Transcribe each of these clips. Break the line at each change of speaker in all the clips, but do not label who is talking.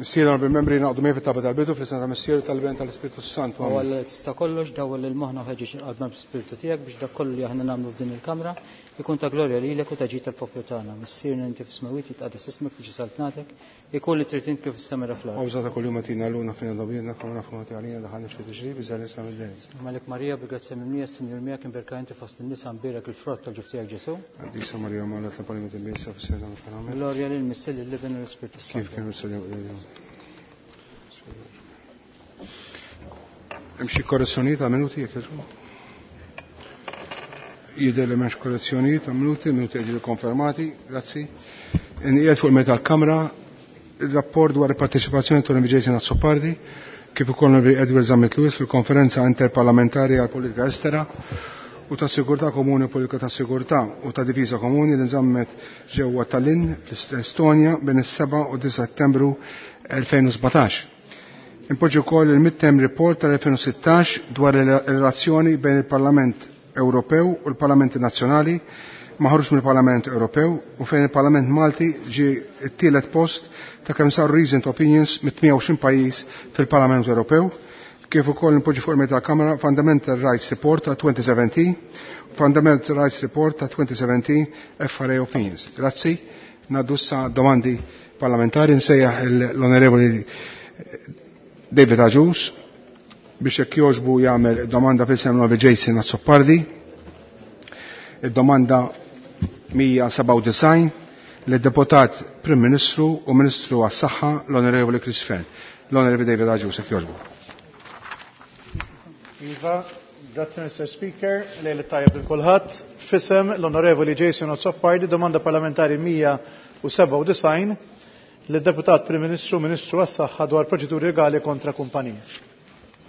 Missier onorevoli membri naqdu miegħi fit-talba tal-bidu fl-isem ta' Missier tal-Ben tal-Ispirtu Santu.
U Alla li tista' kollox dawwal lil moħħna u ħeġġeġ il-qalbna bl-Ispirtu tiegħek biex dak kollu li aħna nagħmlu f'din il-kamra ikun ta' glorja lilek u ta' ġid tal-poplu tagħna. Missierna inti fis-smewwiet jitqaddes ismek tiġi saltnatek, ikun li trid int kif is-sema fl-art.
Għawża ta' kuljum għatina l-luna fina dobjedna kama nafu għati għalina daħan nixfi tiġri biża l mid-dejn.
Malik Marija bil-grazzja mimlija s-Sinjur miegħek imberka inti fost in-nisa mbierek il-frott tal-ġuf tiegħek Ġesu.
Qaddisa Marija Mala tla il-Missa fis-seda
Amen. Glorja lil Missier lill-Iben u l-Ispirtu
Kif
Santu.
kienu s-salja Hemm xi korrezzjonijiet ta' minuti jekk jogħġbu? Jidher li m'hemmx korrezzjonijiet ta' minuti, minuti qegħdin konfermati, grazzi. Inqiegħed fuq il-meta tal-Kamra il-rapport dwar il-parteċipazzjoni tal Jason Azzopardi kif ukoll Onorevoli Edward Zammit Lewis fil-konferenza interparlamentari għal politika estera u ta' sigurtà komuni u politika ta' sigurtà u ta' difiża komuni li nżammet ġewwa Tallinn fl-Estonja bejn is-7 u 9 Settembru 2017. Impoġġi wkoll il-midterm report tal-2016 dwar il-relazzjoni bejn il-Parlament Ewropew u l-Parlamenti Nazzjonali maħruġ mill-Parlament Ewropew u fejn il-Parlament Malti ġie t-tielet post ta' kemm saru recent opinions mit-28 pajjiż fil-Parlament Ewropew kif ukoll nipoġġi fuq il tal-Kamra Fundamental Rights Report ta' 2017 Fundamental Rights Report ta' 2017 FRA Opinions. Grazzi. Ngħaddu issa domandi parlamentari nsejjaħ l-Onorevoli David Agius biex jekk jogħġbu jagħmel domanda fil-sem Jason Azzopardi. Id-domanda 197 lid-deputat Prim Ministru u Ministru għas-Saħħa l-Onorevoli Chris Fearne. L-Onorevoli David Agius jekk jogħġbu.
Iva, grazie Mr. Speaker, lejl tajjeb lil kulħadd. F'isem l-Onorevoli Jason Azzopardi, domanda parlamentari 197 lid-Deputat Prim Ministru Ministru għas-Saħħa dwar proċeduri legali kontra kumpaniji.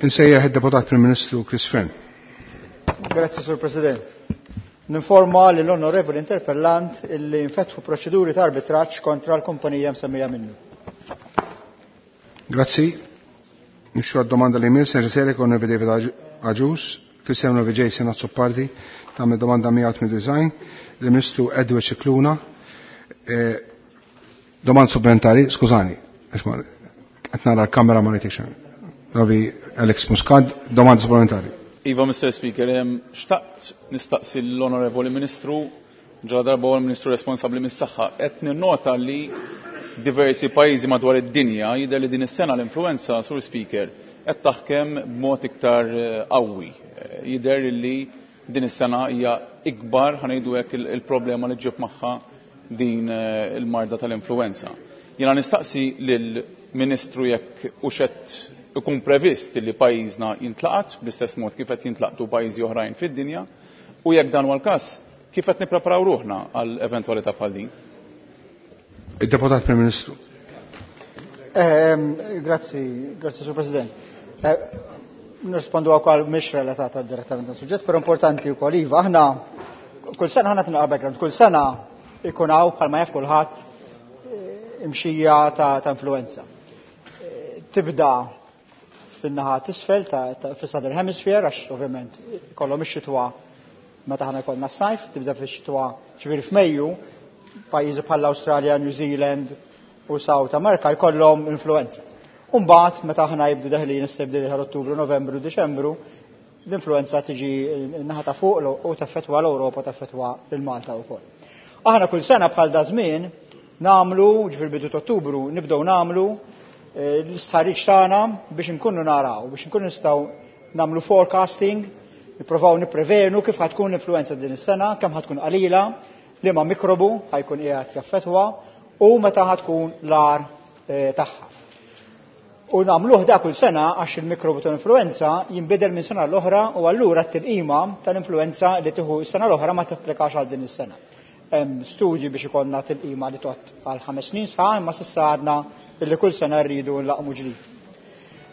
Insejjaħ id-deputat Prim Ministru Chris Fearne.
Grazie, Sur President. Ninforma li l-onorevoli interpellant illi nfetħu proċeduri ta' arbitraġġ kontra l-kumpanija msemmija minnu.
Grazzi. Nixxu għad-domanda li jmiss, nerġa' kon David Agius, f'isem l Jason Azzopardi, tagħmel domanda 198 lill-Ministru Edward Scicluna. Domanda supplementari, skużani, qed nara l-kamera ma rridx. Ravi Alex Muscat, domanda supplementari.
Iva, Mr. Speaker, xtaqt nistaqsi l-Onorevoli Ministru, ġala darba huwa l-Ministru responsabbli mis-saħħa, qed ninnota li diversi pajjiżi madwar id-dinja jidher li din is-sena l-influenza, Sur Speaker, qed taħkem b'mod iktar qawwi. Jidher li din is-sena hija ikbar ħa ngħidu hekk il-problema li ġġib magħha din il-marda tal-influenza. Jiena nistaqsi lill-Ministru jekk hux qed ikun previst li pajjiżna jintlaqat bl-istess mod kif qed jintlaqtu pajjiżi oħrajn fid-dinja u jekk dan huwa l-każ kif qed nippreparaw ruħna għal eventwalità bħal din.
Il-Deputat Prim Ministru.
Grazzi, grazzi Sur President. Nirrispondu għal mhix relatata direttament għas-suġġett, però importanti wkoll iva, aħna kull sena aħna tinqa' background, kull sena ikun hawn bħalma jaf kulħadd imxija ta' influenza. Tibda fin-naħa t'isfel ta' fis-Southern Hemisphere, għax ovvjament kollhom ix-xitwa meta aħna jkollna s-sajf, tibda fix-xitwa ġifieri f'Mejju, pajjiżi bħal Awstralja, New Zealand u South America jkollhom influenza. U mbagħad meta aħna jibdu deħlin is-sebdi tal Ottubru, Novembru, Diċembru, l-influenza tiġi n-naħa ta' fuq u taffettwa l-Ewropa, taffettwa lil Malta wkoll. Aħna kull sena bħal da żmien nagħmlu, ġifier bidu ta' Ottubru, nibdew nagħmlu l-istħarriġ tagħna biex inkunu naraw, biex inkunu nistgħu nagħmlu forecasting, nippruvaw nipprevenu kif ħatkun l-influenza din is-sena, kemm ħatkun qalila, liema mikrobu ħajkun qiegħed jaffettwa u meta ħatkun l-agħar tagħha. U nagħmluh da kull sena għax il-mikrobu tal-influenza jinbidel minn sena l-oħra u allura t-tilqima tal-influenza li tieħu s-sena l-oħra ma tapplikax għal din is-sena. Hemm studji biex ikollna tilqima li tgħod għal 5 snin sħaħ, imma s'issa għadna illi kull sena rridu nlaqmu ġdid.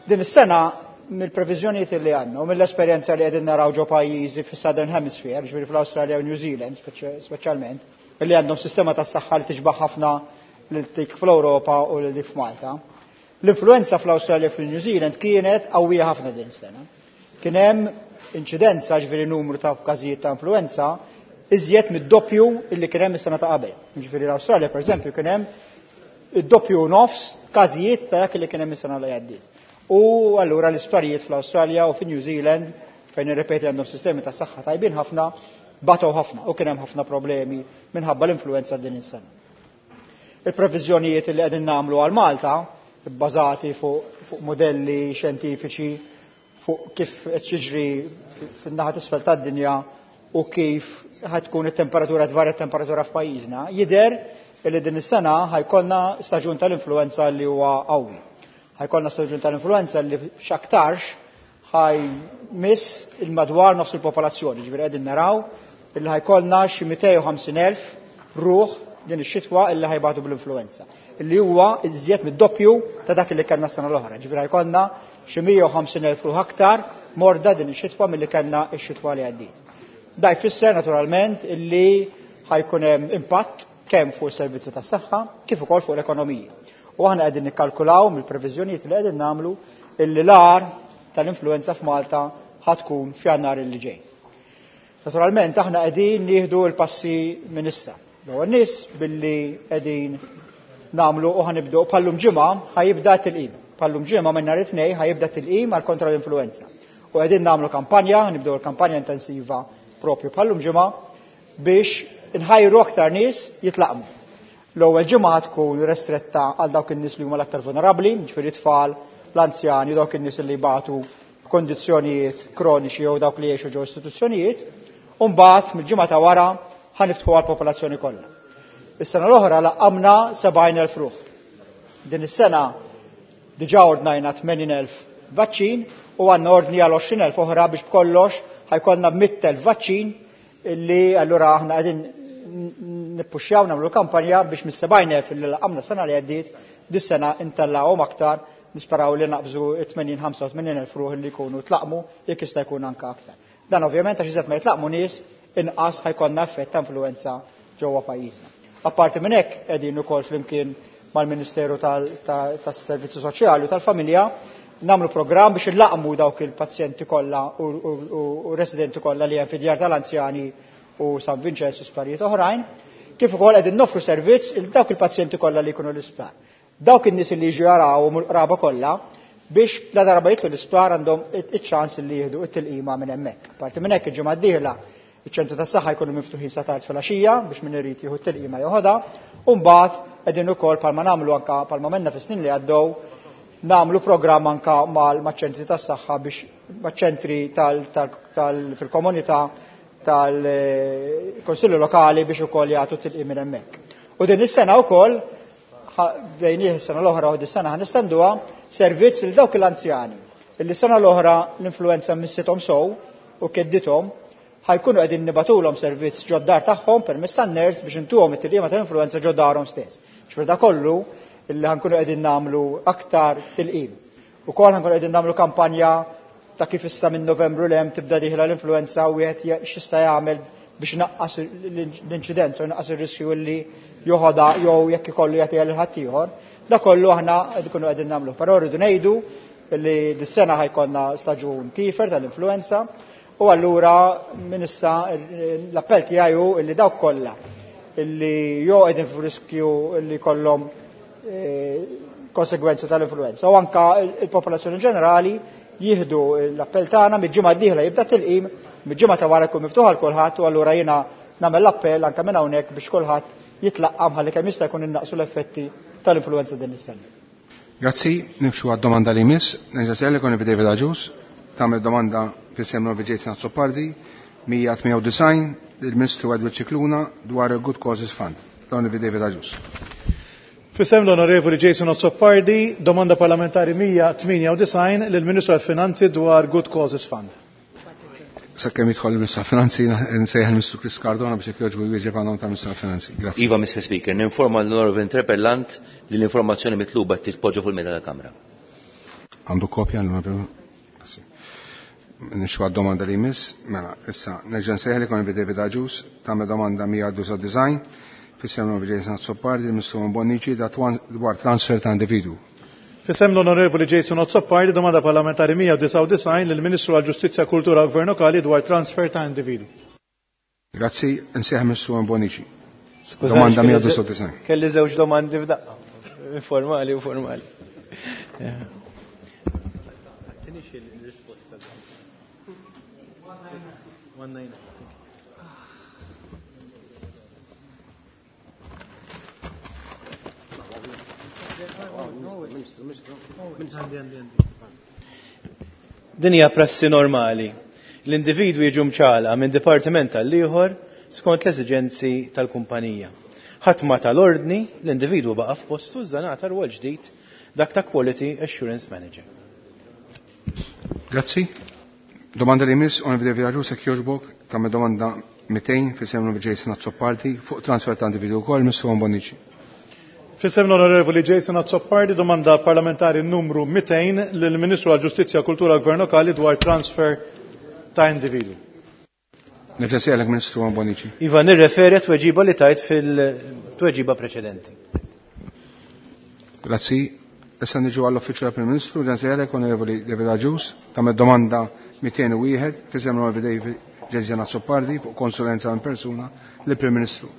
Din is-sena mill-previżjonijiet li għandna u mill-esperjenza li qegħdin naraw ġo pajjiżi fis-Southern Hemisphere, ġifieri fl-Awstralja u New Zealand speċjalment, li għandhom sistema tas-saħħa li tiġbaħ ħafna lil dik fl-Ewropa u lil dik f'Malta. L-influenza fl-Awstralja u fil-New Zealand kienet qawwija ħafna din is-sena. Kien hemm inċidenza, ġifieri numru ta' każijiet ta' influenza, iżjed mid-doppju illi kien hemm is-sena ta' qabel. Ġifieri l-Awstralja, pereżempju, kien hemm id-doppju nofs każijiet ta' dak li kien hemm is-sena li għaddiet. U allura l-isptarijiet fl-Awstralja u fi New Zealand fejn irrepeti għandhom sistemi ta' saħħa tajbin ħafna, batow ħafna u kien hemm ħafna problemi minħabba l-influenza din is-sena. Il-previżjonijiet li qegħdin nagħmlu għal Malta bbażati fuq fu modelli xjentifiċi fuq kif qed jiġri fin-naħa t'isfel tad-dinja u kif ħatkun it-temperatura tvarja t-temperatura f'pajjiżna, jidher li din is-sena ħajkollna staġun tal-influenza li huwa qawwi. Ħajkollna staġun tal-influenza li x'aktarx ħaj miss il-madwar nofs il-popolazzjoni, ġifieri qegħdin naraw illi ħajkollna xi 250,000 ruħ din ix-xitwa illi ħajbatu bl-influenza. Illi huwa iżjed mid-doppju ta' dak li kellna s-sena l-oħra. Ġifieri ħajkollna xi 150,000 ruħ aktar morda din ix-xitwa milli kellna x-xitwa li għaddiet. Da jfisser naturalment illi ħajkun hemm impatt kemm fuq is-servizzi tas-saħħa kif ukoll fuq l-ekonomija. U aħna qegħdin nikkalkulaw mill-previżjonijiet li qegħdin nagħmlu illi l-agħar tal-influenza f'Malta ħatkun f'Jannar illi ġej. Naturalment aħna qegħdin nieħdu l-passi minn issa. L-ewwel nies billi qegħdin nagħmlu u ħanibdew bħallum ġimgħa ħajibda tilqim. Bħallum ġimgħa minn nhar it-tnejn ħajibda tilqim għal kontra l-influenza. U qegħdin nagħmlu kampanja, nibdew l-kampanja intensiva propju bħallum ġimgħa biex inħajru aktar nies jitlaqmu. L-ewwel ġimgħa tkun restretta għal dawk in-nies li huma l-aktar vulnerabbli, ġifieri tfal, l-anzjani, dawk in-nies li jbatu b'kondizzjonijiet kroniċi jew dawk li jgħixu ġew istituzzjonijiet, u mbagħad mill-ġimgħa ta' wara ħaniftħu għall-popolazzjoni kollha. Is-sena l-oħra laqqamna 70,000 ruħ. Din is-sena diġà ordnajna 80,000 vaċċin u għandna ordni għal 20,000 oħra biex b'kollox ħajkollna 100,000 vaċċin illi allura aħna qegħdin nippuxxjaw nagħmlu kampanja biex mis-70,000 illi laqqamna sena li għaddiet dis-sena intellawhom aktar nisperaw li naqbżu 80-85,000 ruħ li jkunu tlaqmu jekk jista' jkun anke aktar. Dan ovvjament għax iżjed ma jitlaqmu nies inqas ħajkollna effett ta' influenza ġewwa pajjiżna. Apparti minn hekk qegħdin ukoll flimkien mal-Ministeru tas-Servizzi Soċjali u tal-Familja nagħmlu programm biex illaqmu dawk il-pazjenti kollha u residenti kollha li hemm fid-djar tal-anzjani u San Vincenz u sptarijiet oħrajn, kif ukoll qegħdin noffru servizz il dawk il-pazjenti kollha li jkunu l-isptar. Dawk in-nies li jiġu jarawhom u l-qraba kollha biex la darba jidħlu l-isptar għandhom iċ-ċans li jieħdu it-tilqima minn hemmhekk. Parti minn hekk il-ġimgħa d-dieħla iċ-ċentru tas-saħħa jkunu miftuħin sa tard filgħaxija biex min irid jieħu t-tilqima joħodha, u mbagħad qegħdin ukoll palma nagħmlu anke palma menna fis-snin li għaddew nagħmlu programm anke maċ-ċentri tas-saħħa biex maċ-ċentri fil-komunità tal-Konsillu Lokali biex ukoll jagħtu tilqim minn hemmhekk. U din is-sena wkoll bejnieh is-sena l-oħra u dis-sena ħanistenduha servizz lil dawk l-anzjani illi sena l-oħra l-influenza missithom sow u keddithom ħajkunu qegħdin nibatulhom servizz ġod-dar tagħhom permezz tan-ners biex intuhom it-tilqima tal-influenza ġod-darhom stess. X'fir da kollu illi ħankunu qegħdin nagħmlu aktar tilqim. Ukoll ħankunu qegħdin nagħmlu kampanja ta' kif issa minn Novembru l hemm tibda dieħla l-influenza u wieħed x'jista' jagħmel biex naqqas l-inċidenza u naqqas ir-riskju li joħodha jew jekk ikollu jagħtiha lil ħaddieħor. Da kollu aħna nkunu qegħdin nagħmlu. Però rridu ngħidu li dis-sena ħajkollna staġun kifer tal-influenza u allura minn issa l-appell tiegħi hu li dawk kollha illi jew qegħdin f'riskju li kollhom konsegwenza tal-influenza u anka il-popolazzjoni ġenerali jieħdu l-appell tagħna mill-ġimgħa d-dieħla jibda tilqim, mill-ġimgħa ta' wara jkun miftuħ għal kulħadd u allura jiena nagħmel l-appell anke minn hawnhekk biex kulħadd jitlaqqam ħalli kemm jista' jkun innaqsu l-effetti tal-influenza din is-sena.
Grazzi, nimxu għad-domanda li jmiss. Nerġa' sejjer lek David Agius, tagħmel domanda fis-sem Jason Azzopardi, 198 lill-Ministru Edward Scicluna dwar il-Good Causes Fund. L-Onorevoli David Agius.
Fisem l-Onorevoli Jason Azzopardi, domanda parlamentari 198 lill-Ministru għal-Finanzi dwar Good Causes Fund.
Sakemm jidħol il-Ministru għal-Finanzi, nsejjaħ il-Ministru Chris Cardona biex jekk jogħġbu jwieġeb għan-nom tal-Ministru għal-Finanzi. Grazzi.
Iva, Mr. Speaker, ninforma l-Onorevoli Interpellant li l-informazzjoni mitluba titpoġġa fuq il-mejda tal-Kamra.
Għandu kopja l-Onorevoli? Grazzi. Nimxu għad-domanda li jmiss. Mela, issa, nerġa' nsejjaħ lil David Agius, tagħmel domanda 199 f'isem l-Onorevoli Jason Azzopardi, il-Ministru Bonnici dwar transfer ta' individu.
Fisem l-Onorevoli Jason Azzopardi, domanda parlamentari 199 lill-Ministru għal-Ġustizzja, Kultura u Gvern Lokali dwar transfer ta' individu.
Grazzi, nsejjaħ Ministru Bonnici. Domanda 199.
Kelli żewġ domandi f'daqqa. Informali u formali. Din hija prassi normali. L-individwi jiġu mċala minn dipartiment għal ieħor skont l-esiġenzi tal-kumpanija. Ħadd ma tal-ordni, l-individwu baqa' f'postu iżda ngħata rwol ġdid dak ta' Quality Assurance Manager.
Grazzi. Domanda li miss, onorevoli David Agius, jekk jogħġbok, tagħmel domanda 200 f'isem l-Onorevoli Jason Azzopardi fuq transfer ta' individwu wkoll, Mr. Juan Bonnici.
F'isem l-Onorevoli Jason Azzopardi, domanda parlamentari numru 200 lill-Ministru għall-Ġustizzja, Kultura u Gvern Lokali dwar transfer ta' individwu.
Nerġa' nsejħlek Ministru Juan Bonnici.
Iva, nirreferi għat-tweġiba li tajt fil-tweġiba preċedenti.
Grazzi. Issa niġu għall-Uffiċċju tal-Prim Ministru, nerġa' nsejħlek Onorevoli David Agius, tagħmel domanda 201 f'isem l-Onorevoli David Jason Azzopardi fuq konsulenza minn persuna lill-Prim Ministru.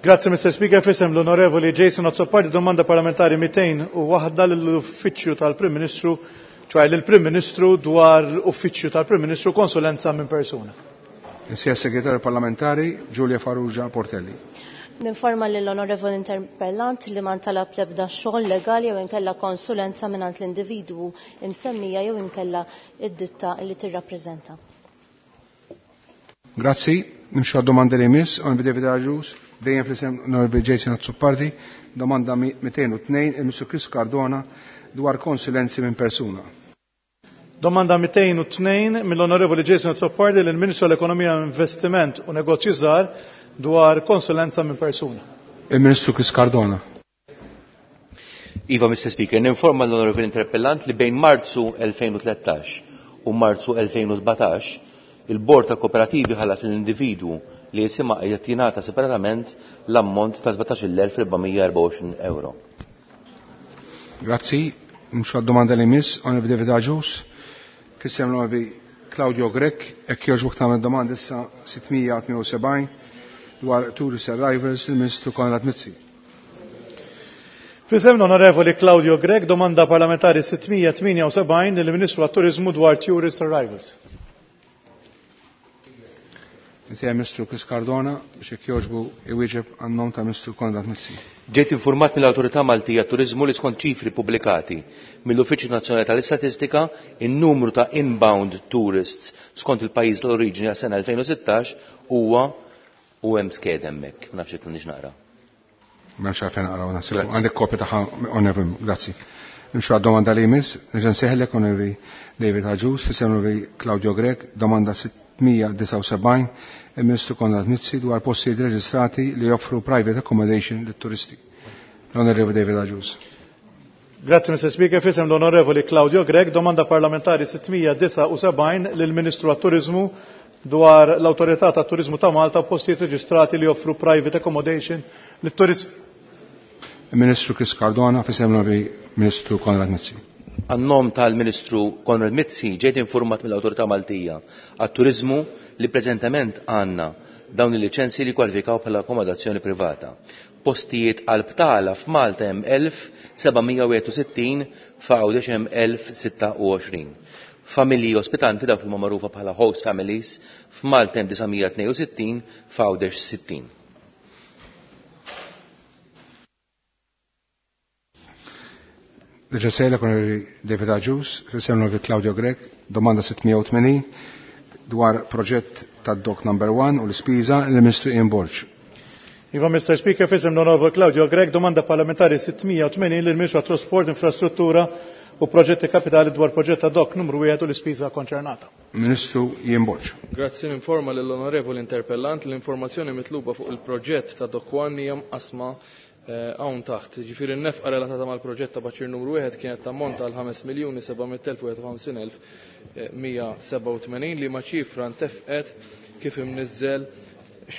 Grazzi Mr. Speaker, f'isem l-Onorevoli Jason Azzopardi, domanda parlamentari 201 lill-Uffiċċju tal-Prim Ministru, ċoħe lill-Prim Ministru dwar l-Uffiċċju tal-Prim Ministru konsulenza minn persuna.
Insija Segretarju Parlamentari Giulia Farrugia Portelli.
Ninforma lill-Onorevoli Interpellant li ma ntalab l-ebda xogħol legali jew inkella konsulenza mingħand l-individwu imsemmija jew inkella id-ditta li tirrappreżenta.
Grazzi. Nimxu għad-domanda li jmiss, Onorevoli David Agius, dejjem fl-isem Onorevoli Jason Azzopardi, domanda 202 il-Ministru Chris Cardona dwar konsulenzi minn persuna.
Domanda 202 mill-Onorevoli Jason Azzopardi lill-Ministru għall-Ekonomija, Investiment u Negozji Żgħar dwar konsulenza minn persuna.
Il-Ministru Chris Cardona.
Iva, Mr. Speaker, ninforma l-Onorevoli Interpellant li bejn Marzu 2013 u Marzu 2017 il-Bord ta' Kooperativi ħallas l-individwu li jisimha qiegħed jingħata separatament l-ammont ta' 17,424 euro.
Grazzi. Nimxu għad-domanda li jmiss, Onorevoli David Agius, f'isem l-Onorevoli Claudio Grech, jekk jogħġbok tagħmel domanda issa 678 dwar tourist arrivals il-Ministru Konrad Mizzi.
F'isem l-Onorevoli Claudio Grech, domanda parlamentari 678 lill-Ministru għat-Turizmu dwar tourist arrivals.
Insejja Ministru Chris Cardona biex jekk jogħġbu iwieġeb għan-nom ta' Ministru Konrad Mizzi.
Ġejt informat mill-Awtorità Maltija Turiżmu li skont ċifri pubblikati mill-Uffiċċju Nazzjonali tal-Istatistika in-numru ta' inbound tourists skont il-pajjiż l-oriġini għas-sena 2016 huwa u hemm sked hemmhekk. Ma nafx jekk nix naqra.
M'hemmx għalfejn naqraw naħseb.
Grazzi.
Għandek kopja tagħha Onorevoli, grazzi. Nimxu għad-domanda li jmiss, nerġa' nsejħlek Onorevoli David Agius, f'isem Onorevoli Claudio Grech, domanda 679 il-Ministru Konrad Mizzi dwar postijiet reġistrati li joffru private accommodation lit-turisti. L-Onorevoli David Agius.
Grazie Mr. Speaker, f'isem l-Onorevoli Claudio Grech, domanda parlamentari 679 lill-Ministru għat-Turizmu dwar l-Awtorità tat-Turizmu ta' Malta postijiet reġistrati li joffru private accommodation lit-turisti.
Il-Ministru Chris Cardona f'isem l-Onorevoli Ministru Konrad Mizzi.
Għan-nom tal-Ministru Konrad Mizzi ġejt informat mill-Awtorità Maltija għat-Turizmu li preżentament għandna dawn il-liċenzji li kwalifikaw bħala akkomodazzjoni privata. Postijiet għal btala f'Malta hemm 1761, f'Għawdex hemm 1026. Familji ospitanti dawk li huma magħrufa bħala host families f'Malta hemm 962, f'Għawdex 60.
Nerġa' nsejħlek Onorevoli David Agius, f'isem l-Onorevoli Claudio Grech, domanda 680 dwar proġett tad-Dock Number 1 u l-ispiża lill-Ministru Ian Borg.
Iva, Mr. Speaker, f'isem l-Onorevoli Claudio Grech, domanda parlamentari 680 lill-Ministru għat-Trasport, Infrastruttura u Proġetti Kapitali dwar proġett ta' Dock numru 1 u l-ispiża konċernata.
Ministru Ian Borg.
Grazzi, ninforma lill-Onorevoli Interpellant l-informazzjoni mitluba fuq il-proġett ta' Dock 1 hija mqasma hawn taħt. Ġifieri n-nefqa relatata mal-proġett ta' baċir numru 1 kienet tammonta għal ħames miljuni seba' mitt elf u wieħed u ħamsin elf, mija seba' u tmenin li ma ċifra ntefqet kif imniżżel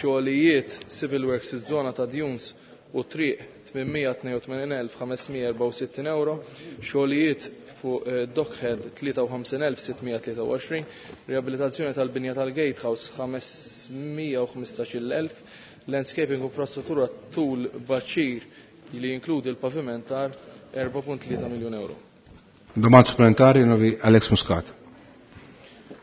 xogħlijiet civil works iż-żona ta' Dunes u triq 882,564 euro, xogħlijiet fuq Dockhead 53,623, riabilitazzjoni tal-binja tal-Gatehouse 515,000, landscaping u infrastruttura tul baċir li jinkludi l-pavimentar 4.3 miljun euro.
Domanda supplementari novi Alex Muscat.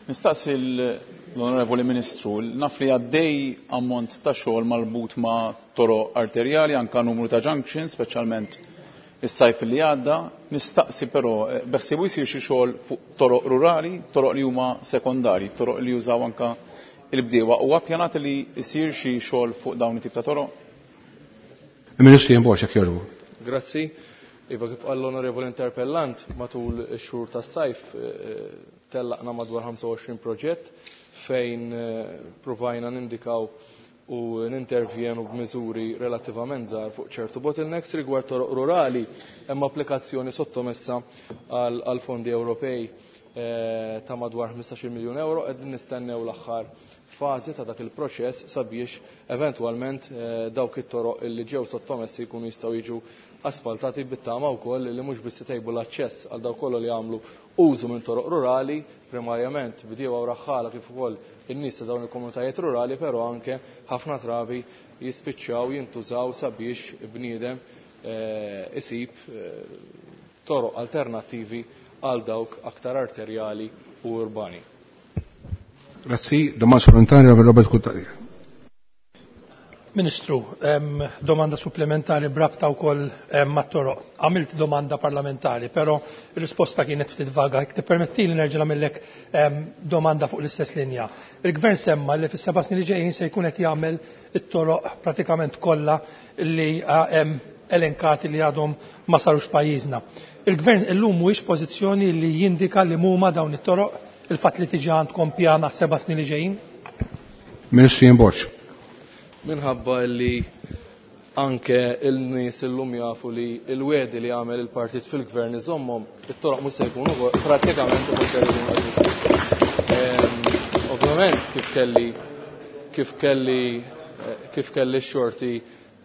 Nistaqsi l-Onorevoli Ministru, naf li għaddej ammont ta' xogħol marbut ma' toroq arterjali, anka numru ta' junctions, speċjalment is-sajf li għadda. Nistaqsi però beħsiebu jsir xi xogħol fuq toroq rurali, toroq li huma sekondarji, toroq li jużaw anka il-bdiewa. Huwa ppjanat li jsir xi xogħol fuq dawn it-tip ta' toroq?
Il-Ministru Ian Borg, jekk jogħġbu.
Grazzi. Iva, kif qal l-Onorevoli Interpellant, matul ix-xhur tas-sajf tellaqna madwar 25 proġett fejn provajna nindikaw u nintervjenu b'miżuri relattivament żgħar fuq ċertu bottlenecks. Rigward toroq rurali, hemm applikazzjoni sottomessa għal fondi Ewropej ta' madwar 15 miljun euro, qegħdin nistennew l-aħħar fażi ta' dak il-proċess sabiex eventwalment dawk it-toroq li ġew sottomessi jkunu jistgħu jiġu asfaltati, bit-tama wkoll li mhux biss itejbu l-aċċess għal dawk kollha li jagħmlu użu minn toroq rurali, primarjament bdiewa u raħħala kif ukoll in-nies ta' dawn il-komunitajiet rurali, però anke ħafna trabi jispiċċaw jintużaw sabiex bniedem isib toroq alternattivi għal dawk aktar arterjali u urbani.
Grazzi, domanda supplementari għal Robert Cutajar.
Ministru, domanda supplementari brabta wkoll mat-toroq. Għamilt domanda parlamentari, però ir-risposta kienet ftit vaga. Jekk tippermettili nerġa' nagħmellek domanda fuq l-istess linja. Il-Gvern semma li fis-7 snin li ġejjin se jkun qed jagħmel it-toroq pratikament kollha li hemm elenkati li għadhom ma sarux pajjiżna. Il-Gvern illum mhuwiex pożizzjoni li jindika li huma dawn it-toroq, il-fatt li tiġi għandkom pjan għas-7 snin li ġejjin?
Ministru Ian Borg.
Minħabba li anke il-nies illum jafu li l-wedi li għamel il-partit fil-gvern iżommhom, it-toroq mhux se jkunu prattikament mhux se jkunu qed isiru. Ovvjament kif kelli x-xorti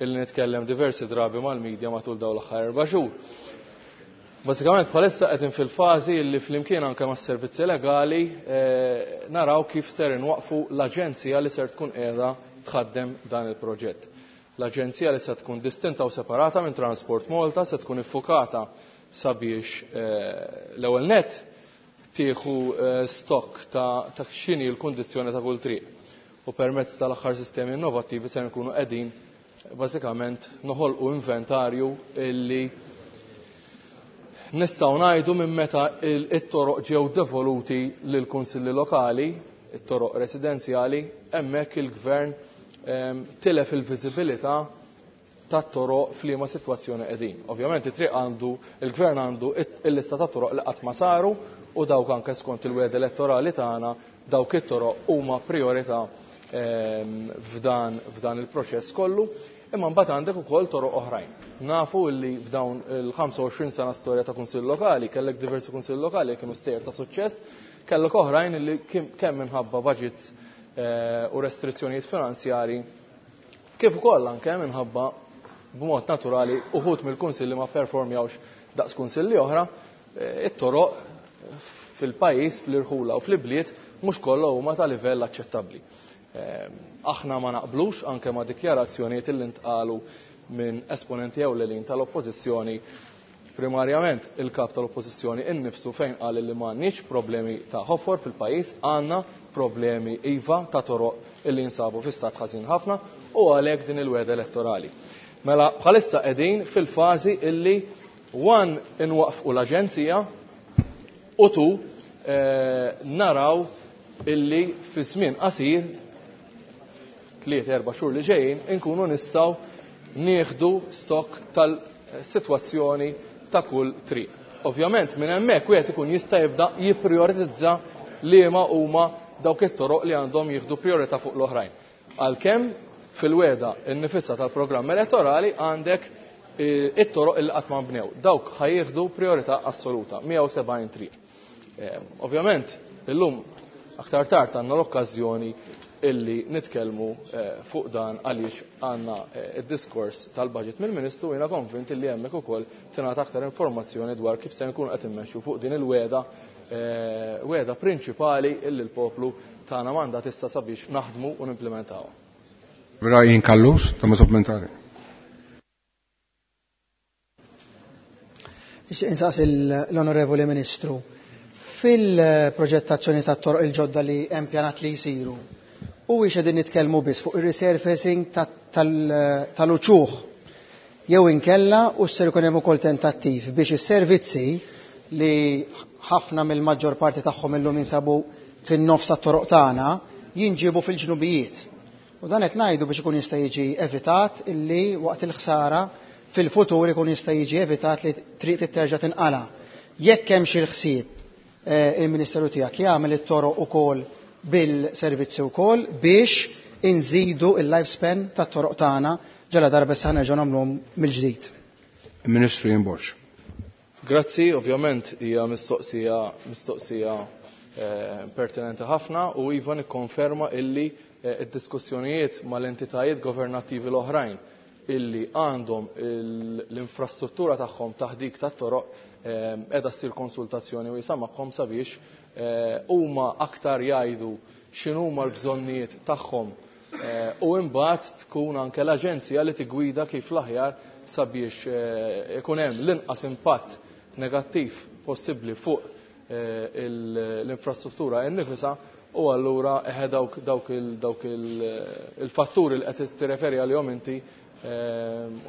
illi nitkellem diversi drabi mal-medja matul dawn l-aħħar 4 xhur. Bażikament bħalissa qegħdin fil-fażi li flimkien anke mas-servizzi legali naraw kif ser inwaqfu l-aġenzija li ser tkun qiegħda tħaddem dan il-proġett. L-aġenzija li se tkun distinta u separata minn Transport Malta se tkun iffukata sabiex l-ewwel net tieħu stock ta' x'inhi l-kundizzjoni ta' kull triq. U permezz tal-aħħar sistemi innovattivi se nkunu qegħdin bażikament noħolqu inventarju illi nistgħu ngħidu minn meta it-toroq ġew devoluti lill-kunsilli lokali, it-toroq residenzjali, hemmhekk il-gvern tilef il-viżibilità tat-toroq f'liema sitwazzjoni qegħdin. Ovvjament it-triq għandu, il-gvern għandu il-lista ta' toroq li qatt ma saru u dawk anke skont il-wegħda elettorali tagħna dawk it-toroq huma priorità f'dan il-proċess kollu. Imma mbagħad għandek ukoll toroq oħrajn. Nafu li f'dawn il-25 sena storja ta' kunsill lokali, kellek diversi kunsill lokali kienu stejjer ta' suċċess, kellek oħrajn li kemm minħabba budgets u restrizzjonijiet finanzjari, kif ukoll anke minħabba b'mod naturali uħud mill-kunsilli ma performjawx daqs kunsilli oħra, it-toroq fil-pajjiż, fl-irħula u fl-ibliet mhux kollha huma ta' livell aċċettabbli. Aħna ma naqblux anke ma' dikjarazzjonijiet li ntqalu minn esponenti ewlenin tal-oppożizzjoni, primarjament il-kap tal-oppożizzjoni innifsu fejn qal li m'għandniex problemi ta' ħofor fil-pajjiż, għandna problemi iva ta' toroq illi jinsabu fi stat ħażin ħafna u għalhekk din il-wegħda elettorali. Mela bħalissa qegħdin fil-fażi illi one inwaqfqu l-aġenzija u two naraw illi fi żmien qasir 3-4 xhur li ġejjin inkunu nistgħu nieħdu stock tal-sitwazzjoni ta' kull triq. Ovvjament minn hemmhekk wieħed ikun jista' jibda jipprioritizza liema huma dawk it-toroq li għandhom jieħdu priorità fuq l-oħrajn. Għalkemm fil-wegħda nnifisha tal-programm elettorali għandek it-toroq illi qatt ma nbnew. Dawk ħajjieħdu priorità assoluta, 170 triq. Ovvjament, illum aktar tard għandna l-okkażjoni illi nitkellmu fuq dan għaliex għandna id-diskors tal-budget mill-Ministru, jiena konvint illi hemmhekk ukoll tingħata aktar informazzjoni dwar kif se nkunu qed immexxu fuq din il-wegħda wegħda prinċipali illi l-poplu tagħna mandat issa sabiex naħdmu u nimplementawha.
Ryan Callus, tema supplementari.
Nixtieq insaqsi l-Onorevoli Ministru. Fil-proġettazzjoni tat-toroq il-ġodda li hemm pjanat li jsiru, huwiex qegħdin nitkellmu biss fuq ir-resurfacing tal-uċuħ jew inkella u ser ikun hemm ukoll tentattiv biex is-servizzi li ħafna mill-maġġor parti tagħhom illum jinsabu fin-nofs tat-toroq tagħna jinġiebu fil-ġnubijiet. U dan qed ngħidu biex ikun jista' jiġi evitat illi waqt il-ħsara fil-futur ikun jista' jiġi evitat li triq titterġa' tinqala. Jekk hemm xi ħsieb il-Ministeru tiegħek jagħmel it-toroq ukoll bil-servizzi wkoll biex inżidu il-lifespan tat-toroq tagħna ġala darba issa nerġgħu nagħmluhom mill-ġdid.
Ministru Ian Borg.
Grazzi, ovvjament hija mistoqsija pertinenti ħafna u iva nikkonferma illi id-diskussjonijiet mal-entitajiet governattivi l-oħrajn illi għandhom l-infrastruttura tagħhom taħt dik tat-toroq qiegħda ssir konsultazzjoni wiesgħa magħhom sabiex huma aktar jgħidu x'inhuma l-bżonnijiet tagħhom u imbagħad tkun anke l-aġenzija li tigwida kif l-aħjar sabiex ikun hemm l-inqas impatt negattiv possibbli fuq l-infrastruttura innifisha u allura eħe dawk il-fatturi li qed tirreferi għalihom inti,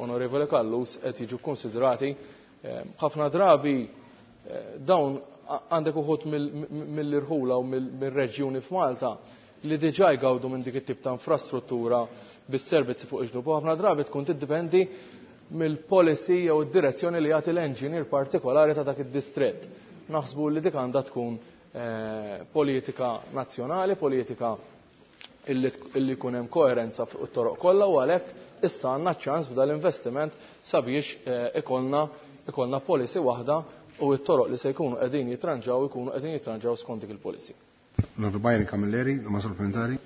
Onorevole Callus, qed jiġu konsidrati. Ħafna drabi dawn għandek uħud mill-irħula u mill-reġjuni f'Malta li diġà jgawdu minn dik it-tip ta' infrastruttura bis-servizzi fuq iġnub. U ħafna drabi tkun tiddependi mill-policy jew id-direzzjoni li jagħti l-engineer partikolari ta' dak id-distrett. Naħsbu li dik għandha tkun politika nazzjonali, politika illi jkun hemm koerenza fuq it-toroq kollha u għalhekk issa għandna ċans b'dal-investiment sabiex ikollna policy waħda u t-toroq li se jkunu qegħdin jitranġaw ikunu qegħdin jitranġaw skont dik il-policy.
Onorevole Byron Camilleri, domanda supplementari.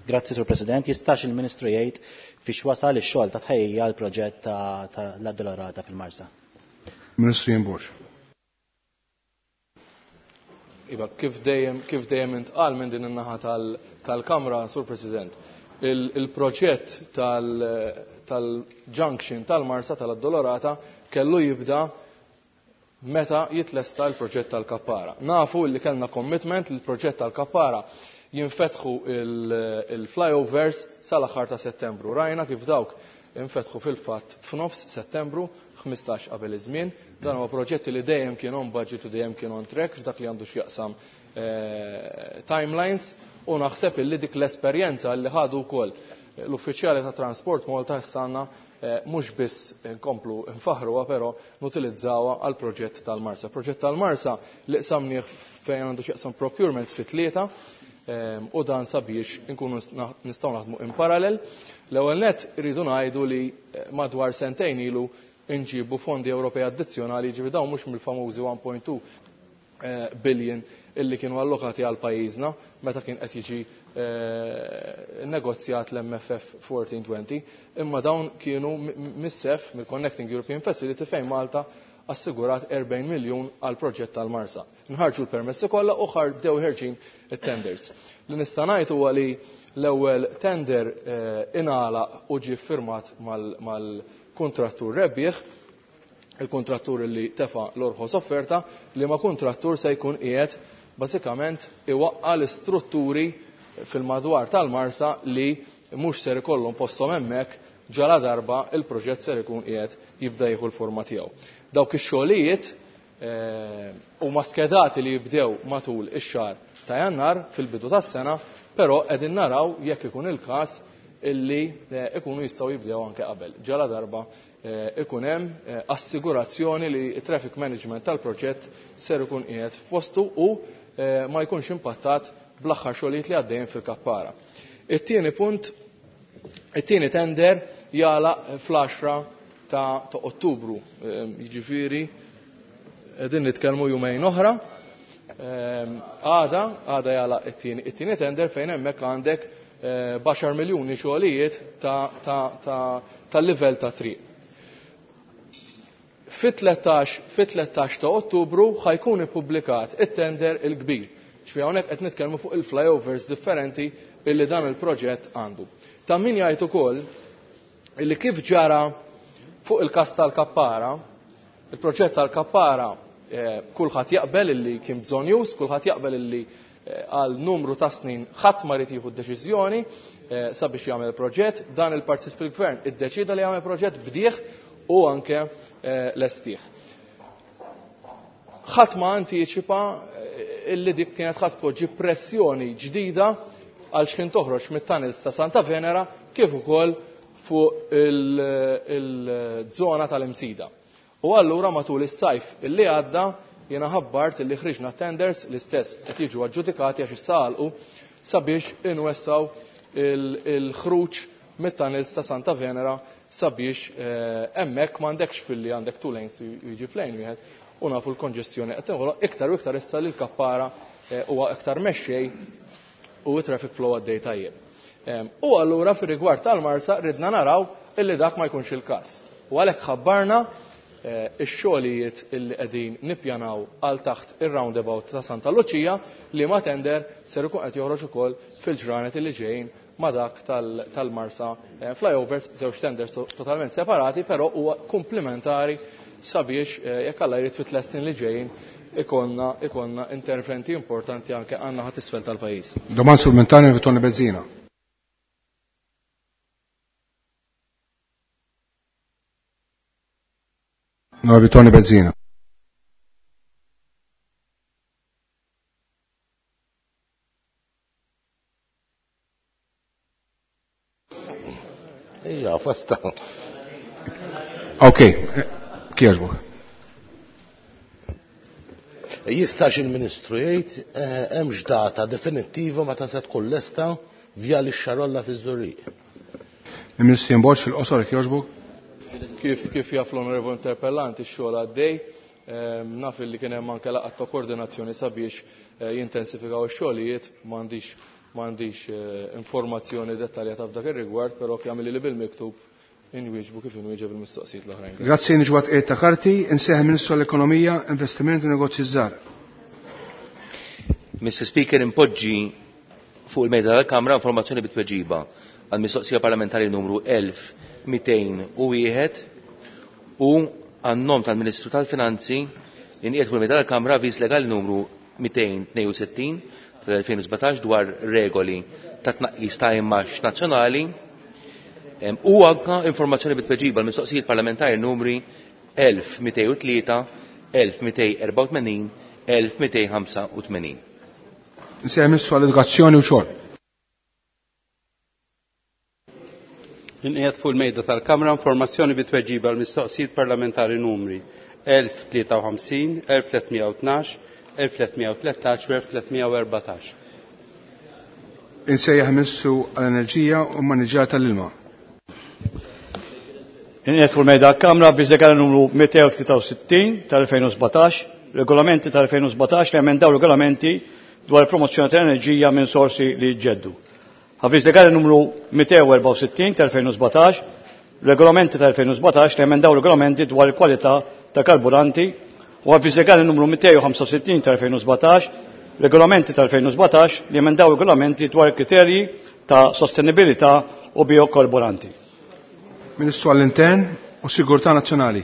Grazzi, Sur President. Jistax il-Ministru jgħid fiex wasal ix-xogħol ta' tħejjija għal proġett ta' l-Addolorata fil-Marsa?
Ministru Ian Borg.
Iva, kif dejjem intqal minn din in-naħa tal-Kamra, Sur President, il-proġett tal-junction tal-Marsa tal-Addolorata kellu jibda meta jitlesta l-proġett tal-Kappara. Nafu li kellna commitment li l-proġett tal-Kappara jinfetħu il-flyovers sal-aħħar ta' Settembru. Rajna kif dawk infetħu fil-fatt f'nofs Settembru, 15 qabel iż-żmien. Dan huwa proġetti li dejjem kien on budget u dejjem kien on track f'dak li għandu x'jaqsam timelines u naħseb illi dik l-esperjenza li ħadu wkoll l-uffiċjali ta' Transport Malta issa għandna mhux biss nkomplu nfaħruha però nutilizzawha għal proġett tal-Marsa. Proġett tal-Marsa li qsamnieh fejn għandu x'jaqsam procurements fi tlieta u dan sabiex nkunu nistgħu naħdmu in parallel. L-ewwel nett irridu ngħidu li madwar sentejn ilu nġibu fondi Ewropej addizzjonali, ġifieri dawn mhux mill-famużi 1.2 billion illi kienu allokati għal pajjiżna meta kien qed jiġi negozjat l-MFF 1420, imma dawn kienu mis-SEF, mill-Connecting European Facility, fejn Malta assigurat 40 miljun għal proġett tal-Marsa. Nħarġu l-permessi kollha u bdew ħerġin it-tenders. Li nista' ngħid huwa li l-ewwel tender ingħalaq u ġie ffirmat mal-kuntrattur rebbieħ, il-kontrattur li tefa l-orħos offerta, li ma kontrattur se jkun qiegħed bażikament iwaqqa l-istrutturi fil-madwar tal-Marsa li mhux ser ikollhom posthom hemmhekk ġala darba il-proġett ser ikun qiegħed jibda jieħu l-forma tiegħu. Dawk ix-xogħlijiet huma skedati li jibdew matul ix-xahar ta' Jannar fil-bidu tas-sena, però qegħdin naraw jekk ikun il-każ illi ikunu jistgħu jibdew anke qabel. Ġala darba ikun hemm assigurazzjoni li traffic management tal-proġett ser ikun qiegħed f'postu u ma jkunx impattat bl-aħħar xogħlijiet li għaddejjin fil-Kappara. It-tieni punt, it-tieni tender jagħlaq fl-10 ta' Ottubru, jiġifieri qegħdin nitkellmu jumejn oħra. Għada jagħlaq it-tieni tender fejn hemmhekk għandek baxar miljuni xogħlijiet tal-livell ta' triq. Fit-13 ta' Ottubru ħajkun ippubblikat it-tender il-kbir. Ġifieri hawnhekk qed nitkellmu fuq il-flyovers differenti illi dan il-proġett għandu. Ta' min jgħid ukoll illi kif ġara fuq il-każ tal-Kappara, il-proġett tal-Kappara kulħadd jaqbel illi kien bżonjuż, kulħadd jaqbel illi għal numru ta' snin ħadd ma jrid jieħu deċiżjoni sabiex jagħmel proġett, dan il-partit fil-gvern iddeċida li jagħmel proġett bdieħ u anke lestih. Ħadd ma antiċipa illi dik kienet ħadd tpoġġi pressjoni ġdida għal x'kien toħroġ mit-tunnels ta' Santa Venera kif ukoll fuq il-żona tal-Imsida. U allura matul is-sajf illi għadda jiena ħabbart illi ħriġna tenders l-istess qed jiġu aġġudikati għax issa għalqu sabiex inwessaw il-ħruġ mit-tunnels ta' Santa Venera sabiex hemmhekk m'għandekx filli għandek two lanes jiġi f'lane wieħed u nafu l-konġestjoni qed tinħoloq iktar u iktar issa li l-Kappara huwa iktar mexxej u traffic flow għaddej tajjeb. U allura fir-rigward tal-Marsa ridna naraw illi dak ma jkunx il-każ. U għalhekk ħabbarna ix-xogħlijiet illi qegħdin nippjanaw għal taħt ir-roundabout ta' Santa Luċija li ma tender ser ikun qed joħroġ ukoll fil-ġranet illi ġejjin ma dak tal-Marsa flyovers, żewġ tenders totalment separati, però huwa komplementari sabiex jekk Alla jrid fit-tliet snin li ġejjin ikonna interventi importanti anke għandna ħadd isfel tal-pajjiż.
Domanda supplementari Tony Bezzina. Onorevoli Tony Bezzina.
Ija, fasta.
Ok, kieġbuk.
Jistax il-Ministru jgħid hemmx data definittiva meta se tkun lesta Vjali x-Xarolla fiż-Żurrieq.
Il-Ministru Ian Borg fil-qosor kieġbuk.
Kif jaf l-onorevoli interpellant ix-xogħol għaddej, naf li kien hemm anke laqgħat ta' koordinazzjoni sabiex jintensifikaw ix-xogħlijiet, m'għandix informazzjoni dettaljata f'dak ir-rigward, però jagħmel li bil-miktub inwieġbu kif inwieġeb il-mistoqsijiet l-oħrajn.
Grazzi, niġwat qiegħed ta' karti, inseħ Ministru għall-Ekonomija, Investiment u Negozji Żgħar.
Mr. Speaker, impoġġi fuq il-mejda tal-Kamra informazzjoni bit-tweġiba għal mistoqsija parlamentari numru 1201 u għan-nom tal-Ministru tal-Finanzi inqiegħed fuq il-mejda tal-Kamra avviż legali numru 262 tal-2017 dwar regoli ta' tnaqqis ta' immax nazzjonali u anka informazzjoni bit-tweġiba għal mistoqsijiet parlamentari numri 1203, 1284, 1285.
Nsejjaħ Ministru għall-Edukazzjoni u Xogħol.
Inqiegħed fuq il-mejda tal-Kamra informazzjoni bit-tweġiba għal mistoqsijiet parlamentari numri 1053, 1312, 1313 u 1314.
Insejjaħ Ministru għall-Enerġija u Maniġġar tal-Ilma.
Inqiegħed fuq il-mejda tal-Kamra avviż legali numru 263 tal-2017, regolamenti tal-2017 li emendaw regolamenti dwar il-promozzjoni tal-enerġija minn sorsi li jġeddu. Avviż legali numru 264 tal-2017, regolamenti tal-2017 li emendaw regolamenti dwar il-kwalità ta' karburanti u avviż legali numru 265 tal-2017, regolamenti tal-2017 li emendaw regolamenti dwar kriterji ta' sostenibilità u biokarburanti.
Ministru għall-Intern u Sigurtà Nazzjonali.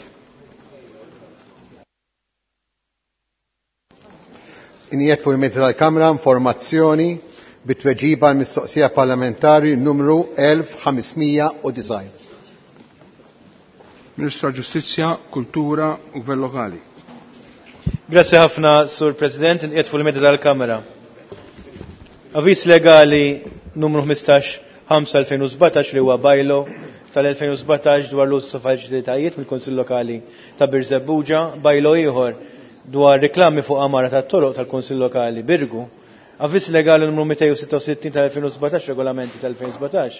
Inqiegħed fuq il-mejda tal-Kamra informazzjoni bit-tweġiba għal mistoqsija parlamentari numru 1509.
Ministru għall-Ġustizzja, Kultura u Gvern Lokali.
Grazie ħafna, Sur President, inqiegħed fuq il-mejda tal-Kamra. Avviż legali numru 15/5/2017 li huwa bylaw tal-2017 dwar l-użu ta' faċilitajiet mill-Kunsill Lokali ta' Birżebbuġa, bylaw ieħor dwar reklami fuq amara tat-toroq tal-Kunsill Lokali Birgu, avviż legali numru 266 tal-2017 regolamenti tal-2017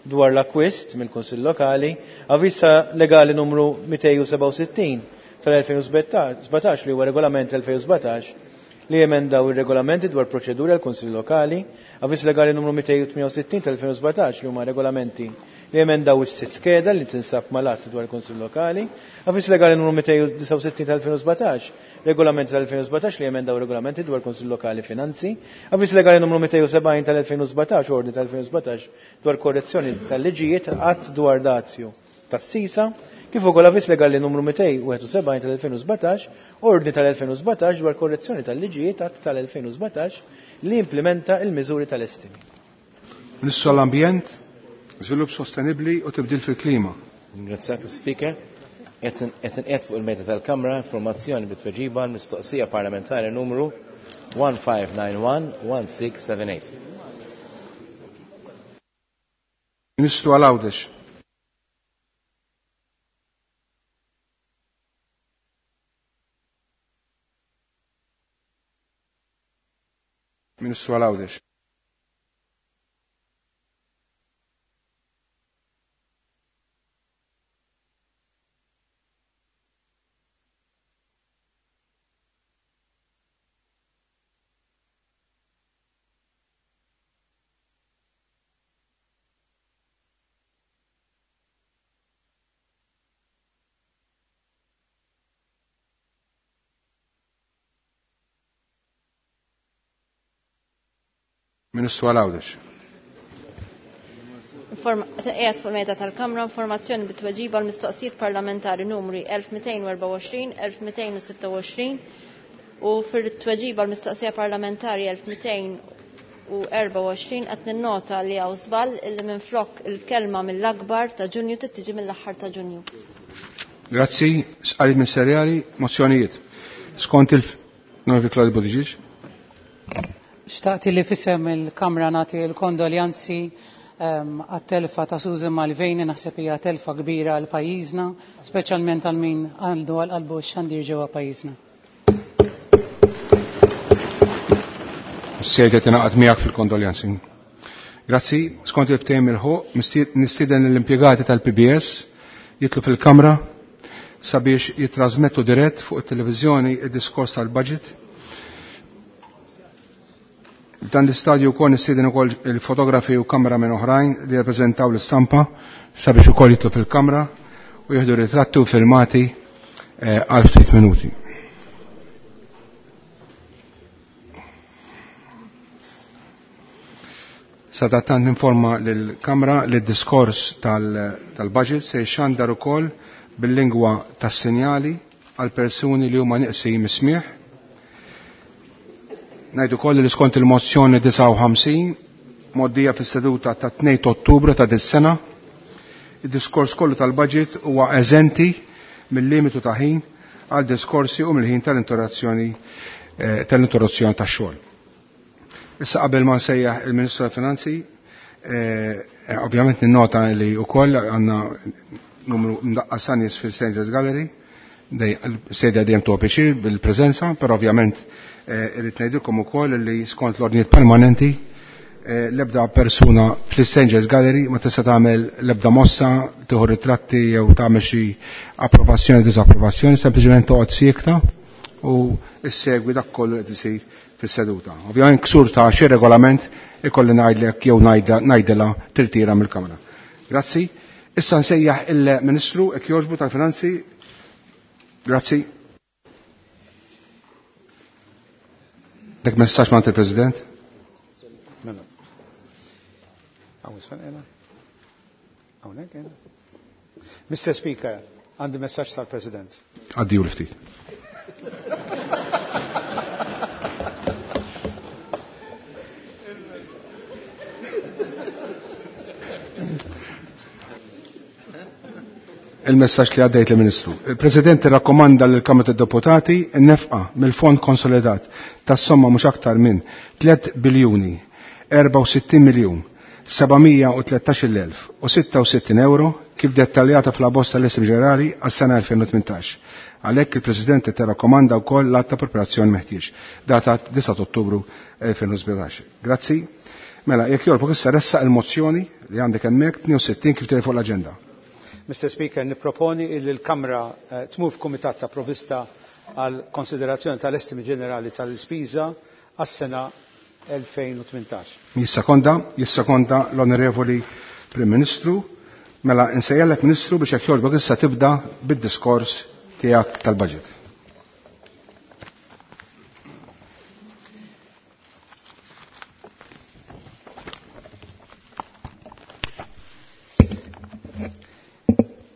dwar l-akkwist mill-Kunsill Lokali, avviż legali numru 267 tal-2017 li huwa regolament tal-2017 li jemendaw ir-regolamenti dwar proċeduri għal Kunsill Lokali, avviż legali numru 268 tal-2017 li huma regolamenti li jemendaw is-sitt skeda li tinsab mal-att dwar il-Kunsill Lokali, Avviż Legali numru 269 tal-2017, Regolamenti tal-2017 li jemendaw regolamenti dwar Kunsill Lokali Finanzi, Avviż Legali numru 270 tal-2017, Ordni tal-2017 dwar korrezzjoni tal-liġijiet att dwar dazju tas-sisa, kif ukoll Avviż Legali numru 271 tal-2017, Ordni tal-2017 dwar korrezzjoni tal-liġijiet att tal-2017 li implementa il-miżuri tal-estimi.
Ministru għall-Ambjent, Żvilupp Sostenibbli u Tibdil fil-Klima.
Ringrazzjak, Speaker. Qed inqiegħed fuq il-mejda tal-Kamra informazzjoni bi tweġiba għal mistoqsija parlamentari numru 1591-1678.
Ministru għal Għawdex. Ministru għal Għawdex. Ministru għal Għawdex.
Qiegħed fuq mejda tal-Kamra informazzjoni bit-tweġiba għal mistoqsijiet parlamentari numri 1224, 1226 u fir-tweġiba għal mistoqsija parlamentari 1224 qed ninnota li hawn żball illi minflok il-kelma mill-akbar ta' Ġunju tittiġi mill-aħħar ta' Ġunju.
Grazzi, sqarit ministerjali, mozzjonijiet. Skont il- Onorevoli Claudio Buttigieg.
Xtaqt li fisem il-Kamra nagħti l-kondoljanzi għat-telfa ta' Susan Malveni, naħseb hija telfa kbira għal pajjiżna, speċjalment għal min għandu għal qalbu x-xandir ġewwa pajjiżna.
Sejt qed ingħaqad miegħek fil-kondoljanzi. Grazzi, skont il-ftehim il-ħuq, nistieden l-impjegati tal-PBS jitlu fil-Kamra sabiex jitrasmettu dirett fuq it-televiżjoni id-diskors tal-budget. Dan l-istadju wkoll nistieden ukoll il-fotografi u kameramen oħrajn li jirrappreżentaw l-istampa sabiex ukoll jitlu fil-kamra u jieħdu ritratti u filmati għal ftit minuti. Sadattant ninforma lill-Kamra li d-diskors tal-budget se jxandar ukoll bil-lingwa tas-sinjali għal persuni li huma nieqsin mis-smieħ. Ngħidu wkoll li skont il-mozzjoni 59 moddija fis-seduta ta' 2 Ottubru ta' dis-sena, id-diskors kollu tal-budget huwa eżenti mill-limitu ta' ħin għal diskorsi u mill-ħin tal-interruzzjoni tax-xogħol. Issa qabel ma nsejjaħ il-Ministru tal-Finanzi, ovvjament ninnota li wkoll għandna numru mdaqqas ta' nies fil-Strangers Gallery, sedja dejjem tuħu pjaċir bil-preżenza, però ovvjament irrid ngħidilkom ukoll li skont l-ordnijiet permanenti l-ebda persuna fl-Strangers Gallery ma tista' tagħmel l-ebda mossa, tieħu ritratti jew tagħmel xi approvazzjoni disapprovazzjoni, sempliċement toqgħod siekta u issegwi dak kollu qed isir fis-seduta. Ovvjament ksur ta' xi regolament ikolli ngħidlek jew ngħidilha tirtira mill-Kamra. Grazzi. Issa nsejjaħ il-Ministru hekk jogħġbu tal-Finanzi. Grazzi. Dak messaġġ ma' il-President.
Mela. Hawnhekk qiegħda. Mr. Speaker, għandi messaġġ tal-President.
Għaddiju l-ftit. Il-messaġġ li għaddejt lill-Ministru. Il-President irrakkomanda lill-Kamra tad-Deputati n-nefqa mill-Fond Konsolidat tas-somma mhux aktar minn 3 biljuni 64 miljun 713,066 euro kif dettaljata fl-abbozz tal-Isem Ġenerali għas-sena 2018. Għalhekk il-President tirrakkomanda wkoll l-att ta' preparazzjoni meħtieġ, data 9 Ottubru 2017. Grazzi. Mela, jekk jogħġbok issa ressaq il-mozzjoni li għandek hemmhekk 62 kif tidher fuq l-aġenda.
Mr. Speaker, niproponi li l-Kamra tmur f'Kumitat ta' Provista għal konsiderazzjoni tal-estimi ġenerali tal-ispiża għas-sena 2018.
Jissakonda, jissakonda l-Onorevoli Prim Ministru. Mela, insejjellek Ministru biex jekk jogħġbok issa tibda bid-diskors tiegħek tal-budget.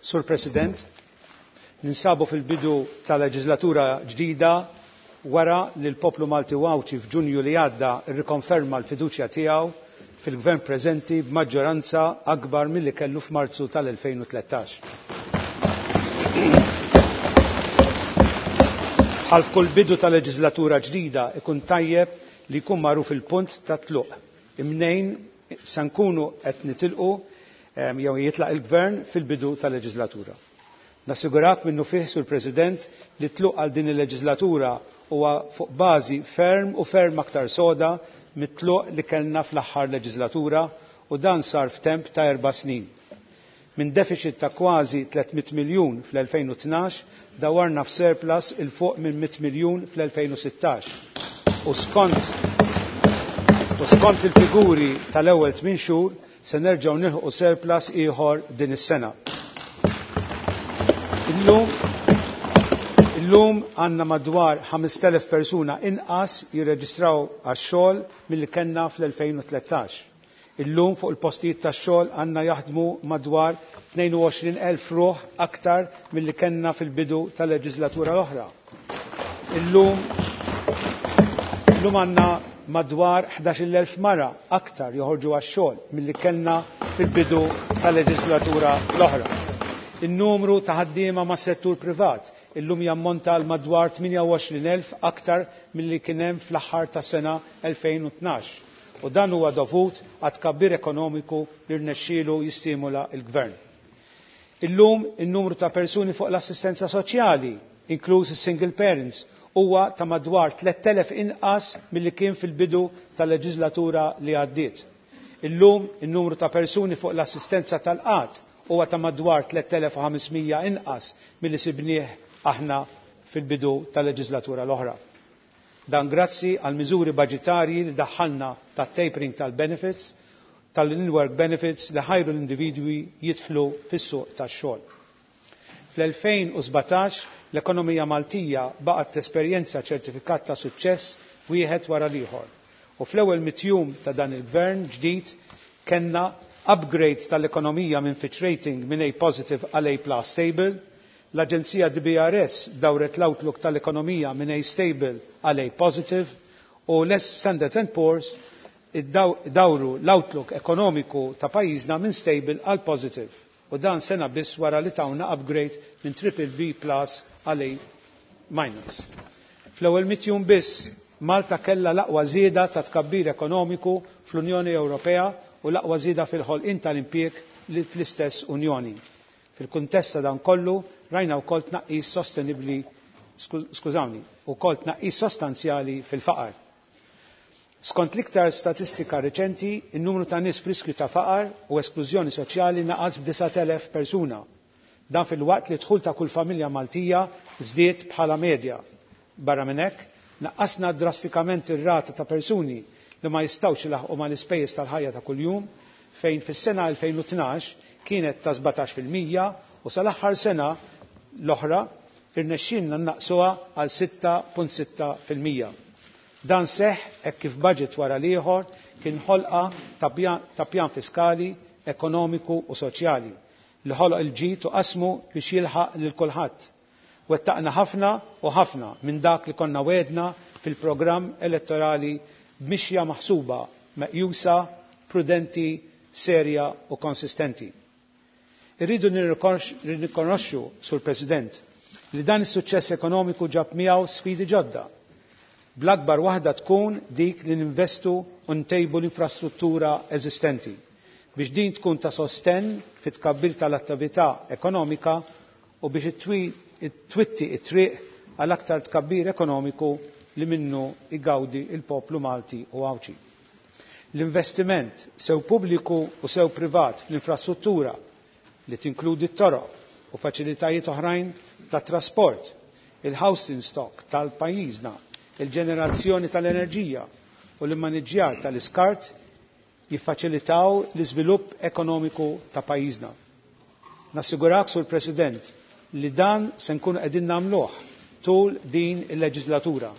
Sur President, ninsabu fil-bidu ta' leġislatura ġdida wara li l-poplu Malti u Għawdxi f'Ġunju li għadda rrikonferma l-fiduċja tiegħu fil-gvern preżenti b'maġġoranza akbar milli kellu f'Marzu tal-2013. Bħal f'kull bidu ta' leġislatura ġdida ikun tajjeb li jkun magħruf il-punt ta' tluq. Imnejn se nkunu qed nitilqu jew jitlaq il-gvern fil-bidu tal-leġislatura. Nassigurak minnu fih, Sur President, li tluq għal din il-leġislatura huwa fuq bażi ferm u ferm aktar soda mit-tluq li kellna fl-aħħar leġislatura u dan sar f'temp ta' 4 snin. Minn deficit ta' kważi 300 miljun fl-2012 dawarna f'surplus il fuq minn 100 miljun fl-2016. U skont il-figuri tal-ewwel 8 xhur se nerġgħu nilħqu surplus ieħor din is-sena. Illum għandna madwar 5,000 persuna inqas jirreġistraw għax-xogħol milli kellna fl-2013. Illum fuq il-postijiet tax-xogħol għandna jaħdmu madwar 22,000 ruħ aktar milli kellna fil-bidu tal-leġislatura l-oħra. Illum għandna madwar 11,000 mara aktar joħorġu għax-xogħol milli kellna fil-bidu tal-leġislatura l-oħra. In-numru ta' ħaddiema mas-settur privat illum jammonta għal madwar 28,000 aktar milli kien hemm fl-aħħar tas-sena 2012. U dan huwa dovut għat tkabbir ekonomiku li rnexxielu jistimula l-gvern. Illum in-numru ta' persuni fuq l-assistenza soċjali, inkluż is-single parents, huwa ta' madwar 3,000 inqas milli kien fil-bidu tal-leġislatura li għaddiet. Illum in-numru ta' persuni fuq l-assistenza tal-qgħad huwa ta' madwar 3,500 inqas milli sibnieh aħna fil-bidu tal-leġislatura l-oħra. Dan grazzi għal miżuri budġetarji li daħħalna ta' tapering tal-benefits, tal-in-work benefits li ħajru l-individwi jidħlu fis-suq tax-xogħol. Fl-2017 l-ekonomija Maltija baqgħet tesperjenza ċertifikat ta' suċċess wieħed wara l-ieħor. U fl-ewwel mitjum ta' dan il-gvern ġdid kellna upgrade tal-ekonomija minn Fitch Rating minn A positive għal A plus stable, l-Aġenzija DBRS dawret l-outlook tal-ekonomija minn A stable għal A positive u l-Standard and Poor's dawru l-outlook ekonomiku ta' pajjiżna minn stable għal positive. U dan sena biss wara li tawna upgrade minn triple B plus għal A minus. Fl-ewwel mitjum biss Malta kellha l-aqwa żieda ta' tkabbir ekonomiku fl-Unjoni Ewropea u l-aqwa żieda fil-ħolqien tal-impjieg fl-istess Unjoni. Fil-kuntest ta' dan kollu rajna wkoll tnaqqis sostenibbli, skużawni, wkoll tnaqqis sostanzjali fil-faqar. Skont l-iktar statistika reċenti, in-numru ta' nies f'riskju ta' faqar u esklużjoni soċjali naqas b'9,000 persuna. Dan fil-waqt li dħul ta' kull familja Maltija żdied bħala medja. Barra minn hekk, naqqasna drastikament ir-rata ta' persuni li ma jistgħux ilaħqu mal-ispejjeż tal-ħajja ta' kuljum, fejn fis-sena 2012 kienet ta' 17% u sal-aħħar sena l-oħra irnexxielna naqsuha għal 6.6%. Dan seħħ hekk kif budget wara l-ieħor kien ħolqa ta' pjan fiskali, ekonomiku u soċjali li ħoloq il-ġid u qasmu biex jilħaq lil kulħadd. Wettaqna ħafna u ħafna minn dak li konna wedna fil-programm elettorali b'mixja maħsuba, meqjusa, prudenti, serja u konsistenti. Irridu nirrikonoxxu, Sur President, li dan is-suċċess ekonomiku ġab miegħu sfidi ġodda. Bl-akbar waħda tkun dik li ninvestu u ntejbu l-infrastruttura eżistenti biex din tkun ta' sostenn fit-tkabbir tal-attività ekonomika u biex twitti it-triq għal aktar tkabbir ekonomiku li minnu igawdi il-poplu Malti u Għawdxi. L-investiment sew pubbliku u sew privat fl-infrastruttura li tinkludi t-toroq u faċilitajiet oħrajn ta' trasport, il-housing stock tal-pajjiżna, il-ġenerazzjoni tal-enerġija u l-immaniġġjar tal-iskart jiffaċilitaw l-iżvilupp ekonomiku ta' pajjiżna. Nassigurak, Sur President, li dan se nkunu qegħdin nagħmluh tul din il-leġislatura.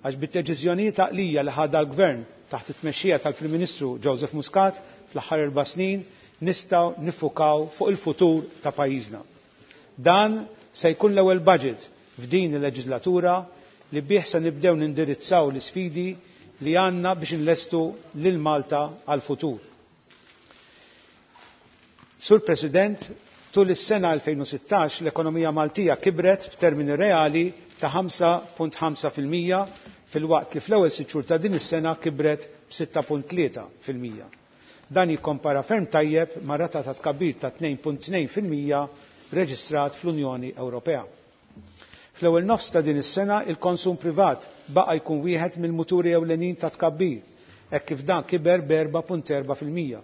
Għax bit-deċiżjonijiet għaqlija li ħadha l-Gvern taħt it-tmexxija tal-Prim Ministru Joseph Muscat fl-aħħar 4 snin nistgħu niffukaw fuq il-futur ta' pajjiżna. Dan se jkun l-ewwel budget f'din il-leġislatura li bih se nibdew nindirizzaw l-isfidi li għandna biex nlestu lil Malta għal-futur. Sur President, tul is-sena 2016 l-ekonomija Maltija kibret f'termini reali ta' 5.5% filwaqt li fl-ewwel 6 xhur ta' din is-sena kibret b'6.3%. Dan jikkompara ferm tajjeb ma' rata ta' tkabbir ta' 2.2% reġistrat fl-Unjoni Ewropea. Fl-ewwel nofs ta' din is-sena il-konsum privat baqa' jkun wieħed mill-muturi ewlenin ta' tkabbir, hekk kif dan kiber b'4.4%.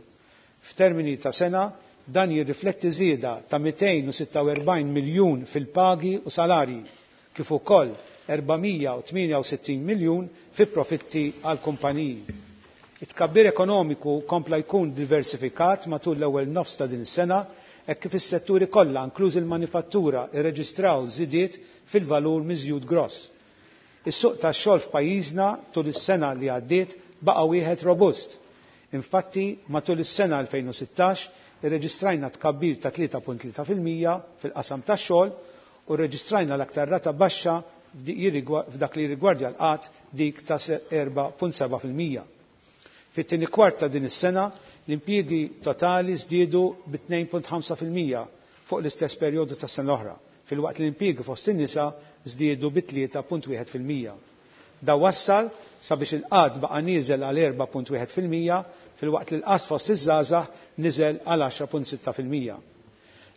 F'termini ta' sena, dan jirrifletti żieda ta' 246 miljun fil-pagi u salarji, kif ukoll 468 miljun fi profitti għal kumpaniji. It-tkabbir ekonomiku kompla jkun diversifikat matul l-ewwel nofs ta' din is-sena hekk kif is-setturi kollha, inkluż il-manifattura, irreġistraw żidiet fil-valur miżjud gross. Is-suq tax-xogħol f'pajjiżna tul is-sena li għaddiet baqa' wieħed robust. Infatti, matul is-sena 2016 irreġistrajna tkabbir ta' 3.3% fil-qasam tax-xogħol u rreġistrajna l-aktar rata baxxa f'dak li jirrigwardja l-qgħad, dik ta' 4.7%. Fit-tieni kwart ta' din is-sena l-impjiegi totali żdiedu bi 2.5% fuq l-istess perjodu tas-sena l-oħra, filwaqt li l-impjiegi fost in-nisa żdiedu bi 3.1%. Dan wassal sabiex il-qgħad baqa' nieżel għal 4.1% filwaqt li l-qgħad fost iż-żgħażagħ niżel għal 10.6%.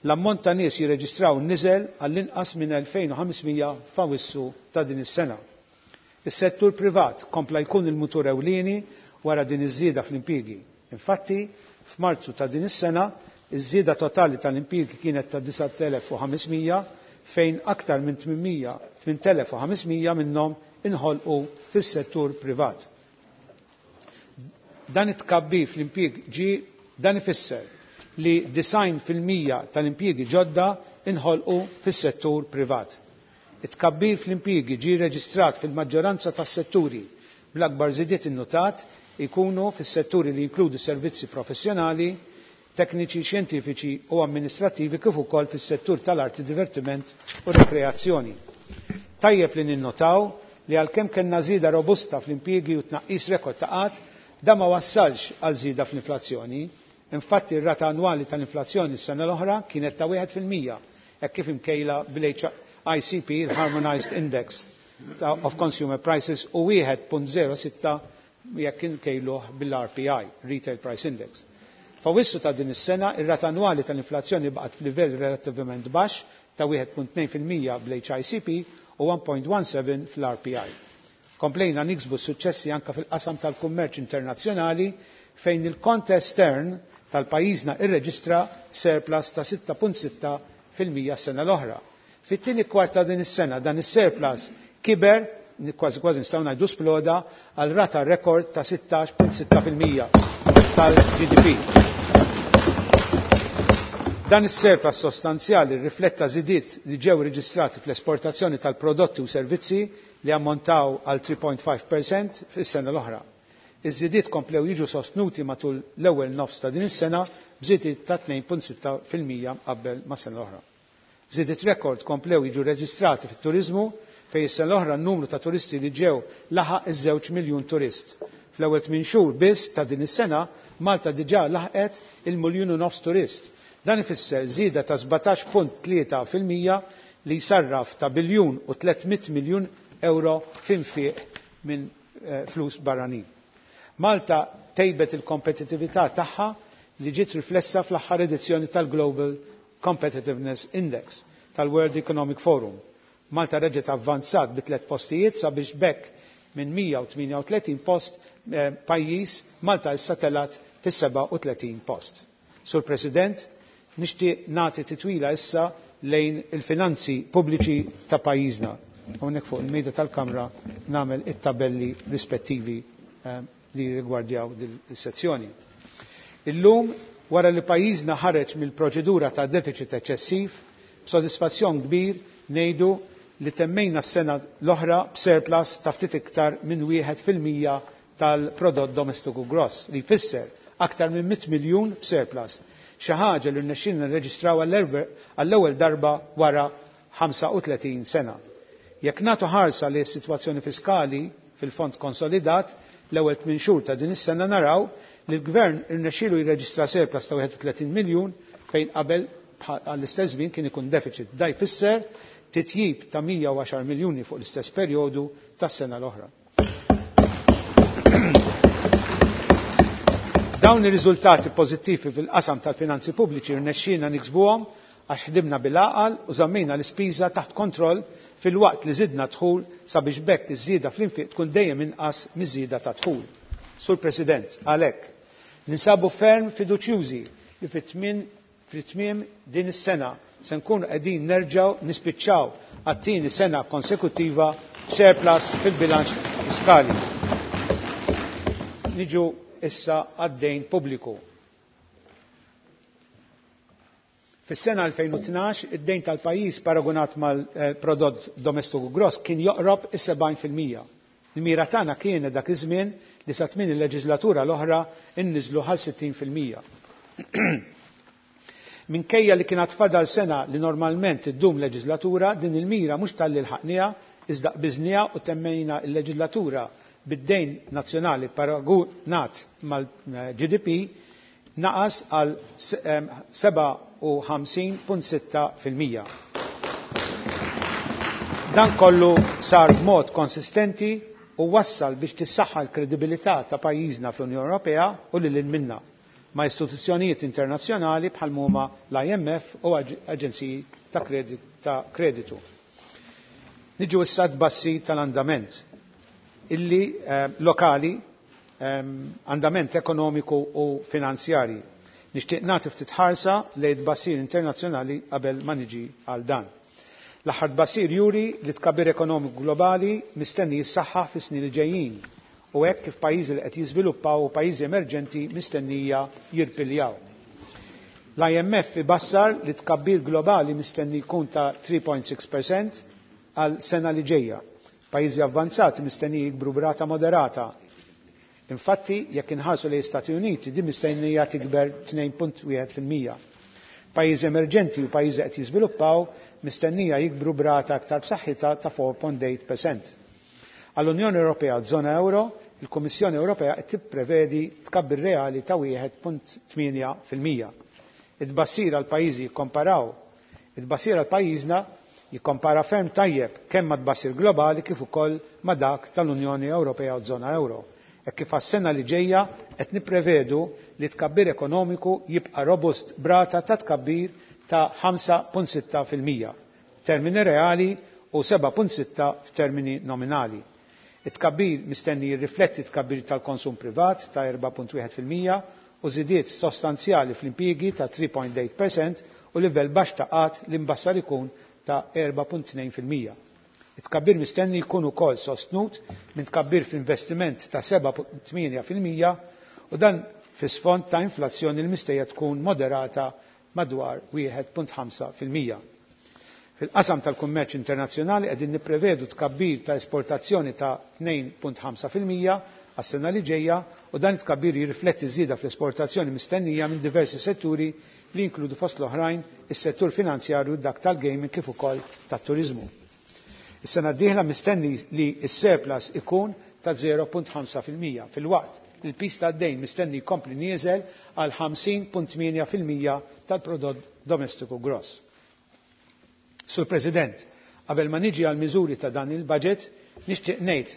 L-ammont ta' nies jirreġistraw niżel għall-inqas minn 2500 f'Awissu ta' din is-sena. Is-settur privat kompla jkun il-mutur ewlieni wara din iż-żieda fl-impjiegi. Infatti, f'Marzu ta' din is-sena, iż-żieda totali tal-impjiegi kienet ta' 9500 fejn aktar minn 8500 minnhom inħolqu fis-settur privat. Dan it-tkabbir fl-impjieg ġi dan ifisser li 90% tal-impjiegi ġodda inħolqu fis-settur privat. It-tkabbir fl-impjiegi ġie reġistrat fil-maġġoranza tas-setturi, bl-akbar żidiet innotat ikunu fis-setturi li jinkludu servizzi professjonali, tekniċi, xjentifiċi u amministrativi kif ukoll fis-settur tal-arti, divertiment u rekreazzjoni. Tajjeb li ninnotaw li għalkemm kellna żieda robusta fl-impjiegi u tnaqqis rekord ta' qgħad, dan ma wassalx għal żieda fl-inflazzjoni. Infatti, r-rata annwali tal-inflazzjoni s-sena l-oħra kienet ta' 1% hekk kif imkejla bil-HICP, il-Harmonized Index of Consumer Prices, u 1.06 jekk inkejluh bil-RPI, Retail Price Index. F'Awissu ta' din is-sena, ir-rata annwali tal-inflazzjoni baqgħet f'livell relattivament baxx ta' 1.2% bl-HICP u 1.17 fl-RPI. Komplejna niksbu suċċessi anka fil-qasam tal-kummerċ internazzjonali fejn il-kont estern tal-pajjiżna irreġistra surplus ta' 6.6% s-sena l-oħra. Fit-tieni kwart ta' din is-sena dan is-surplus kiber, kważi kważi nistgħu ngħidu sploda, għal rata rekord ta' 16.6% tal-GDP. Dan is-surplus sostanzjali rifletta żidiet li ġew reġistrati fl-esportazzjoni tal-prodotti u servizzi li ammontaw għal 3.5% fis-sena l-oħra. Iż-żidiet komplew jiġu sostnuti matul l-ewwel nofs ta' din is-sena b'żidiet ta' 2.6% qabel ma' sena l-oħra. Żidiet rekord komplew jiġu reġistrati fit-turiżmu fejn is-sena l-oħra n-numru ta' turisti li ġew laħaq iż-2 miljun turist. Fl-ewwel 8 xhur biss ta' din is-sena Malta diġà laħqet il-1.5 miljun turist. Dan ifisser żieda ta' 17.3% li jsarraf ta' biljun u 300 miljun euro f'infiq minn flus barranin. Malta tejbet il-kompetitività tagħha li ġiet riflessa fl-aħħar edizzjoni tal-Global Competitiveness Index tal-World Economic Forum. Malta reġgħet avvanzat bi tliet postijiet sabiex b'hekk minn 138 post pajjiż Malta issa telat fis-37 post. Sur President, nixtieq nagħti titwila issa lejn il-finanzi pubbliċi ta' pajjiżna. Hawnhekk fuq il-mejda tal-Kamra nagħmel it-tabelli rispettivi li rigwardjaw din is-sezzjoni. Illum Wara li pajjiżna ħareġ mill-proċedura ta' deficit eċċessiv, b'sodisfazzjon kbir ngħidu li temmejna s-sena l-oħra b'surplus ta' ftit iktar minn 1% tal-prodott domestiku gross, li jfisser aktar minn 100 miljun f'surplus, xi ħaġa li rnexxielna nirreġistraw għall-ewwel darba wara 35 sena. Jekk nagħtu ħarsa li s-sitwazzjoni fiskali fil-fond konsolidat l-ewwel 8 xhur ta' din is-sena naraw li l-gvern irnexxielu jirreġistra surplus ta' 31 miljun fejn qabel għall-istess żmien kien ikun deficit. Da jfisser titjib ta' 110 miljuni fuq l-istess perjodu tas-sena l-oħra. Dawn ir-riżultati pożittivi fil-qasam tal-finanzi pubbliċi rnexxielna niksbuhom għax ħdimna bil-għaqal u żammejna l-ispiża taħt kontroll filwaqt li żidna dħul sabiex b'hekk iż-żieda fl-infiq tkun dejjem inqas miż-żieda ta' dħul. Sur President, għalhekk, ninsabu ferm fiduċjużi li fit-tmiem din is-sena se nkunu qegħdin nerġgħu nispiċċaw għat-tieni sena konsekuttiva b'surplus fil-bilanċ fiskali. Niġu issa għad-dejn pubbliku. Fis-sena 2012, id-dejn tal-pajjiż paragunat mal-prodott domestiku gross kien joqrob is-70%. Il-mira tagħna kienet dak iż-żmien li sa tmien il-leġislatura l-oħra inniżlu għal 60%. Minkejja li kien għad fadal sena li normalment iddum leġislatura, din il-mira mhux talli lħaqniha, iżda qbiżniha u temmejna l-leġislatura bid-dejn nazzjonali paragunat mal-GDP naqas għal 57.6%. Dan kollu sar b'mod konsistenti u wassal biex tissaħħa l-kredibilità ta' pajjiżna fl-Unjoni Ewropea u lil hinn minnha ma' istituzzjonijiet internazzjonali bħal huma l-IMF u aġenziji ta' kreditu. Niġu issa tbassir tal-andament illi lokali, andament ekonomiku u finanzjarji. Nixtieq nagħti ftit ħarsa lejn tbassir internazzjonali qabel ma niġi għal dan. L-aħħar tbassir juri li tkabbir ekonomiku globali mistenni jissaħħaħ fis-snin li ġejjin u hekk kif pajjiżi li qed jiżviluppaw u pajjiżi emerġenti mistennija jirpiljaw. L-IMF ibassar li tkabbir globali mistenni jkun ta' 3.6% għal sena li ġejja. Pajjiżi avvanzati mistennija jikbru b'rata moderata. Infatti, jekk inħarsu lejn Stati Uniti, din mistennija tikber 2.1%. Pajjiżi emerġenti u pajjiżi qed jiżviluppaw mistennija jikbru b'rata aktar b'saħħitha ta' 4.8%. Għall-Unjoni Ewropea u żona euro, il-Kummissjoni Ewropea qed tipprevedi tkabbir reali ta' 1.8%. It-tbassir għal pajjiżi jikkomparaw, it-tbassir għal pajjiżna jikkompara ferm tajjeb kemm ma' tbassir globali kif ukoll ma' dak tal-Unjoni Ewropea u żona euro. Hekk kif għas-sena li ġejja qed nipprevedu li tkabbir ekonomiku jibqa' robust b'rata ta' tkabbir ta' 5.6% f'termini reali u 7.6 f'termini nominali. It-tkabbir mistenni jirrifletti tkabbir tal-konsum privat ta' 4.1% u żidiet sostanzjali fl-impjiegi ta' 3.8% u livell baxx ta' qgħad li mbassar ikun ta' 4.2%. It-tkabbir mistenni jkun ukoll sostnut minn tkabbir fl-investiment ta' 7.8% u dan fis-sfond ta' inflazzjoni li mistennija tkun moderata madwar 1.5%. Fil-qasam tal-kummerċ internazzjonali qegħdin nipprevedu tkabbir ta' esportazzjoni ta' 2.5% għas-sena li ġejja u dan it-tkabbir jirrifletti żieda fl-esportazzjoni mistennija minn diversi setturi li jinkludu fost l-oħrajn is-settur finanzjarju, dak tal-gaming kif ukoll tat-turiżmu. Is-sena d-dieħla mistenni li s-surplus ikun ta' 0.5% filwaqt li l-pis tad-dejn mistenni jkompli nieżel għal 50.8% tal-prodott domestiku gross. Sur President, qabel ma niġi għal miżuri ta' dan il-budget, nixtieq ngħid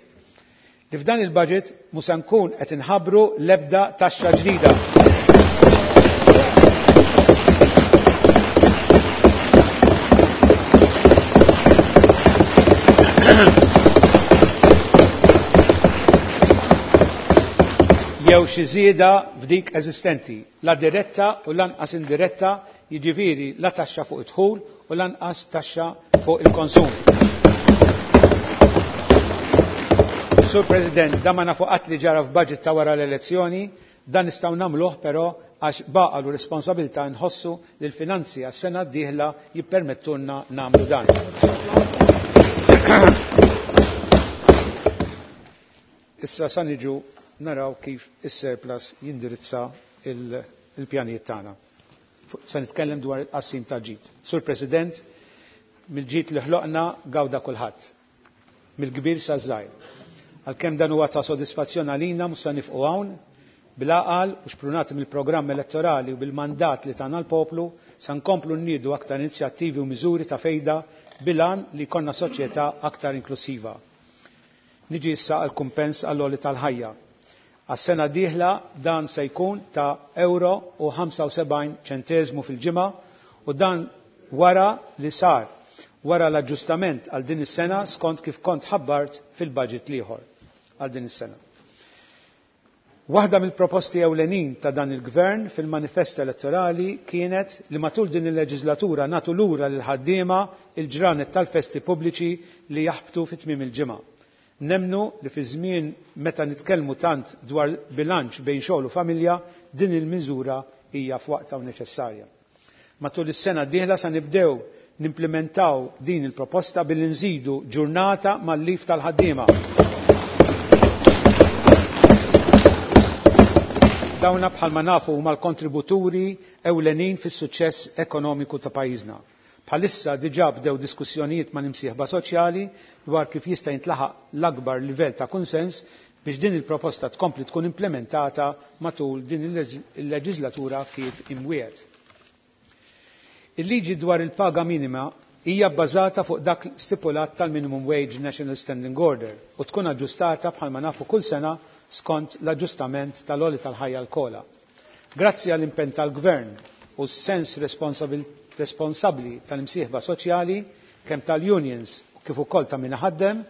li f'dan il-budget mhux se nkun qed inħabbru l-ebda taxxa ġdida. Jew xi żieda f'dik eżistenti, la diretta u lanqas indiretta, jiġifieri la taxxa fuq id-dħul u lanqas taxxa fuq il-konsum. Sur President, da ma nafu qatt li ġara f'budget ta' wara l-elezzjoni, dan nistgħu nagħmluh però għax baqgħu responsabilità nħossu li l-finanzi għas-sena d-dieħla jippermettulna nagħmlu dan. Issa sa niġu naraw kif is-surplus jindirizza il-pjanijiet tagħna. Se nitkellem dwar il-qassim tal-ġid. Sur President, mill-ġid li ħloqna gawda kulħadd. Mill-kbir sa żgħir. Għalkemm dan huwa ta' sodisfazzjon għalina mhux se nifqu hawn, bil-għaqal u xprunati mill-programm elettorali u bil-mandat li tana l-poplu, se nkomplu nniedu aktar inizjattivi u miżuri ta' fejda bil-għan li jkollna soċjetà aktar inklusiva. Niġi issa għal kumpens għall-għoli tal-ħajja. Għas-sena d-dieħla dan se jkun ta' euro u 75 ċenteżmu fil-ġimgħa u dan wara li sar wara l-aġġustament għal din is-sena skont kif kont ħabbart fil-budget l-ieħor għal din is-sena. Waħda mill-proposti ewlenin ta' dan il-Gvern fil-manifest elettorali kienet li matul din il-leġislatura nagħtu lura lill-ħaddiema il-ġranet tal-festi pubbliċi li jaħbtu fi tmiem il-ġimgħa. Nemmnu li fi żmien meta nitkellmu tant dwar bilanċ bejn xogħol u familja, din il-miżura hija f'waqtha u neċessarja. Matul is-sena d-dieħla sa nibdew nimplementaw din il-proposta billi nżidu ġurnata mal-lif tal-ħaddiema. Dawna bħalma nafu huma l-kontributuri ewlenin fis-suċċess ekonomiku ta' pajjiżna. Bħalissa diġà bdew diskussjonijiet ma' nimsieħba soċjali dwar kif jista' jintlaħaq l-akbar livell ta' kunsens biex din il-proposta tkompli tkun implementata matul din il-leġislatura kif imwiegħed. Il-liġi dwar il-paga minima hija bbażata fuq dak stipulat tal-Minimum Wage National Standing Order u tkun aġġustata bħalma nafu kull sena skont l-aġġustament tal-għoli tal-ħajja l-kola. Grazzi għall-impenn tal-Gvern u s-sens responsabbli tal-imsieħba soċjali kemm tal-unions u kif ukoll ta' min iħaddem,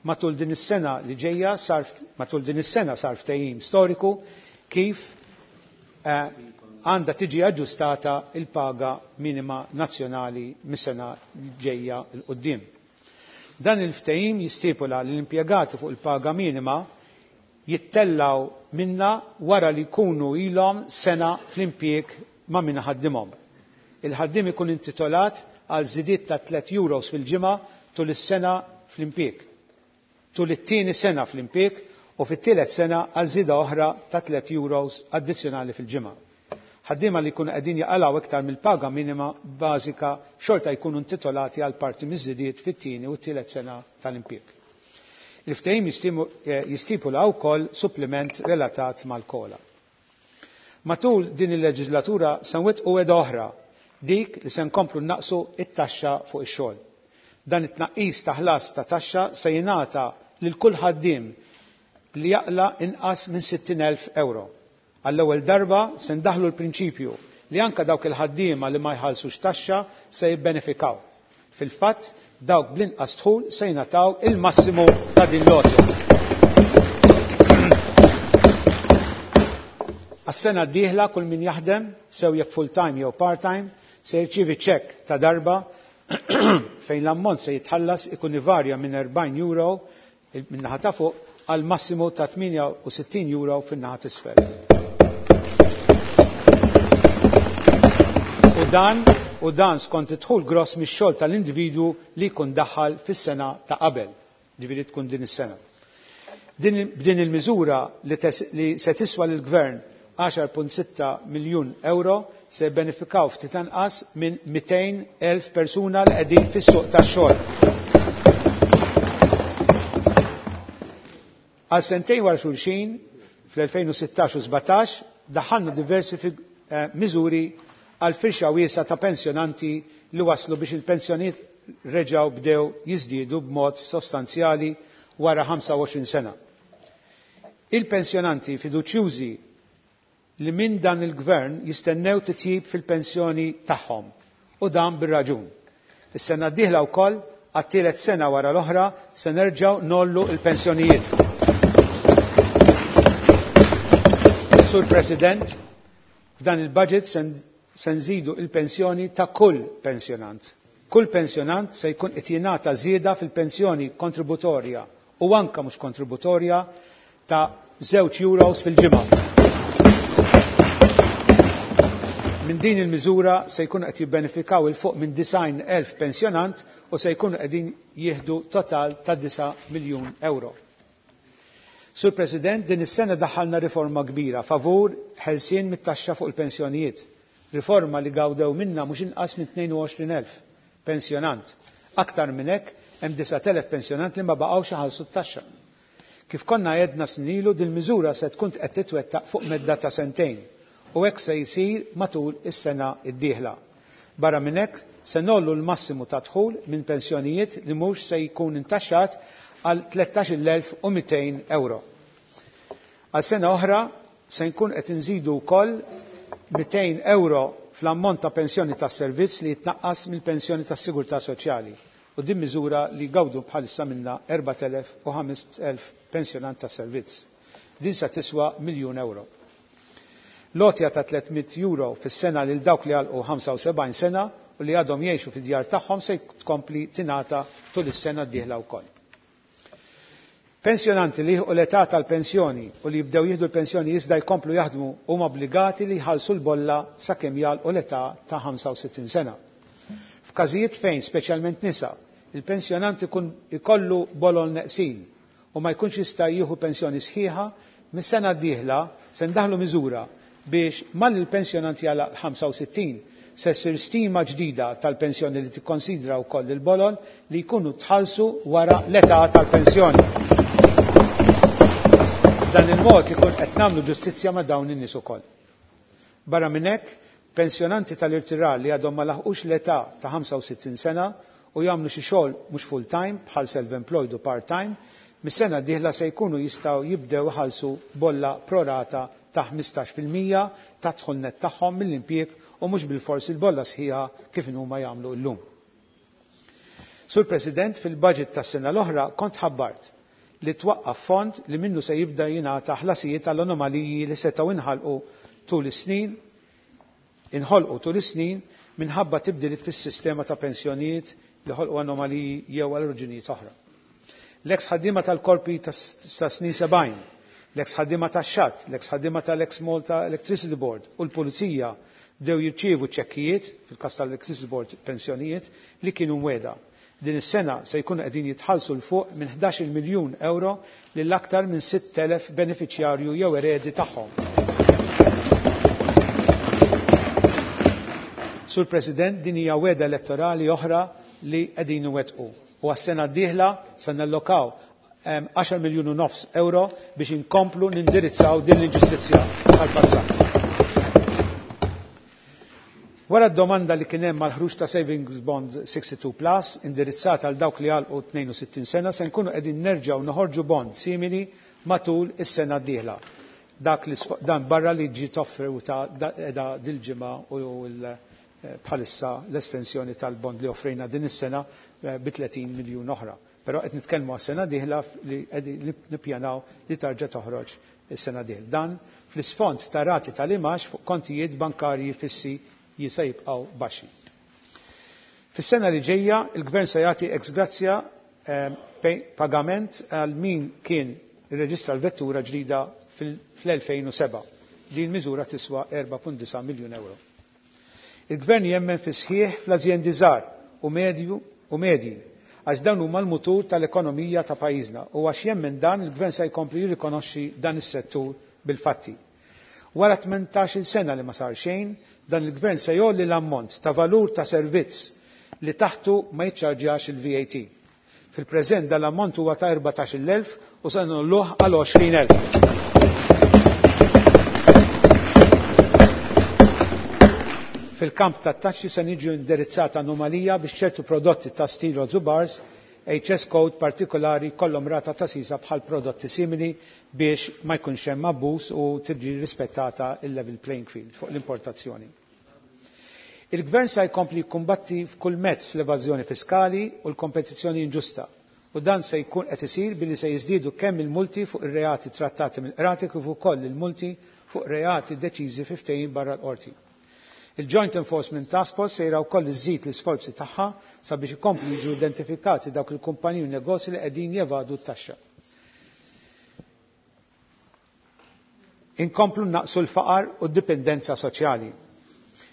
matul din is-sena li ġejja sar matul din is-sena sar ftehim storiku kif għandha tiġi aġġustata il-paga minima nazzjonali mis-sena ġejja 'l quddiem. Dan il-ftehim jistipula li l-impjegati fuq il-paga minima jittellgħu minnha wara li jkunu ilhom sena fl-impjieg ma' min iħaddimhom. Il-ħaddiem ikun intitolat għal żidiet ta' 3 euros fil-ġimgħa tul is-sena fl-impjieg. Tul it-tieni sena fl-impjieg u fit-tielet sena għal żieda oħra ta' 3 euros addizzjonali fil-ġimgħa. Ħaddiema li jkunu qegħdin jaqalgħu iktar mill-paga minima bażika xorta jkunu intitolati għal parti miż-żidiet fit-tieni u t-tielet sena tal-impjieg. Il-ftehim jistipula wkoll suppliment relatat mal-kola. Matul din il-leġislatura se nwettqu wegħda oħra, dik li se nkomplu nnaqqsu t-taxxa fuq ix-xogħol. Dan it-tnaqqis ta' ħlas ta' taxxa se jingħata lil kull ħaddiem li jaqla' inqas minn 60,000 ewro. Għall-ewwel darba se ndaħħlu l-prinċipju li anke dawk il-ħaddiema li ma jħallsux taxxa se jibbenefikaw. Fil-fatt, dawk bl-inqas dħul se jingħataw il-massimu ta' din l-għotja. Għas-sena d-dieħla kull min jaħdem, sew jekk full-time jew part-time, se jirċievi ċekk ta' darba fejn l-ammont se jitħallas ikun ivarja minn 40 euro min-naħa ta' fuq għal massimu ta' 68 euro fin-naħa t'isfel. U dan u dan skont id-dħul gross mix-xogħol tal-individwu li jkun daħal fis-sena ta' qabel, ġifieri tkun din is-sena. B'din il-miżura li, li se tiswa lill-Gvern 10.6 miljun euro se jibbenefikaw ftit anqas minn 200,000 persuna li qegħdin fis-suq tax-xogħol. Għal sentejn wara xulxin, fl-2016 u 17, daħħalna diversi miżuri għal firxa wiesgħa ta' pensjonanti li waslu biex il-pensjonijiet reġgħu bdew jiżdiedu b'mod sostanzjali wara 25 sena. Il-pensjonanti fiduċjużi li minn dan il-gvern jistennew titjib fil-pensjoni tagħhom u dan bir-raġun. Is-sena d-dieħla wkoll għat-tielet sena wara l-oħra se nerġgħu ngħollu l-pensjonijiet. Sur President, f'dan il-budget se nżidu il-pensjoni ta' kull pensjonant. Kull pensjonant se jkun qed jingħata żieda fil-pensjoni kontributorja u anke mhux kontributorja ta' 2 euros fil-ġimgħa. Minn din il-miżura se jkunu qed jibbenefikaw 'il fuq minn 90,000 pensjonant u se jkunu qegħdin jieħdu total ta' 9 miljun euro. Sur President, din is-sena daħħalna riforma kbira favur ħelsien mit-taxxa fuq il-pensjonijiet. Riforma li gawdew minna mhux inqas minn 22,000 pensjonant. Aktar minn hekk hemm 9,000 pensjonant li ma baqgħux iħallsu t-taxxa. Kif konna għedna snin ilu, dil-miżura se tkun qed titwettaq fuq medda ta' sentejn u hekk se jsir matul is-sena d-dieħla. Barra minn hekk, se ngħollu l-massimu ta' dħul minn pensjonijiet li mhux se jkun intaxxat għal 13,200 euro. Għal sena oħra se nkun qed inżidu wkoll 200 euro fl-ammont ta' pensjoni tas-servizz li jitnaqqas mill-pensjoni tas-sigurtà soċjali u din miżura li jgawdu bħalissa minnha 4,000 u 5,000 pensjonant tas-servizz. Din se tiswa miljun euro. L-għotja ta' 300 euro fis-sena lil dawk li għalqu 75 sena u li għadhom jgħixu fid-djar tagħhom se tkompli tingħata tul is-sena d-dieħla wkoll. Pensjonanti li jilħqu l-età tal-pensjoni u li jibdew jieħdu l-pensjoni iżda jkomplu jaħdmu huma obbligati li jħallsu l-bolla sakemm jagħlqu l-età ta' 65 sena. F'każijiet fejn, speċjalment nisa, il-pensjonant ikun ikollu bolol neqsin u ma jkunx jista' jieħu pensjoni sħiħa, mis-sena d-dieħla se ndaħħlu miżura biex malli l-pensjonant jagħlaq l-65 se ssir stima ġdida tal-pensjoni li tikkonsidra wkoll il-bolol li jkunu tħallsu wara l-età tal-pensjoni. B'dan il-mod ikun qed nagħmlu ġustizzja ma' dawn in-nies ukoll. Barra minn hekk, pensjonanti tal-irtirar li għadhom ma laħqux l-età ta' 65 sena u jagħmlu xi xogħol mhux full-time bħal self-employed u part-time, mis-sena d-dieħla se jkunu jistgħu jibdew iħallsu bolla pro-rata ta' 15% tad-dħul nett tagħhom mill-impjieg u mhux bilfors il-bolla sħiħa kif inhuma jagħmlu llum. Sur President, fil-budget tas-sena l-oħra kont ħabbart li twaqqaf fond li minnu se jibda jingħata ħlasijiet għal anomaliji li setgħu inħalqu tul is-snin inħolqu tul is-snin minħabba tibdiliet fis-sistema ta' pensjonijiet li ħolqu anomaliji jew għal raġunijiet oħra. L-eks ħaddiema tal-korpi ta' snin 70, l-eks ħaddiema tax-xatt, l-eks ħaddiema tal-eks Malta Electricity Board u l-Pulizija bdew jirċievu ċekkijiet, fil-każ tal-Electricity Board pensjonijiet, li kienu mwegħda. Din is-sena se jkunu qegħdin jitħallsu 'l fuq minn 11-il miljun ewro lil aktar minn 6,000 benefiċjarju jew eredi tagħhom. Sur President, din hija wegħda elettorali oħra li qegħdin iwettqu u għas-sena d-dieħla se nallokaw 10 miljun u nofs euro biex inkomplu nindirizzaw din l-inġustizzja tal-passat. Wara d-domanda li kien hemm għall-ħruġ ta' Savings Bond 62 Plus indirizzata għal dawk li għalqu 62 sena se nkunu qegħdin nerġgħu noħorġu bond simili matul is-sena d-dieħla. Dak li dan barra li ġiet offruta qiegħda dil-ġimgħa u bħalissa l-estensjoni tal-bond li offrejna din is-sena bi 30 miljun oħra. Però qed nitkellmu għas-sena dieħla li qegħdin nippjanaw li tarġa' toħroġ is-sena dieħla. Dan fl-isfond ta' rati tal-imgħax fuq kontijiet bankarji fissi jista' jibqgħu baxxi. Fis-sena li ġejja il-Gvern se jagħti ex gratia pagament għal min kien irreġistra l-vettura ġdida fl-2007. Din miżura tiswa 4.9 miljun euro. Il-Gvern jemmen fis-sħiħ fl-azjendi żgħar u medju u medji għax dawn huma l-mutur tal-ekonomija ta' pajjiżna u għax jemmen dan il-Gvern se jkompli jirrikonoxxi dan is-settur bil-fatti. Wara 18-il sena li ma sar xejn, dan il-Gvern se jgħolli l-ammont ta' valur ta' servizz li taħtu ma jiċċarġjax il-VAT. Fil-preżent dan l-ammont huwa ta' 14,000 u se ngħolluh għal 20,000. Fil-kamp tat-taxxi se niġu indirizzata anomalija biex ċertu prodotti ta' stil u bars HS code partikolari jkollhom rata ta' sisa bħal prodotti simili biex ma jkunx hemm abbuż u tiġi rispettata il-level playing field fuq l-importazzjoni. Il-Gvern se jkompli jikkumbatti f'kull mezz l-evażjoni fiskali u l-kompetizzjoni inġusta u dan se jkun qed isir billi se jiżdiedu kemm il-multi fuq ir-reati trattati mill-qrati kif ukoll il-multi fuq reati deċiżi fi ftehim barra l-qorti. Il-Joint Enforcement Task Force sejra wkoll iżżid l-isforzi tagħha sabiex ikomplu jiġu identifikati dawk il-kumpaniji u negozji li qegħdin jevadu t-taxxa. Inkomplu naqsu l-faqar u d-dipendenza soċjali.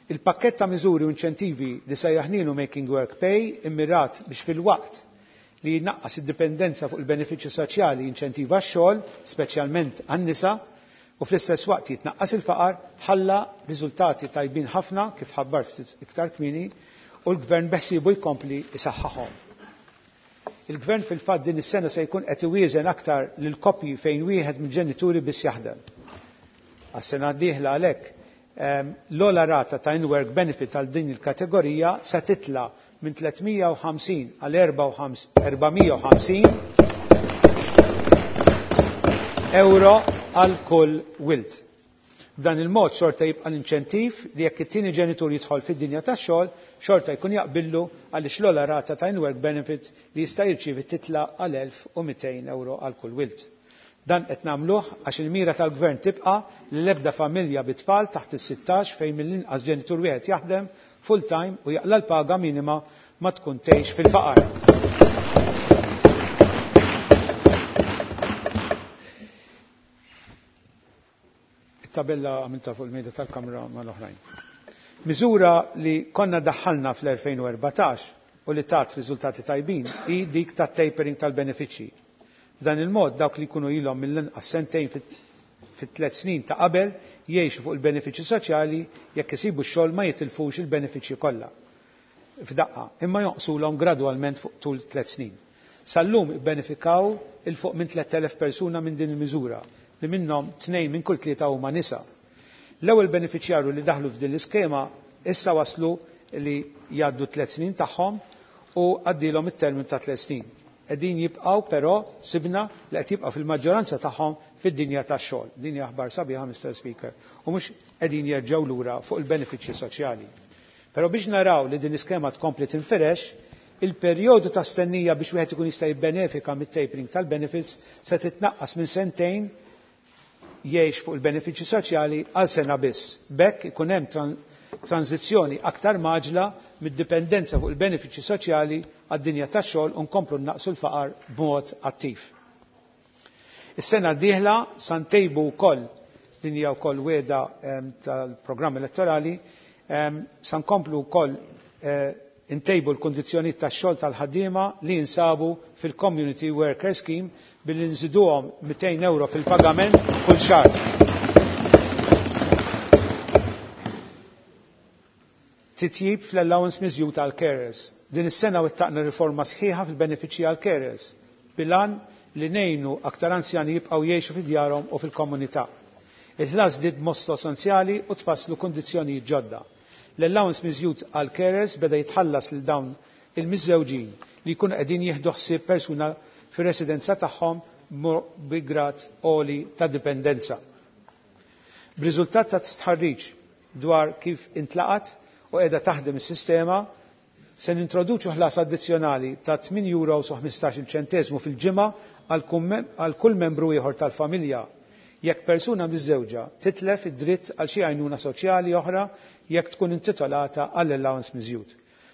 Il-pakkett ta' miżuri u inċentivi li sejjaħnielu Making Work Pay immirat biex filwaqt li jnaqqas id-dipendenza fuq il-benefiċċju soċjali jinċentiva x-xogħol, speċjalment għan-nisa, u fl-istess waqt jitnaqqas il-faqar, ħalla riżultati tajbin ħafna kif ħabbar ftit iktar kmieni u l-Gvern beħsiebu jkompli jsaħħaħhom. Il-Gvern fil-fatt din is-sena se jkun qed iwieżen aktar lil koppji fejn wieħed mill-ġenituri biss jaħdem. Għas-sena d-dieħla għalhekk l-ogħla rata ta' in-work benefit għal din il-kategorija se titla' minn 350 għal 450 euro għal kull wild. B'dan il-mod xorta jibqa' l-inċentiv li jekk it-tieni ġenitur jidħol fid-dinja tax-xogħol, xorta jkun jaqbillu għaliex l-ogħla rata ta' in-work benefit li jista' jirċievi titla' għal 1,200 euro għal kull wild. Dan qed nagħmluh għax il-mira tal-Gvern tibqa' li l-ebda familja bi tfal taħt is-sittax fejn mill-inqas ġenitur wieħed jaħdem full-time u jaqla' l-paga minima ma tkun tgħix fil-faqar. It-tabella għamiltha fuq il-mejda tal-Kamra mal-oħrajn. Miżura li konna daħħalna fl-2014 u li tat riżultati tajbin hi dik tat-tapering tal-benefiċċji. B'dan il-mod dawk li jkunu ilhom mill-inqas sentejn fit-tliet snin ta' qabel jgħixu fuq il-benefiċċji soċjali jekk isibu x-xogħol ma jitilfux il-benefiċċji kollha f'daqqa imma jonqsulhom gradwalment fuq tul tliet snin. Sal-lum ibbenefikaw 'il fuq minn 3,000 persuna minn din il-miżura li minnhom tnejn minn kull tlieta huma nisa. L-ewwel benefiċjarju li daħlu f'din l-iskema issa waslu li jgħaddu t-tliet snin tagħhom u għaddielhom it-terminu ta' tliet snin. Qegħdin jibqgħu però sibna li qed jibqgħu fil-maġġoranza tagħhom fid-dinja tax-xogħol. Din hija aħbar sabiħa Mister Speaker u mhux qegħdin jerġgħu lura fuq il-benefiċċji soċjali. Però biex naraw li din l-iskema tkompli tinfirex, il-perjodu ta' stennija biex wieħed ikun jista' jibbenefika mit-tapering tal-benefits se titnaqqas minn sentejn jgħix fuq il-benefiċċji soċjali għal sena biss. B'hekk ikun hemm tranżizzjoni aktar mgħaġġla mid-dipendenza fuq il-benefiċċji soċjali għad-dinja tax-xogħol u nkomplu nnaqqsu l-faqar b'mod attiv. Is-sena d-dieħla sa ntejbu wkoll, din hija wkoll wegħda tal-programm elettorali, sa nkomplu wkoll intejbu l-kundizzjonijiet tax-xogħol tal-ħaddiema li jinsabu fil-Community Worker Scheme billi nżiduhom 200 ewro fil-pagament kull xahar. Titjib fl-allowance miżjud għall-carers. Din is-sena wettaqna riforma sħiħa fil-benefiċċji għall-carers bil-għan li ngħinu aktar anzjani jibqgħu jgħixu fi djarhom u fil-komunità. Il-ħlas żdied b'mod sostanzjali u tfasslu kundizzjonijiet ġodda. L-allowance miżjud għall-carers beda jitħallas lil dawn il-miżżewġin li jkunu qegħdin jieħdu ħsieb persuna fir-residenza tagħhom bi grad għoli ta' dipendenza. B'riżultat ta' stħarriġ dwar kif intlaqat u qiegħda taħdem is-sistema, se nintroduċu ħlas addizzjonali ta' 8 euros u 15-il ċenteżmu fil-ġimgħa għal kull membru ieħor tal-familja jekk persuna miżżewġa titlef id-dritt għal xi għajnuna soċjali oħra jekk tkun intitolata għall-allowance miżjud.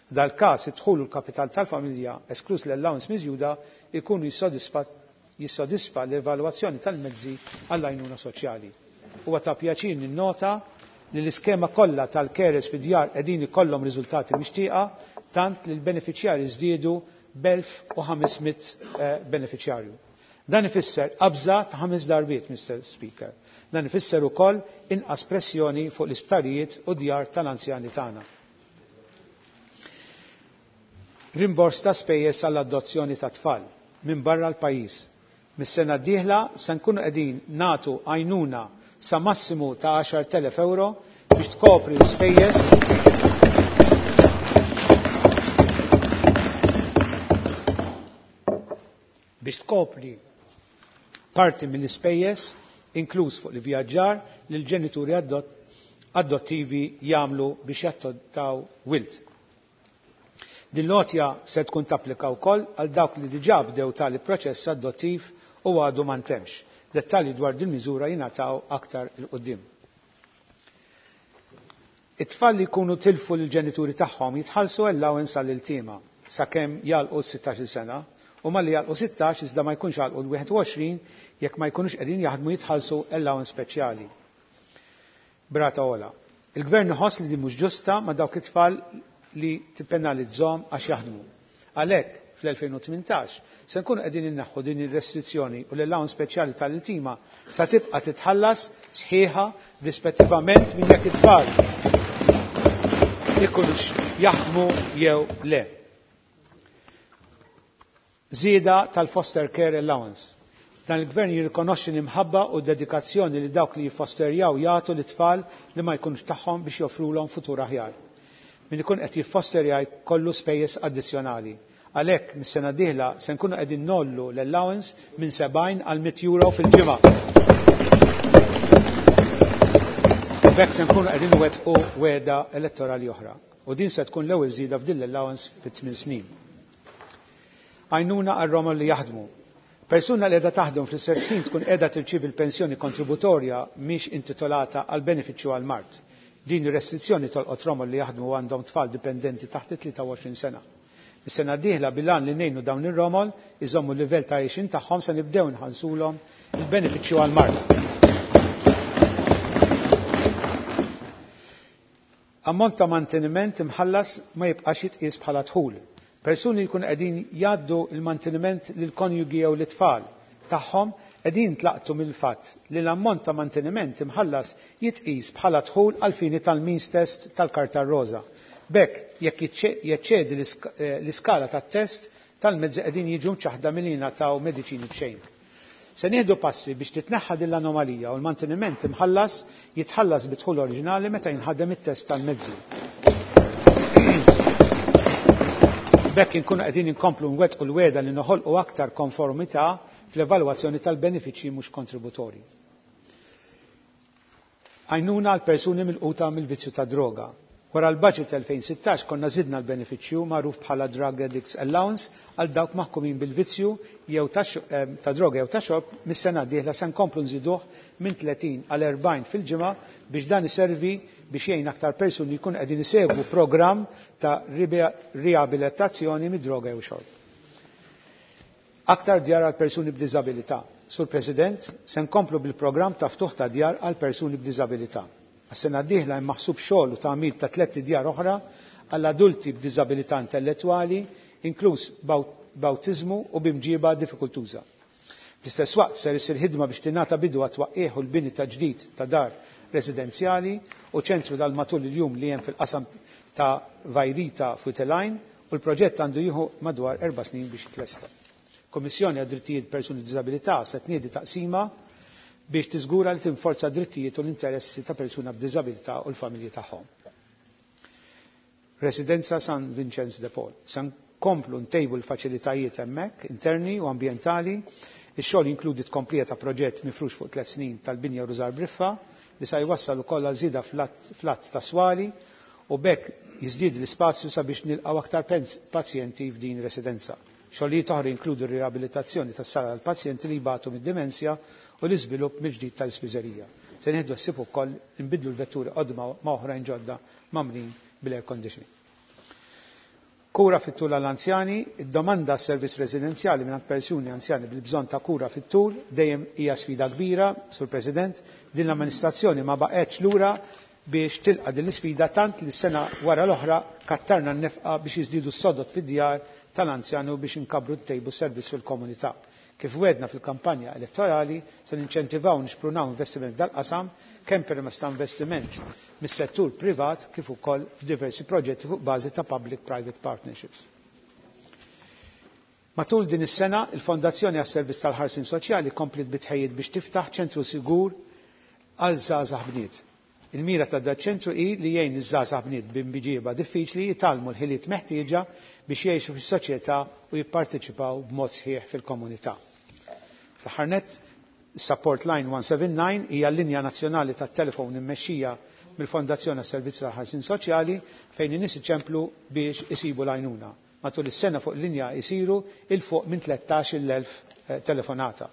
F'dal-każ id-dħul u l-kapital tal-familja eskluż l-allowance miżjuda jkunu jissodisfa l-evalwazzjoni tal-mezzi għall-għajnuna soċjali. Huwa ta' pjaċir ninnota li l-iskema kollha tal-carers fid-djar qegħdin ikollhom riżultati mixtieqa tant li l-benefiċjarji żdiedu b'1,500 benefiċjarju. Dan ifisser qabża ta' ħames darbiet, Mr. Speaker. Dan ifisser ukoll inqas pressjoni fuq l-isptarijiet u djar tal-anzjani tagħna. Rimbors ta' spejjeż għall-adozzjoni ta' tfal minn barra l-pajjiż. Mis-sena d-dieħla se nkunu qegħdin nagħtu għajnuna sa massimu ta' 10,000 euro biex tkopri l-ispejjeż biex tkopri parti mill-ispejjeż inkluż fuq l-ivvjaġġar li l-ġenituri adottivi jagħmlu biex jattottaw wild. Din l-għotja se tkun tapplika wkoll għal dawk li diġà bdew tali proċess adottiv u għadu ma ntemx. Dettalji dwar din miżura jingħataw aktar 'il quddiem. It-tfal li jkunu tilfu lill-ġenituri tagħhom jitħallsu allowance għall-iltiema sakemm jagħlqu s-16-il sena u malli jagħlqu 16 iżda ma jkunx għalqu l-21 jekk ma jkunux qegħdin jaħdmu jitħallsu allowance speċjali. B'rata ogħla. Il-gvern iħoss li din mhux ġusta ma' dawk it-tfal li tippenalizzhom għax jaħdmu. Għalhekk, fl-2018 se nkunu qegħdin inneħħu din ir-restrizzjoni u l-allowance speċjali tal-iltima sa tibqa' titħallas sħiħa rispettivament minn jekk it-tfal ikunux jaħdmu jew le. Żieda tal-foster care allowance. Dan il-gvern jirrikonoxxi l-imħabba u d-dedikazzjoni li dawk li jiffosterjaw jagħtu lit-tfal li ma jkunux tagħhom biex joffrulhom futur aħjar. Min ikun qed jiffosterja jkollu spejjeż addizzjonali. Għalhekk, mis-sena d-dieħla se nkunu qegħdin ngħollu l-allowance minn 70 għal 100 euro fil-ġimgħa. B'hekk se nkunu qegħdin nwettqu wegħda elettorali oħra. U din se tkun l-ewwel żieda f'din l-allowance fi tmien snin. Għajnuna għar-romol li jaħdmu. Persuna li qiegħda taħdem fl-istess ħin tkun qiegħda tirċievi l-pensjoni kontributorja mhix intitolata għal benefiċċju għall-mard. Din ir-restrizzjoni tolqot romol li jaħdmu u għandhom tfal dipendenti taħt it-23 sena. Is-sena d-dieħla bil-għan li ngħinu dawn ir-romol iżommu l-livell ta' għixien tagħhom se nibdew inħallsulhom il-benefiċċju għall-mard. Ammont ta' manteniment imħallas ma jibqax jitqies bħala dħul. Persuni li jkunu qegħdin jgħaddu l-manteniment lill-konjugi jew lit-tfal tagħhom qegħdin jintlaqtu mill-fatt li l-ammont ta' manteniment imħallas jitqis bħala dħul għall-fini tal-means test tal-Karta r-Roża. B'hekk, jekk jeċċedi l-iskala tat-test tal-mezzi qegħdin jiġu mċaħħda milli jingħataw mediċini b'xejn. Se nieħdu passi biex titneħħa din l-anomalija u l-manteniment imħallas jitħallas bid-dħul oriġinali meta jinħadem it-test tal-mezzi. B'hekk inkunu qegħdin inkomplu nwettqu l-wegħda li noħolqu aktar konformità fl-evalwazzjoni tal-benefiċċji mhux kontributorji. Għajnuna għal persuni milquta mill-vizzju tad-droga. Wara l-Budget 2016 konna żidna l-benefiċċju magħruf bħala Drug Addicts Allowance għal dawk maħkumin bil-vizzju jew ta' droga jew ta' xorb, mis-sena d-dieħla se nkomplu nżiduh minn 30 għal 40 fil-ġimgħa biex dan iservi biex jgħin aktar persuni jkunu qegħdin isegwu programm ta' riabilitazzjoni mid-droga jew xorb. Aktar djar għal persuni b'diżabilità. Sur President, se nkomplu bil-programm ta' ftuħ ta' djar għal persuni b'diżabilità. Għas-sena d-dieħla hemm maħsub xogħol u tagħmir ta' tlett idjar oħra għal adulti b'diżabilità intellettwali, inkluż b'awtiżmu u b'imġiba diffikultuża. Fl-istess waqt ser issir ħidma biex tingħata bidu għat-twaqqigħ u l-bini ta' ġdid ta' dar residenzjali u ċentru dal matul il-jum li hemm fil-qasam ta' Vajrita f'Wied u l-proġett għandu jieħu madwar erba' snin biex jitlesta. Kummissjoni għad-Drittijiet Persuni b'Diżabilità se tniedi taqsima biex tiżgura li tinforza d-drittijiet u l-interessi ta' persuna b'diżabilità u l-familji tagħhom. Residenza San Vincenz de Paul. Se nkomplu ntejbu l-faċilitajiet hemmhekk interni u ambjentali. Ix-xogħol jinkludi tkomplija ta' proġett mifrux fuq tliet snin tal-binja Rużar Briffa li sa jwassal ukoll għal żieda fl-għadd ta' swali u b'hekk jiżdied l-ispazju sabiex nilqgħu aktar pazjenti f'din residenza. Xogħlijiet oħra jinkludu r-riabilitazzjoni tas-sala għall-pazjenti li jbatu mid-dimensja u l-iżvilupp mill-ġdid tal-ispiżerija. Se nieħdu ħsieb ukoll inbiddlu l-vetturi qodma ma' oħrajn ġodda mgħammrin bil-air conditioning. Kura fit-tul għall-anzjani, id-domanda għas-servizz residenzjali mingħand persuni anzjani bil-bżonn ta' kura fit-tul dejjem hija sfida kbira, Sur President. Din l-amministrazzjoni ma baqgħetx lura biex tilqa' din l-isfida tant li sena wara l-oħra kattarna n-nefqa biex jiżdiedu s-sodod fid-djar tal-anzjani u biex inkabbru ntejbu s-servizz fil-komunità. Kif wegħdna fil-kampanja elettorali, se ninċentivaw u nixprunaw investiment f'dal-qasam kemm permezz ta' investiment mis-settur privat kif ukoll f'diversi proġetti fuq bażi ta' public-private partnerships. Matul din is-sena, il-Fondazzjoni għas-Servizz tal-Ħarsien Soċjali kompliet bi tħejjiet biex tiftaħ ċentru sigur għal żgħażagħ bniet. Il-mira ta' daċ-ċentru hi li jgħin liż-żgħażagħ bniet b'imġieba diffiċli jitgħallmu l-ħiliet meħtieġa biex jgħixu fis-soċjetà u jipparteċipaw b'mod sħiħ fil-komunità. Fl-aħħar nett, is-Support Line 179 hija l-linja nazzjonali tat-telefon immexxija mill-Fondazzjoni għas-Servizzi tal-Ħarsien Soċjali fejn in-nies iċemplu biex isibu l-għajnuna. Matul is-sena fuq il-linja jsiru 'il fuq minn 13,000 telefonata.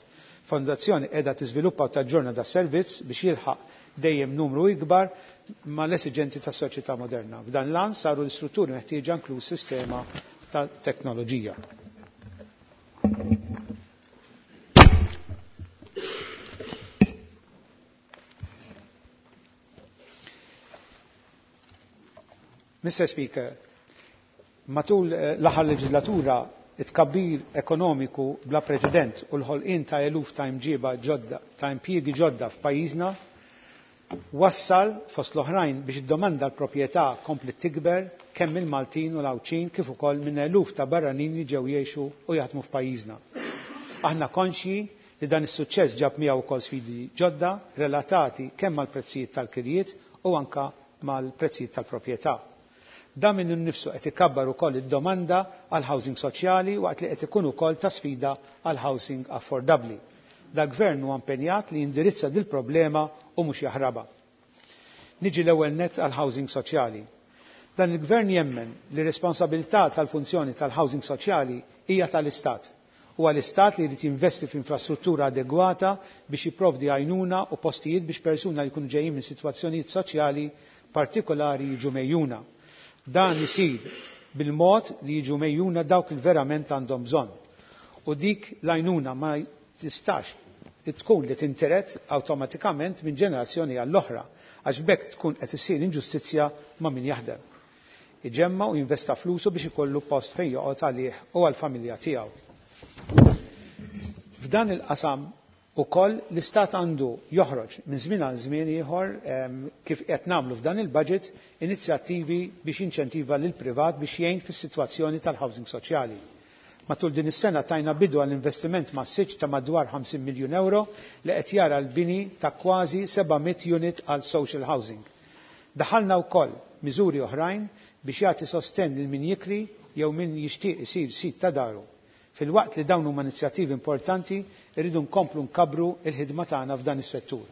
Fondazzjoni qiegħda tiżviluppa u taġġorna das-servizz biex jilħaq dejjem numru ikbar mal-esiġenti tas-soċjetà moderna. F'dan l-għan saru l-istrutturi meħtieġa inkluż sistema ta' teknoloġija. Mr. Speaker, matul l-aħħar leġislatura it-tkabbir ekonomiku bla preċedent u l-ħolqien ta' eluf ta' imġiba ġodda, ta' impjiegi ġodda f'pajjiżna wassal fost l-oħrajn biex id-domanda l-proprjetà kompli tikber kemm mill-Maltin u l-Għawdxin kif ukoll minn eluf ta' barranin li ġew jgħixu u jaħdmu f'pajjiżna. Aħna konxji li dan is-suċċess ġab miegħu wkoll sfidi ġodda relatati kemm mal-prezzijiet tal-kirjiet u anka mal-prezzijiet tal-proprjetà. Dan minnu nnifsu qed ikabbar ukoll id-domanda għal housing soċjali waqt li qed ikun ukoll ta' sfida għal housing affordabbli. Dal-Gvern huwa impenjat li jindirizza dil-problema u mhux jaħrabha. Niġi l-ewwel nett għal housing soċjali. Dan il-Gvern jemmen li responsabilità tal-funzjoni tal-housing soċjali hija tal-Istat. Huwa l-Istat li jrid jinvesti f'infrastruttura adegwata biex jipprovdi għajnuna u postijiet biex persuna li jkunu ġejjin minn sitwazzjonijiet soċjali partikolari jiġu mejjuna. Dan isir bil-mod li jiġu mejjuna dawk li verament għandhom bżonn. U dik l-għajnuna ma tistax tkun li tintiret awtomatikament minn ġenerazzjoni għall-oħra, għax b'hekk tkun qed issir inġustizzja ma' min jaħdem. Iġemma' u jinvesta flusu biex ikollu post fejn joqgħod għalih u għall-familja tiegħu. F'dan il-qasam ukoll l-Istat għandu joħroġ minn żmien għal żmien ieħor kif qed nagħmlu f'dan il-budget inizjattivi biex jinċentiva lill-privat biex jgħin fis-sitwazzjoni tal-housing soċjali. Matul din is-sena tajna bidu għal investiment massiċ ta' madwar 50 miljun euro li qed jara l-bini ta' kważi 700 unit għal social housing. Daħalna wkoll miżuri oħrajn biex jagħti sostenn lil min jikri jew min jixtieq isir sid ta' daru. Filwaqt li dawn huma inizjattivi importanti, irridu nkomplu nkabbru l-ħidma tagħna f'dan is-settur.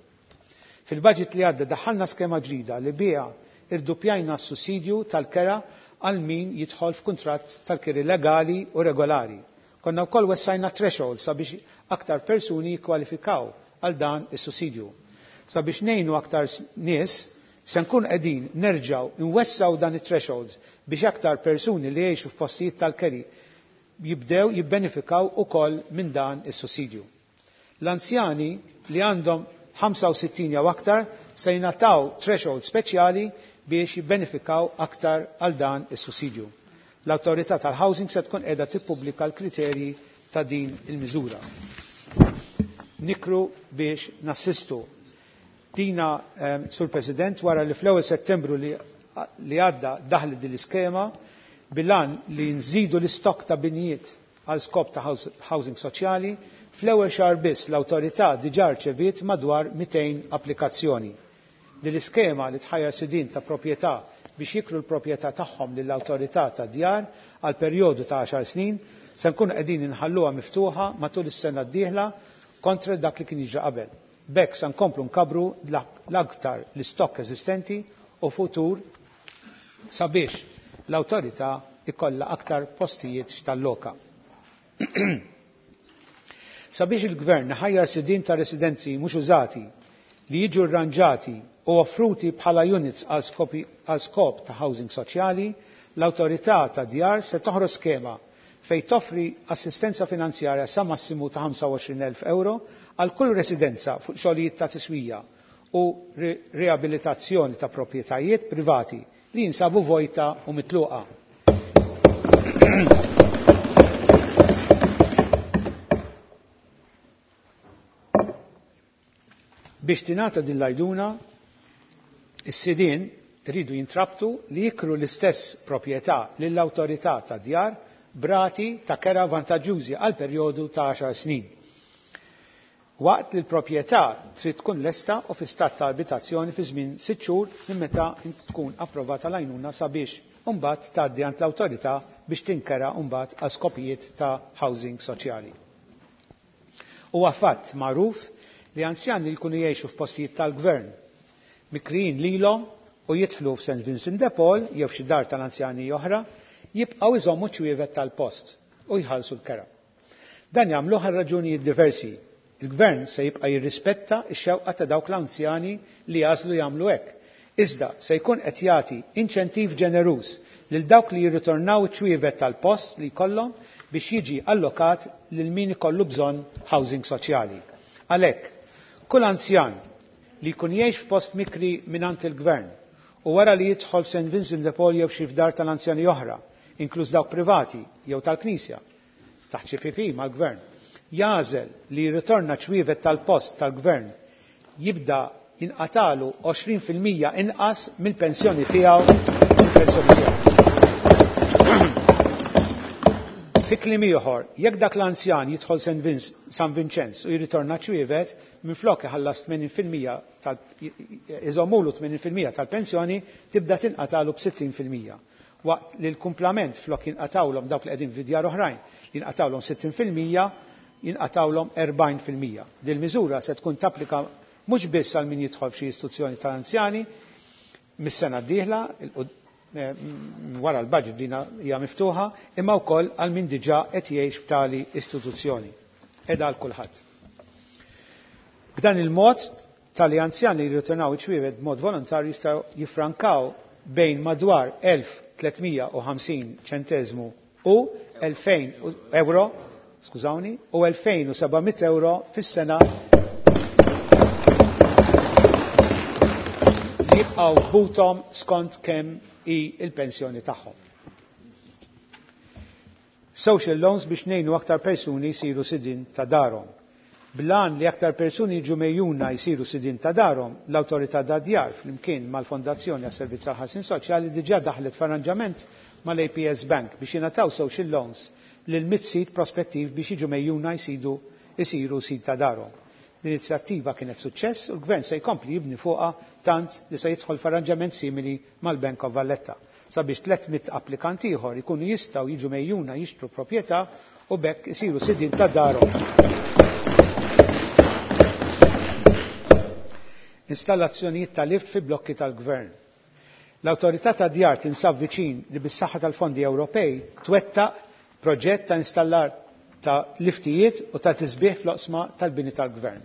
Fil-budget li għadda daħħalna skema ġdida li biha irduppjajna s-sussidju tal-kera għal min jidħol f'kuntratt tal-kiri legali u regolari. Konna wkoll wessajna threshold sabiex aktar persuni jikkwalifikaw għal dan is-sussidju. Sabiex ngħinu aktar nies, se nkun qegħdin nerġgħu nwessaw dan it-thresholds biex aktar persuni li jgħixu f'postijiet tal-keri jibdew jibbenefikaw ukoll minn dan is-sussidju. L-anzjani li għandhom 65 jew aktar se jingħataw threshold speċjali biex jibbenefikaw aktar għal dan is-sussidju. L-Awtorità tal-Housing se tkun qiegħda tippubblika l-kriterji ta' din il-miżura. Nikru biex nassistu. Dina, Sur President, wara li fl-ewwel Settembru li għadda daħlet din l-iskema bil-għan li nżidu l-istokk ta' binjiet għal skop ta' housing soċjali, fl-ewwel xahar biss l-awtorità diġà rċeviet madwar 200 applikazzjoni. Din l-iskema li tħajjar sidien ta' proprjetà biex jikru l-proprjetà tagħhom lill-awtorità ta' djar għal perjodu ta' 10 snin se nkunu qegħdin inħalluha miftuħa matul is-sena d-dieħla kontra dak li kien jiġri qabel. B'hekk se nkomplu nkabbru l-aktar l-istokk eżistenti u futur sabiex l-awtorità ikollha aktar postijiet x'talloka. Sabiex il-Gvern iħajjar sidien ta' residenzi mhux użati li jiġu rranġati u offruti bħala units għal skop ta' housing soċjali, l-Awtorità ta' Djar se toħroġ skema fejn toffri assistenza finanzjarja sa massimu ta' 25,000 euro għal kull residenza fuq xogħlijiet ta' tiswija u riabilitazzjoni ta' proprjetajiet privati li jinsabu vojta u mitluqa. Biex tingħata din l-għajduna, is-sidien iridu jintrabtu li jikru l-istess proprjetà lill-awtorità ta' djar b'rati ta' kera vantaġġużi għal perjodu ta' 10 snin. Waqt li l-proprjetà trid tkun lesta u fi stat ta' abitazzjoni fi żmien 6 xhur minn meta tkun approvata l-għajnuna sabiex imbagħad tgħaddi għand l-awtorità biex tinkera mbagħad għal skopijiet ta' housing soċjali. Huwa fatt magħruf li anzjani li jkunu jgħixu f'postijiet tal-gvern mikrijin lilhom u jidħlu f'St Vincent de Paul jew f'xi dar tal-anzjani oħra jibqgħu jżommu ċ-ċwievet tal-post u jħallsu l-kera. Dan jagħmluh għal raġunijiet diversi. Il-Gvern se jibqa' jirrispetta x-xewqa ta' dawk l-anzjani li jagħżlu jagħmlu hekk. Iżda se jkun qed jagħti inċentiv ġeneruż lil dawk li jirritornaw iċ-ċwievet tal-post li jkollhom biex jiġi allokat lil min ikollu bżonn housing soċjali. Għalhekk, kull anzjan li jkun jgħix f'post mikri mingħand il-Gvern u wara li jidħol St. Vincent de Paul jew xi f'dar tal-anzjani oħra, inkluż dawk privati jew tal-Knisja, taħt xi PP mal-Gvern, jagħżel li jirritorna ċwievet tal-post tal-Gvern jibda jinqatalu 20% inqas mill-pensjoni tiegħu mill-pensjoni tiegħu. Fi kliem ieħor, jekk dak l-anzjan jidħol San Vinċenz u jirritorna ċwievet, minflok iħallas 80% tal iżommulu 80% tal-pensjoni tibda tinqatalu b'60%. Waqt li l-kumplament flok jinqatawlhom dawk li qegħdin fi djar oħrajn jinqatawlhom 60% jinqatawlhom 40%. Dil miżura se tkun tapplika mhux biss għal min jidħol f'xi istituzzjoni tal-anzjani mis-sena d-dieħla wara l-budget dina hija miftuħa, imma wkoll għal min diġà qed jgħix f'tali istituzzjoni. Qiegħda għal kulħadd. B'dan il-mod tali anzjani li jirritornaw iċ-ċwievet b'mod volontarju jistgħu jiffrankaw bejn madwar 1350 ċenteżmu u 2000 euro, skużawni, u 2700 euro fis-sena li jibqgħu f'buthom skont kemm hi l-pensjoni tagħhom. Social loans biex ngħinu aktar persuni jsiru sidien ta' darhom. Bl-għan li aktar persuni jiġu megħjuna jsiru sidien ta' darhom, l-Awtorità tad-Djar flimkien mal-Fondazzjoni għas-Servizz tal-Ħarsien Soċjali diġà daħlet f'arranġament mal-APS Bank biex jingħataw social loans lil mitt sid prospettiv biex jiġu megħjuna jsidu jsiru sid ta' darhom. L-inizjattiva kienet suċċess u l-Gvern se jkompli jibni fuqha tant li se jidħol f'arranġament simili mal-Bank of Valletta sabiex 300 applikant ieħor ikunu jistgħu jiġu megħjuna jixtru proprjetà u b'hekk isiru sidien ta' darhom. Installazzjonijiet ta' lift fi blokki tal-Gvern. L-Awtorità tad-Djar tinsab viċin li bis-saħħa tal-fondi Ewropej twettaq proġett ta' installar ta' liftijiet u ta' tisbiħ fl-oqsma tal-bini tal-Gvern.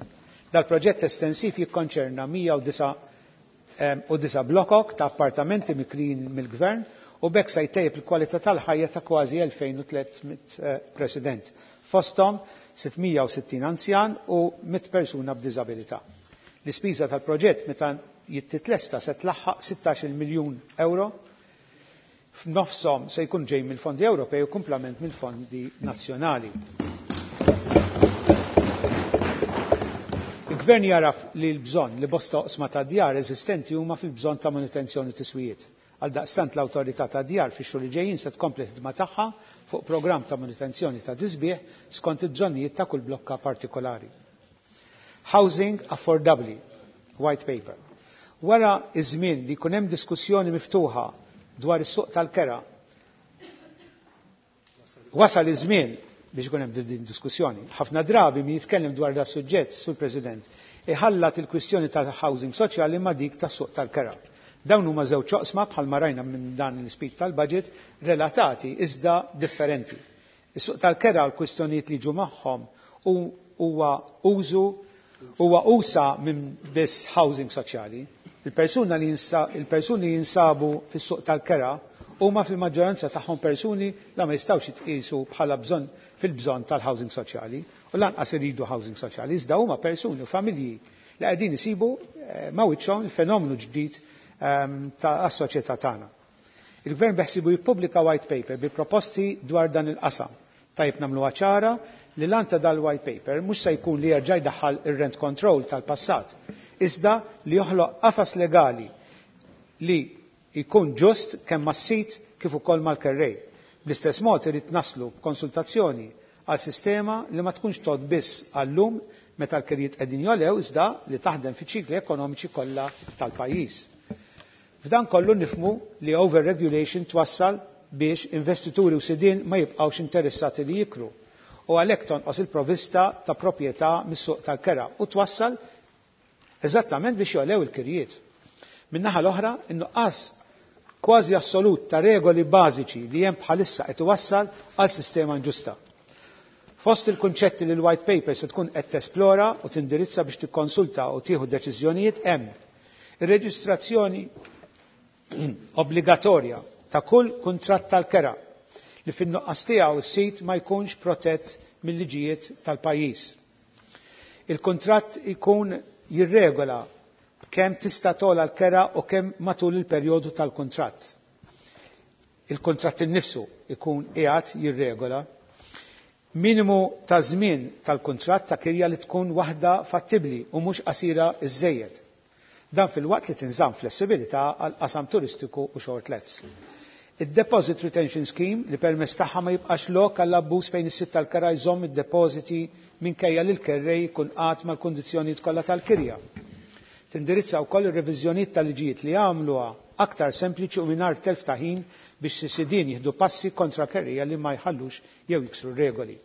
Dal-proġett estensiv jikkonċerna 109 blokok ta' appartamenti mikrijin mill-Gvern u b'hekk se jtejjeb il-kwalità tal-ħajja ta' kważi 2300 president, fosthom 660 anzjan u 100 persuna b'diżabilità. L-ispiża tal-proġett meta jittitlesta se tlaħħaq 16 miljun euro, f'nofshom se jkun ġej mill-fondi Ewropej u kumplament mill-fondi nazzjonali. Il-Gvern jaraf li l-bżonn li bosta oqsma ta' djar eżistenti huma fil-bżonn ta' manutenzjoni u tiswijiet. Għaldaqstant l-Awtorità ta' Djar fix-xhur li ġejjin se tkompli l-ħidma tagħha fuq programm ta' manutenzjoni ta' tisbiħ skont il-bżonnijiet ta' kull blokka partikolari. Housing Affordably, White Paper. Wara iż-żmien li jkun hemm diskussjoni miftuħa dwar is-suq tal-kera, wasal iż-żmien biex ikun hemm din diskussjoni. Ħafna drabi min jitkellem dwar da suġġett, Sur President, iħallat il-kwistjoni tal-housing soċjali ma' dik tas-suq tal-kera. Dawn huma żewġ oqsma bħalma rajna minn dan l-ispeech tal-budget relatati iżda differenti. Is-suq tal-kera u l-kwistjonijiet li ġu magħhom huwa użu huwa usa minn biss housing soċjali. Il-persuna li il-persuni jinsabu fis-suq tal-kera huma fil-maġġoranza tagħhom persuni la ma jistgħux jitqiesu bħala bżonn fil-bżonn tal-housing soċjali u lanqas iridu housing soċjali, iżda huma persuni u familji li qegħdin isibu ma' wiċċhom il-fenomenu ġdid ta' soċjetà tagħna. Il-Gvern beħsibu jippubblika white paper bi proposti dwar dan il-qasam. Tajjeb nagħmluha ċara li l-għan ta' dal-white paper mhux se jkun li jerġa' jdaħħal ir-rent control tal-passat, iżda li joħloq qafas legali li jkun ġust kemm mas-sid kif ukoll mal-kerrej. Bl-istess mod irid naslu b'konsultazzjoni għal sistema li ma tkunx tgħodd biss għal-lum meta l-kirjiet qegħdin jogħlew iżda li taħdem fiċ-ċikli ekonomiċi kollha tal-pajjiż. F'dan kollu nifhmu li overregulation twassal biex investituri u sidien ma jibqgħux interessati li jikru u għalhekk tonqos il-provista ta' proprjetà mis-suq tal-kera u twassal eżattament biex jogħlew il-kirjiet. Min-naħa l-oħra, in-nuqqas kważi assolut ta' regoli bażiċi li hemm bħalissa qed iwassal għal sistema inġusta. Fost il-kunċetti li l-White Paper se tkun qed tesplora u tindirizza biex tikkonsulta u tieħu deċiżjonijiet hemm ir-reġistrazzjoni obbligatorja ta' kull kuntratt tal-kera li fin-nuqqas tiegħu s-sit ma jkunx protett mill-liġijiet tal-pajjiż. Il-kuntratt ikun jirregola Kemm tista' togħla l-kera u kemm matul il-perjodu tal-kuntratt. Il-kuntratt innifsu ikun qiegħed jirregola. Minimu ta' żmien tal-kuntratt ta' kirja li tkun waħda fattibbli u mhux qasira iżżejjed. Dan filwaqt li tinżamm flessibilità għal qasam turistiku u short lets. Id-Deposit Retention Scheme li permezz tagħha ma jibqax lok għall abbuż fejn is-sid tal-kera jżomm id-depożiti minkejja li l-kerrej jkun qagħad mal-kundizzjonijiet kollha tal-kirja. Tindirizza wkoll ir-reviżjonijiet tal-liġijiet li jagħmluha aktar sempliċi u mingħajr telf ta' ħin biex is-sidien jieħdu passi kontra kerrejja li ma jħallux jew jiksru r-regoli.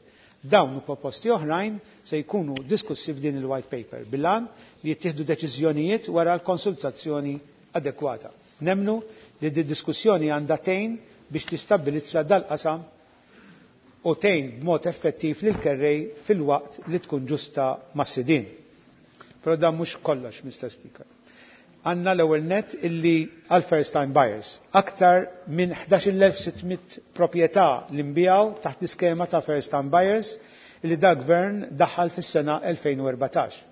Dawn u proposti oħrajn se jkunu diskussi f'din il-White Paper bil-għan li jittieħdu deċiżjonijiet wara l-konsultazzjoni adekwata. Nemmnu li di diskussjoni għandha tgħin biex tistabbilizza dal-qasam u tgħin b'mod effettiv lill-kerrej filwaqt li tkun ġusta mas-sidien. Però dan mhux kollox, Mr. Speaker. Għandna l-ewwel nett illi għal first time buyers. Aktar minn 11,600 proprjetà li nbiegħu taħt l-iskema ta' first time buyers illi da gvern daħal fis-sena 2014.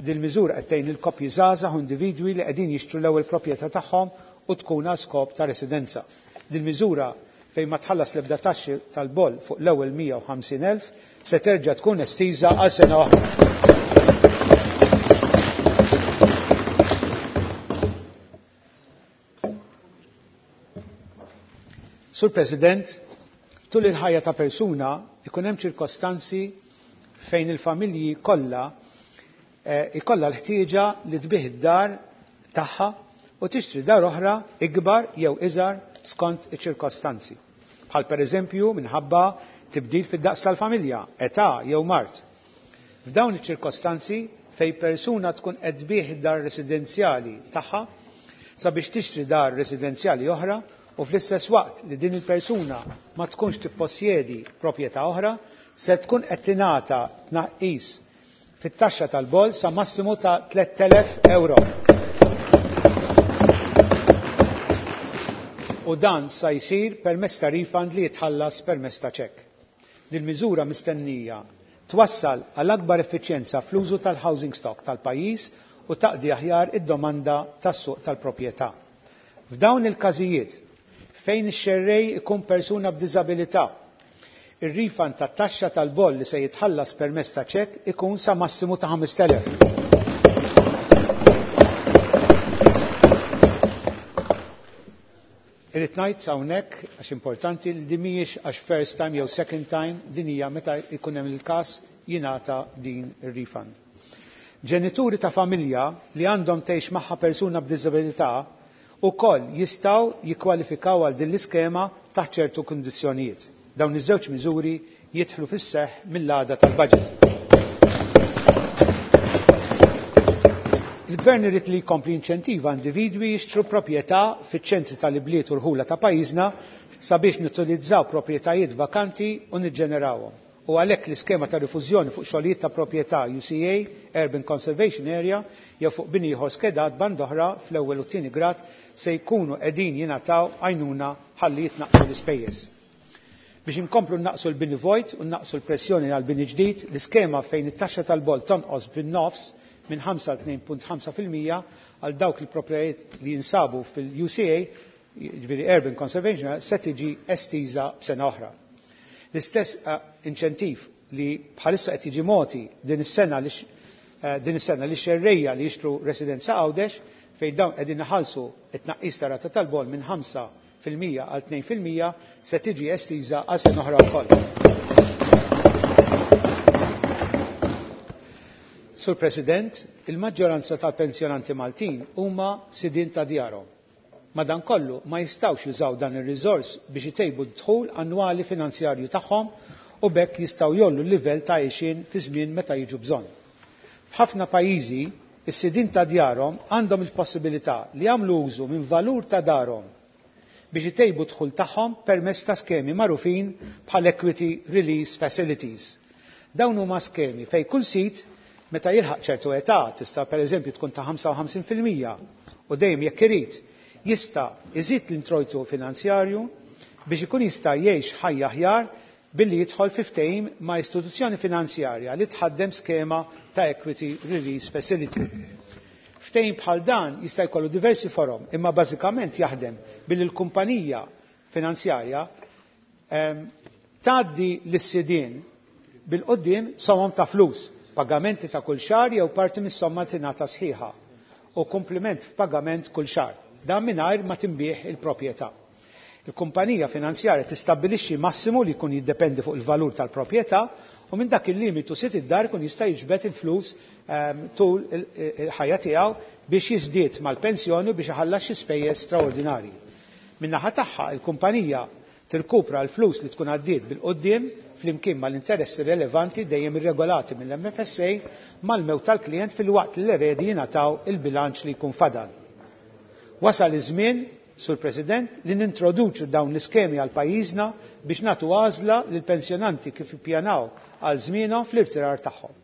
Din miżura qed tgħin il-koppji żgħażagħ u individwi li qegħdin jixtru l-ewwel proprjetà tagħhom u tkun għal skop ta' residenza. Din miżura fejn ma tħallas l-ebda taxxi tal-boll fuq l-ewwel 150,000 se terġa' tkun estiża għal sena oħra. Sur President, tul il-ħajja ta' persuna ikun hemm ċirkostanzi fejn il-familji kollha ikollha l-ħtieġa li tbih id-dar tagħha u tixtri dar oħra ikbar jew iżgħar skont iċ-ċirkostanzi. Bħal pereżempju minħabba tibdil fid-daqs tal-familja, età jew mard. F'dawn iċ-ċirkostanzi fejn persuna tkun qed tbih id-dar residenzjali tagħha sabiex tixtri dar residenzjali oħra u fl-istess waqt li din il-persuna ma tkunx tippossjedi proprjetà oħra, se tkun qed tingħata tnaqqis fit-taxxa tal-boll sa massimu ta' 3,000 euro. U dan sa jsir permezz ta' refund li jitħallas permezz ta' ċekk. Din miżura mistennija twassal għal akbar effiċjenza fl-użu tal-housing stock tal-pajjiż u taqdi aħjar id-domanda tas-suq tal-proprjetà. F'dawn il-każijiet fejn ix-xerrej ikun persuna b'diżabilità, ir-refund tat-taxxa tal-boll li se jitħallas permezz ta' ċekk ikun sa massimu ta' 5,000. Irrid ngħid hawnhekk għax importanti li din mhijiex għax first time jew second time, din hija meta jkun hemm il-każ jingħata din ir-refund. Ġenituri ta' familja li għandhom tgħix magħha persuna b'diżabilità ukoll jistgħu jikkwalifikaw għal din l-iskema taħt ċertu kundizzjonijiet. Dawn iż-żewġ miżuri jidħlu fis-seħħ mill-għada tal-budget. Il-Gvern irid li jkompli inċentiva individwi jixtru proprjetà fiċ-ċentri tal-ibliet u l-ħula ta' pajjiżna sabiex nutilizzaw proprjetajiet vakanti u niġġenerawhom. U għalhekk l-iskema ta' rifużjoni fuq xogħlijiet ta' proprjetà UCA, Urban Conservation Area, jew fuq bini ieħor skedat band oħra fl-ewwel u t-tieni grad se jkunu qegħdin jingħataw għajnuna ħalli jitnaqqsu l-ispejjeż. Biex inkomplu naqsu l-bini vojt u naqsu l-pressjoni għal bini ġdid, l-iskema fejn it-taxxa tal-boll tonqos bin-nofs minn 5 għal 2.5% għal dawk il-proprjetajiet li jinsabu fil-UCA, jiġifieri Urban Conservation, se tiġi estiża b'sena oħra. L-istess inċentiv li bħalissa qed jiġi mogħti din is-sena li din is-sena li xerrejja li jixtru residenza Għawdex fejn dawn qegħdin iħallsu t-tnaqqis ta' rata tal-boll minn 5% għal 2% se tiġi estiża għal sena oħra wkoll. Sur President, il-maġġoranza tal-pensjonanti Maltin huma sidien ta' djarhom. Madankollu ma jistgħux jużaw dan ir-riżors biex itejbu d-dħul annwali finanzjarju tagħhom u b'hekk jistgħu jgħollu l-livell ta' għixien fi żmien meta jiġu bżonn. F'ħafna pajjiżi, is-sidien ta' djarhom għandhom il-possibilità li jagħmlu użu minn valur ta' darhom biex itejbu d-dħul tagħhom permezz ta' skemi magħrufin bħal Equity Release Facilities. Dawn huma skemi fejn kull sit meta jilħaq ċertu età, tista' pereżempju tkun ta' 55% u dejjem jekk irid jista' iżid l-introjtu finanzjarju biex ikun jista' jgħix ħajja aħjar billi jidħol fi ftehim ma' istituzzjoni finanzjarja li tħaddem skema ta' Equity Release Facility. Ftehim bħal dan jista' jkollu diversi forom, imma bażikament jaħdem billi l-kumpanija finanzjarja tgħaddi lis-sidien bil-quddiem somom ta' flus, pagamenti ta' kull xahar jew parti mis-somma tingħata sħiħa u kumpliment f'pagament kull xahar. Dan mingħajr ma tinbiegħ il-proprjetà. Il-kumpanija finanzjarja tistabbilixxi massimu li jkun jiddependi fuq il-valur tal-proprjetà u minn dak il-limitu sid id-dar ikun jista' jiġbed il-flus tul il-ħajja tiegħu biex jiżdied mal-pensjoni u biex iħallas xi spejjeż straordinarji. Min-naħa tagħha, il-kumpanija tirkupra l-flus li tkun għaddiet bil-quddiem flimkien mal-interessi relevanti dejjem irregolati mill-MFSA mal-mewt tal-klijent filwaqt li l-eredi jingħataw il-bilanċ li jkun fadal. Wasal iż-żmien, Sur President, li nintroduċu dawn l-iskemi għal pajjiżna biex nagħtu għażla lill-pensjonanti kif jippjanaw għal żmienhom fl-irtirar tagħhom.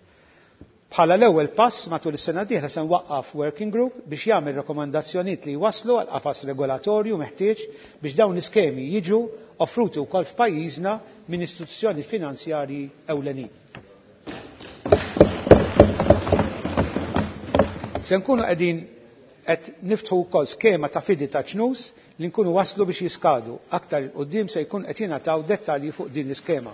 Bħala l-ewwel pass matul is-sena d-dieħla se nwaqqaf working group biex jagħmel rakkomandazzjonijiet li jwasslu għal qafas regolatorju meħtieġ biex dawn l-iskemi jiġu offruti wkoll f'pajjiżna minn istituzzjoni finanzjarji ewlenin. Se nkunu qegħdin qed niftħu wkoll skema ta' fidi ta' ċnus li nkunu waslu biex jiskadu. Aktar 'il quddiem se jkun qed jingħataw dettalji fuq din l-iskema.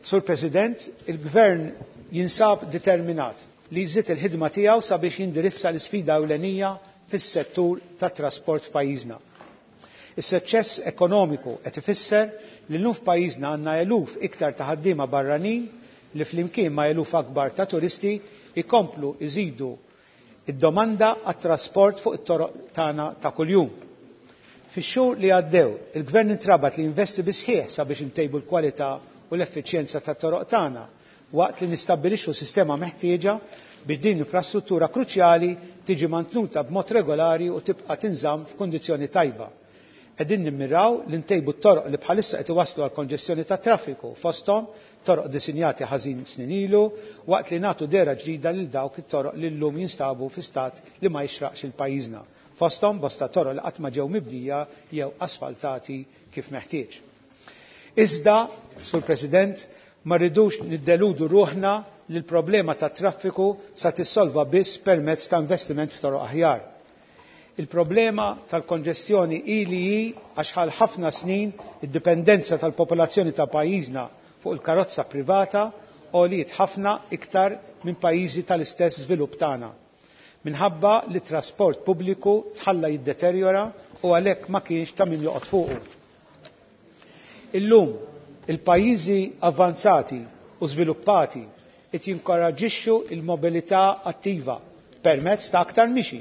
Sur President, il-Gvern jinsab determinat li jżid il-ħidma tiegħu sabiex jindirizza l-isfida ewlenija fis-settur tat-trasport f'pajjiżna. Is-suċċess ekonomiku qed ifisser li llum f'pajjiżna għandna eluf iktar ta' ħaddiema barranin li flimkien ma' eluf akbar ta' turisti jkomplu jżidu d-domanda għat-trasport fuq it-toroq tagħna ta' kuljum. Fix-xhur li għaddew, il-Gvern intrabat li jinvesti bis-sħiħ sabiex intejbu l-kwalità u l-effiċjenza tat-toroq tagħna waqt li nistabbilixxu sistema meħtieġa biex din l-infrastruttura kruċjali tiġi mantnuta b'mod regolari u tibqa' tinżamm f'kundizzjoni tajba. Qegħdin nimmiraw li ntejbu t-toroq li bħalissa qed iwasslu għal konġestjoni tat-traffiku, fosthom toroq disinjati ħażin snin ilu, waqt li nagħtu dehra ġdida lil dawk it-toroq li llum jinstabu fi stat li ma jixraqx lil pajjiżna, fosthom bosta toroq li qatt ma ġew mibnija jew asfaltati kif meħtieġ. Iżda, Sur President, ma rridux niddeludu ruħna li l-problema tat-traffiku sa tissolva biss permezz ta' investiment f'toroq aħjar. Il-problema tal-konġestjoni hi li hi għax għal ħafna snin id-dipendenza tal-popolazzjoni ta' pajjiżna fuq il-karozza privata għoliet ħafna iktar minn pajjiżi tal-istess żvilupp tagħna. Minħabba li t-trasport pubbliku tħalla jiddeterjora u għalhekk ma kienx ta' min joqgħod fuqu. Illum, il-pajjiżi avvanzati u żviluppati qed jinkoraġġixxu l-mobilità attiva permezz ta' aktar mixi,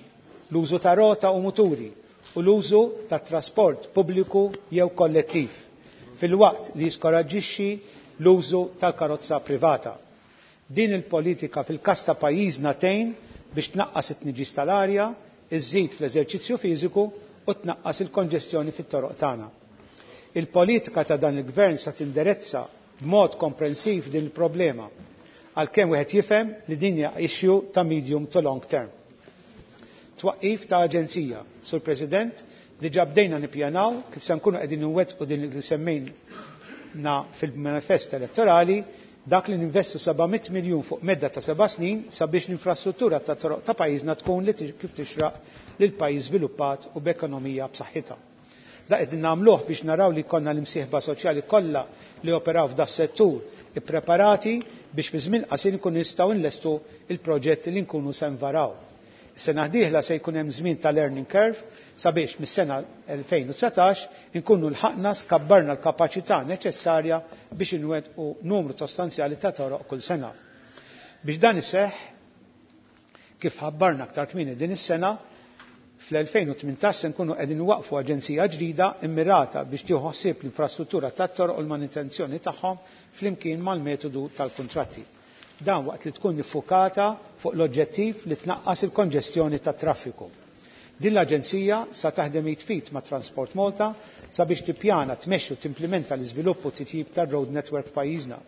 l-użu ta' rota u muturi u l-użu tat-trasport pubbliku jew kollettiv, filwaqt li jiskoraġġixxi l-użu tal-karozza privata. Din il-politika fil-każ ta' pajjiżna tgħin biex tnaqqas it-tniġġis tal-arja, iżżid fl-eżerċizzju fiżiku u tnaqqas il-konġestjoni fit-toroq tagħna. Il-politika ta' dan il-Gvern sa tindirezza b'mod komprensiv din il-problema, għalkemm wieħed jifhem li din hija issue ta' medium to long term. Twaqqif ta' aġenzija. Sur President, diġà bdejna nippjanaw kif se nkunu qegħdin inwettqu din li semmejna fil-manifest elettorali, dak li ninvestu 700 miljun fuq medda ta' 7 snin sabiex l-infrastruttura tat-toroq ta' pajjiżna tkun li kif tixraq lil pajjiż żviluppat u b'ekonomija b'saħħitha. Da qegħdin nagħmluh biex naraw li jkollna l-imsieħba soċjali kollha li joperaw f'das-settur ippreparati biex fi żmien qasir inkunu nistgħu nlestu l-proġetti li nkunu se nvaraw. Is-sena d-dieħla se jkun hemm żmien ta' learning curve sabiex mis-sena 2019 inkunu lħaqna skabbarna l-kapaċità neċessarja biex inwettqu numru sostanzjali ta' toroq kull sena. Biex dan iseħħ, kif ħabbarna aktar kmieni din is-sena, fl-2018 se nkunu qegħdin nwaqqfu aġenzija ġdida immirata biex tieħu ħsieb l-infrastruttura tat-toroq u l-manutenzjoni tagħhom flimkien mal-metodu tal-kuntratti. Dan waqt li tkun iffukata fuq l-oġġettiv li tnaqqas il-konġestjoni tat-traffiku. Din l-aġenzija sa taħdem id f'id ma' Transport Malta sabiex tippjana, tmexxi u timplimenta l-iżvilupp u t-titjib tar-road network f'pajjiżna.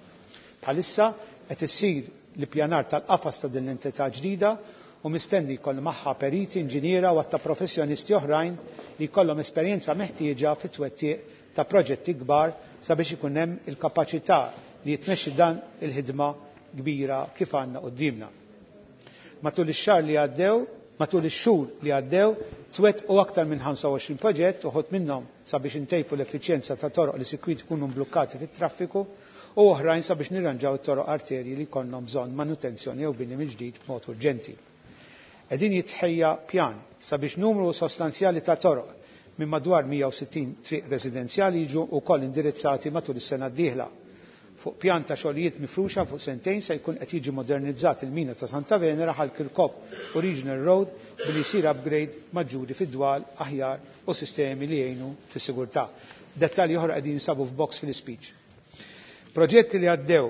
Bħalissa qed issir l-ippjanar tal-qafas ta' din l-entità ġdida u mistenni jkollha magħha periti, inġiniera u għadd ta' professjonisti oħrajn li jkollhom esperjenza meħtieġa fit-twettiq ta' proġetti kbar sabiex ikun hemm il-kapaċità li jitmexxi dan il-ħidma kbira kif għandna quddiemna. Matul ix-xahar li għaddew, matul ix-xhur li għaddew, twettqu aktar minn 25 proġett, uħud minnhom sabiex intejbu l-effiċjenza ta' toroq li sikwit ikunu mblukkati fit-traffiku u oħrajn sabiex nirranġaw it-toroq arterji li jkollhom bżonn manutenzjoni jew bini mill-ġdid b'mod urġenti. Qegħdin jitħejja pjan sabiex numru sostanzjali ta' toroq minn madwar 160 triq residenzjali jiġu wkoll indirizzati matul is-sena d-dieħla. Fuq pjan ta' xogħlijiet mifruxa fuq sentejn se jkun qed jiġi modernizzat il-mina ta' Santa Venera Ħal Kirkop u Regional Road billi jsir upgrade maġġuri fid-dwal aħjar u sistemi li jgħinu fis-sigurtà. Dettalji oħra qegħdin jinsabu f'box fil-ispeech. Proġetti li għaddew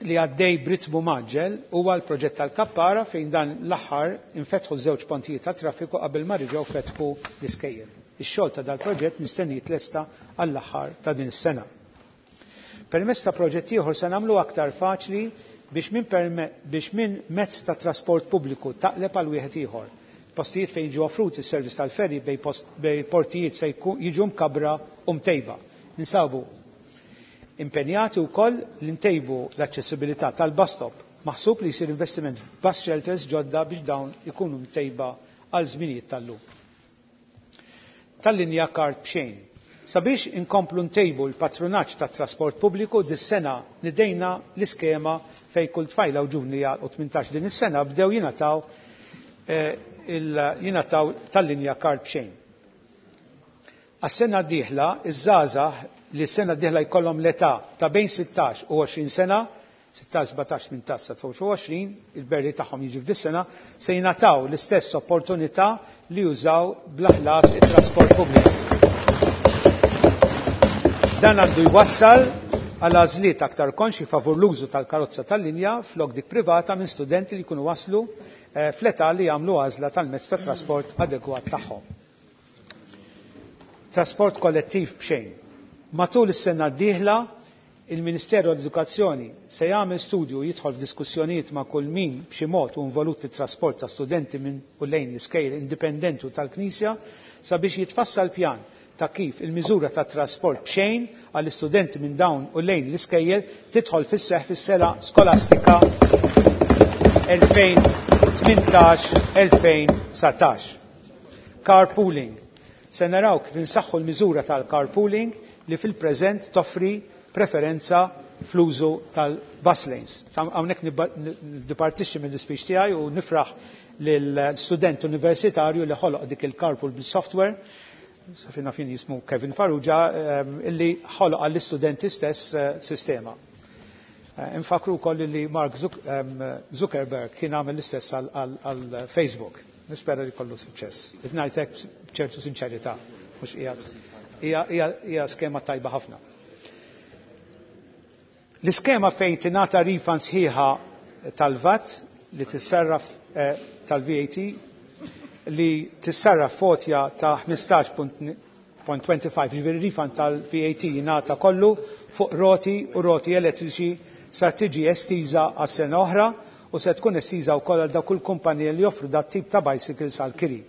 li għaddej b'ritmu mgħaġġel huwa l-proġett tal-Kappara fejn dan l-aħħar infetħu żewġ pontijiet ta' traffiku qabel ma reġgħu fetħu l-iskejjel. Ix-xogħol ta' dal-proġett mistenni jitlesta għall-aħħar ta' din is-sena. Permezz ta' proġett ieħor se nagħmlu aktar faċli biex minn biex minn mezz ta' trasport pubbliku taqleb għal wieħed ieħor. Postijiet fejn jiġu offruti s-servizz tal-ferry bejn portijiet se jiġu mkabbra u mtejba. Ninsabu Impenjati wkoll li ntejbu l-aċċessibilità tal-bus stop. Maħsub li jsir investiment f'bus shelters ġodda biex dawn ikunu mtejba għal żminijiet tal-lum. Tal-linja kart b'xejn. Sabiex inkomplu ntejbu l-patrunaġġ tat-trasport pubbliku dis-sena nidejna l-iskema fejn kull tfajla u ġuvni li jagħlqu 18 din is-sena bdew jingħataw jingħataw tal-linja kart b'xejn. Għas-sena d-dieħla, iż-żgħażagħ li s-sena d-dieħla jkollhom l-età ta' bejn 16 u 20 sena, 16, 17, 18, 19, il-birthday tagħhom jiġi f'dis-sena, se jingħataw l-istess opportunità li jużaw bla ħlas it-trasport pubbliku. Dan għandu jwassal għal għażliet aktar konxji favur l-użu tal-karozza tal-linja flok dik privata minn studenti li jkunu waslu fl-età li jagħmlu għażla tal-mezz ta' trasport adegwat tagħhom. Trasport kollettiv b'xejn. Matul is-sena d-dieħla, il-Ministeru għall-Edukazzjoni se jagħmel studju u jidħol f'diskussjonijiet ma' kull min b'xi mod hu involut fit-trasport ta' studenti minn u lejn l-iskejjel indipendenti u tal-Knisja sabiex jitfassal pjan ta' kif il-miżura ta' trasport b'xejn għall-istudenti minn dawn u lejn l-iskejjel tidħol fis-seħħ fis-sena skolastika 2018-2019. Carpooling. Se naraw kif insaħħu l-miżura tal-carpooling li fil-preżent toffri preferenza fl-użu tal-bus lanes. Hawnhekk niddipartixxi mill-ispeech tiegħi u nifraħ lill-student universitarju li ħoloq dik il-carpool bil-software, safina fin jismu Kevin Farrugia, illi ħoloq għall-istudenti stess sistema. Infakru wkoll li Mark Zuckerberg kien għamel l-istess għal Facebook. Nispera li kollu suċċess. Qed ngħid hekk b'ċertu sinċerità, mhux qiegħed. Hija skema tajba ħafna. L-iskema fejn tingħata refund sħiħa tal-VAT li tissarraf tal-VAT li tissarraf fotja ta' 15.25, ġifieri refund tal-VAT jingħata kollu fuq roti u roti elettriċi sa tiġi estiża għas sena oħra u se tkun estiża wkoll għal dawk il-kumpaniji li joffru dat tip ta' bicycles għal kiri.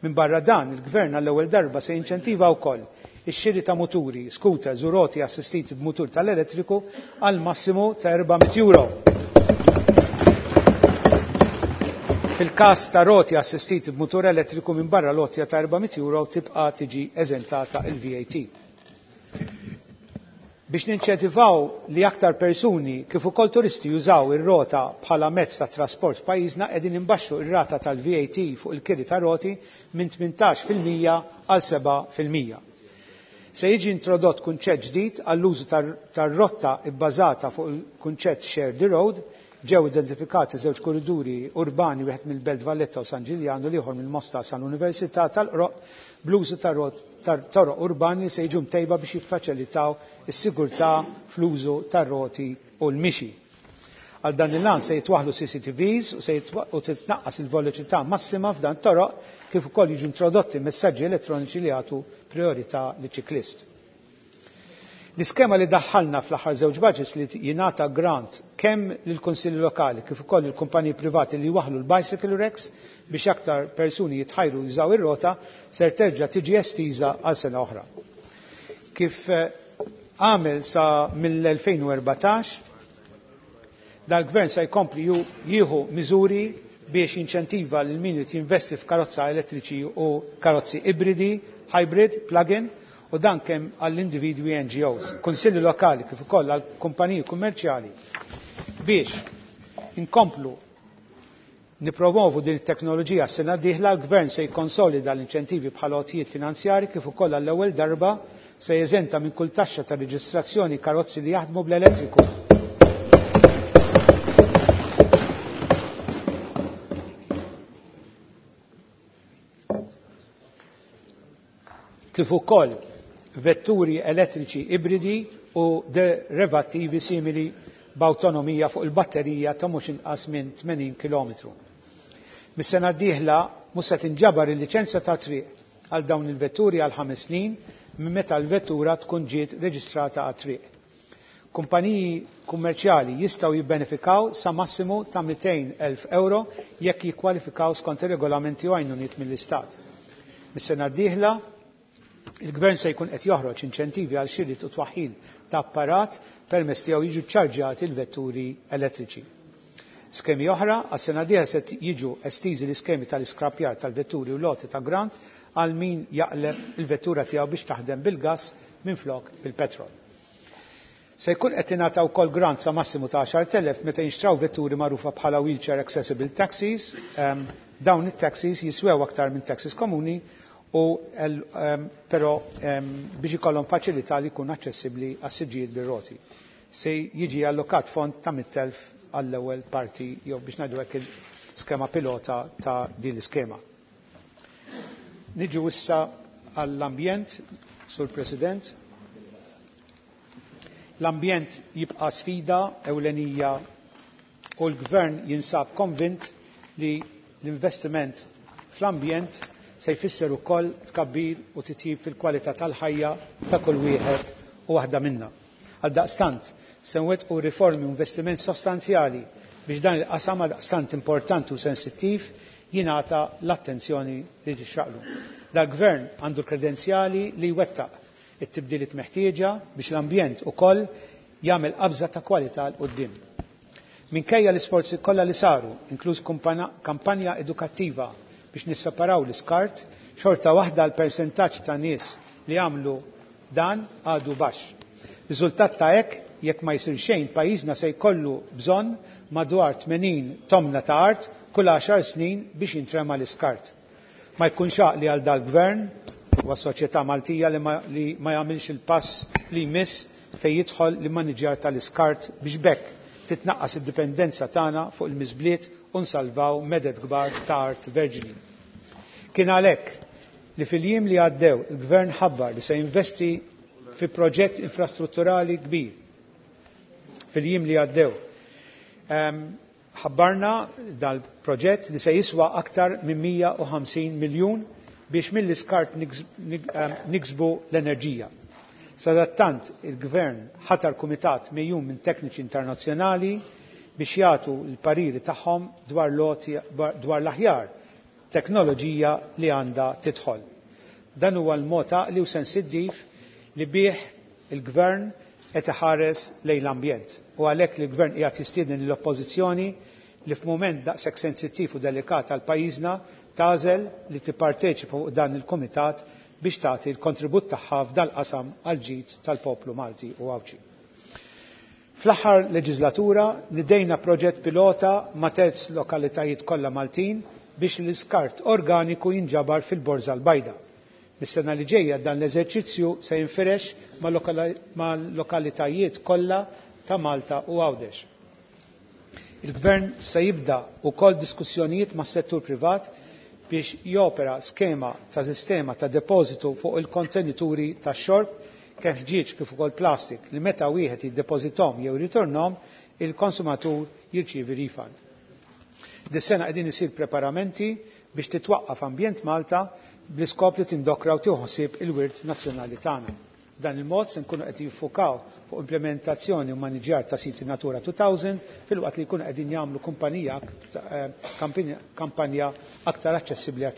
Minn barra dan, il-Gvern għall-ewwel darba se jinċentiva wkoll ix-xiri ta' muturi, scooters u roti assistiti b'mutur tal-elettriku għal massimu ta' 400 euro. Fil-każ ta' roti assistiti b'mutur elettriku minn barra l-għotja ta' 400 euro tibqa' tiġi eżentata il-VAT. Biex ninċentivaw li aktar persuni kif ukoll turisti jużaw ir-rota bħala mezz ta' trasport f'pajjiżna qegħdin imbaxxu ir-rata tal-VAT fuq il-kiri ta' roti minn 18% għal 7%. Se jiġi introdott kunċett ġdid għall-użu tar-rotta bbażata fuq il-kunċett Share the Road. Ġew identifikati żewġ korriduri urbani, wieħed mill-Belt Valletta u San Ġiljan u l-ieħor mill-Mosta sal-Università tal-Qroq, bl-użu tar-toroq urbani se jiġu mtejba biex jiffaċilitaw is-sigurtà fl-użu tar-roti u l-mixi. Għal dan il-lan se jitwaħlu CCTVs u se u titnaqqas il-veloċità massima f'dan toroq kif ukoll jiġu introdotti messaġġi elettroniċi li jagħtu priorità liċ-ċiklist. L-iskema li daħħalna fl-aħħar żewġ budgets li jingħata grant kemm lill-kunsilli lokali kif ukoll il-kumpaniji privati li jwaħħlu l-bicycle racks biex aktar persuni jitħajru jużaw ir-rota ser terġa' tiġi estiża għal sena oħra. Kif għamel sa mill-2014, dal-gvern se jkompli jieħu miżuri biex jinċentiva lil min irid jinvesti f'karozza elettriċi u karozzi ibridi, hybrid, plug-in, u dan kemm għall-individwi NGOs, kunsilli lokali kif ukoll għall kumpaniji kummerċjali biex inkomplu nipromovu din it-teknoloġija s-sena d-dieħla l-Gvern se jikkonsolida l-inċentivi bħala għotjiet finanzjari kif ukoll għall-ewwel darba se jeżenta minn kull taxxa ta' reġistrazzjoni karozzi li jaħdmu bl-elettriku. Kif ukoll vetturi elettriċi ibridi u derivattivi simili b'awtonomija fuq il-batterija ta' mhux inqas minn 80 km. Mis-sena d-dieħla mhux se tinġabar il-liċenzja ta' triq għal dawn il-vetturi għal 5 snin minn meta l-vettura tkun ġiet reġistrata għat-triq. Kumpaniji kummerċjali jistgħu jibbenefikaw sa massimu ta' 200,000 euro jekk jikkwalifikaw skont ir-regolamenti u għajnuniet mill-Istat. Mis-sena d-dieħla il-Gvern se jkun qed joħroġ inċentivi għal xiri u twaħħil ta' apparat permezz tiegħu jiġu ċċarġjati l-vetturi elettriċi. Skemi oħra, għas-sena dieħla se jiġu estiżi l-iskemi tal-iskrapjar tal-vetturi u loti ta' grant għal min jaqleb il-vettura tiegħu biex taħdem bil-gass minflok bil-petrol. Se jkun qed tingħata wkoll grant sa massimu ta' 10,000 meta jinxtraw vetturi magħrufa bħala wheelchair accessible taxis. Dawn it-taxis jiswew aktar minn taxis komuni u però biex ikollhom faċilità li jkun aċċessibbli għas-siġġijiet bir-roti. Se jiġi allokat fond ta' 100,000 għall-ewwel parti jew biex ngħidu hekk il-skema pilota ta' din l-iskema. Niġu issa għall-ambjent, Sur President. L-ambjent jibqa' sfida ewlenija u l-Gvern jinsab konvint li l-investiment fl-ambjent se jfisser ukoll tkabbir u titjib fil-kwalità tal-ħajja ta' kull wieħed u waħda minna. Għaldaqstant, se nwettqu riformi u investiment sostanzjali biex dan il-qasam għaldaqstant importanti u sensittiv jingħata l-attenzjoni li tixraqlu. Dal-Gvern għandu l-kredenzjali li jwettaq it-tibdiliet meħtieġa biex l-ambjent ukoll jagħmel qabża ta' kwalità 'l quddiem. Minkejja l-isforzi kollha li saru, inkluż kampanja edukattiva biex nisseparaw l-iskart, xorta waħda l-persentaġġ ta' nies li għamlu dan għadu baxx. Riżultat ta' hekk, jekk ma jsir xejn, pajjiżna se jkollu bżonn madwar 80 tomna ta' art kull 10 snin biex jintrema l-iskart. Ma jkunx għaqli għal dal-gvern u għas-soċjetà Maltija li ma, li ma jagħmilx il-pass li jmiss fejn jidħol l-immaniġjar tal-iskart biex b'hekk titnaqqas id-dipendenza tagħna fuq il-miżbliet u nsalvaw meded kbar ta' art verġni. Kien għalhekk li fil-jiem li għaddew il-Gvern ħabbar li se jinvesti fi proġett infrastrutturali kbir. Fil-jiem li għaddew. Ħabbarna dal-proġett li se jiswa aktar minn 150 miljun biex mill-iskart niksbu l-enerġija. Sadattant il-Gvern ħatar kumitat mejjun minn tekniċi internazzjonali biex jagħtu l-pariri tagħhom dwar l-aħjar teknoloġija li għandha tidħol. Dan huwa l-mod għaqli u sensittiv li bih il-Gvern qed iħares lejn l-ambjent. U għalhekk li l-Gvern qiegħed jistieden lill-Oppożizzjoni li f'mument daqshekk sensittiv u delikat għal pajjiżna tagħżel li tipparteċipa fuq dan il-kumitat biex tagħti l-kontribut tagħha f'dal-qasam għall-ġid tal-poplu Malti u Għawdxi. Fl-aħħar leġislatura nidejna proġett pilota ma' terz lokalitajiet kollha Maltin biex l-iskart organiku jinġabar fil-Borża l-Bajda. Mis-sena li ġejja dan l-eżerċizzju se jinfirex ma' lokalitajiet kollha ta' Malta u Għawdex. Il-Gvern se jibda wkoll diskussjonijiet mas-settur privat biex jopera skema ta' sistema ta' depożitu fuq il-kontenituri tax-xorb kemm ħġieġ kif ukoll plastik li meta wieħed jiddepożithom jew jirritornhom il-konsumatur jirċievi refund. Dis-sena qegħdin isir preparamenti biex titwaqqaf Ambjent Malta bl-iskop li tindokra u tieħu ħsieb il-wirt nazzjonali tagħna. B'dan il-mod se nkunu qed jiffukaw fuq implementazzjoni u maniġjar ta' siti Natura 2000 filwaqt li jkunu qegħdin jagħmlu kumpanija kampanja aktar aċċessibbli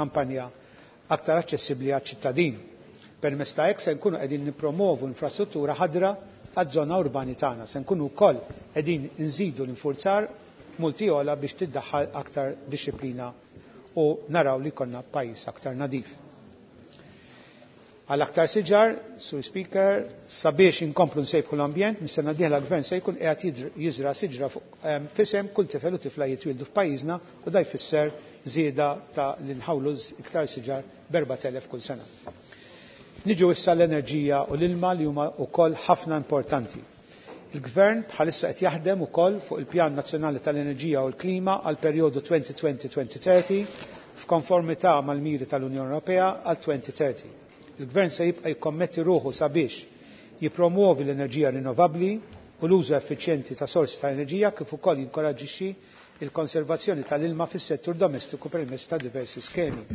kampanja aktar aċċessibbli għaċ-ċittadin. Permezz ta' hekk se nkunu qegħdin nippromovu infrastruttura ħadra għaż-żona urbani tagħna. Se nkunu wkoll qegħdin nżidu l-infurzar multi ogħla biex tiddaħħal aktar dixxiplina u naraw li jkollna pajjiż aktar nadif. Għal aktar siġar, Sur Speaker, sabiex inkomplu nsejbħu l-ambjent, mis-sena d-dieħla l-Gvern se jkun qiegħed jiżra' siġra fuq f'isem kull tifel u tifla jitwieldu f'pajjiżna u da jfisser żieda ta' li nħawlu iktar siġar b'4,000 kull sena. Niġu issa l-enerġija u l-ilma li huma wkoll ħafna importanti. Il-Gvern bħalissa qed jaħdem ukoll fuq il-Pjan Nazzjonali tal-Enerġija u l-Klima għal perjodu 2020-2030 f'konformità mal-miri tal-Unjoni Ewropea għal 2030. Il-Gvern se jibqa' jikkommetti ruħu sabiex jippromuovi l-enerġija rinnovabbli u l-użu effiċjenti ta' sorsi ta' enerġija kif ukoll jinkoraġġixxi l-konservazzjoni tal-ilma fis-settur domestiku permezz ta' diversi skemi.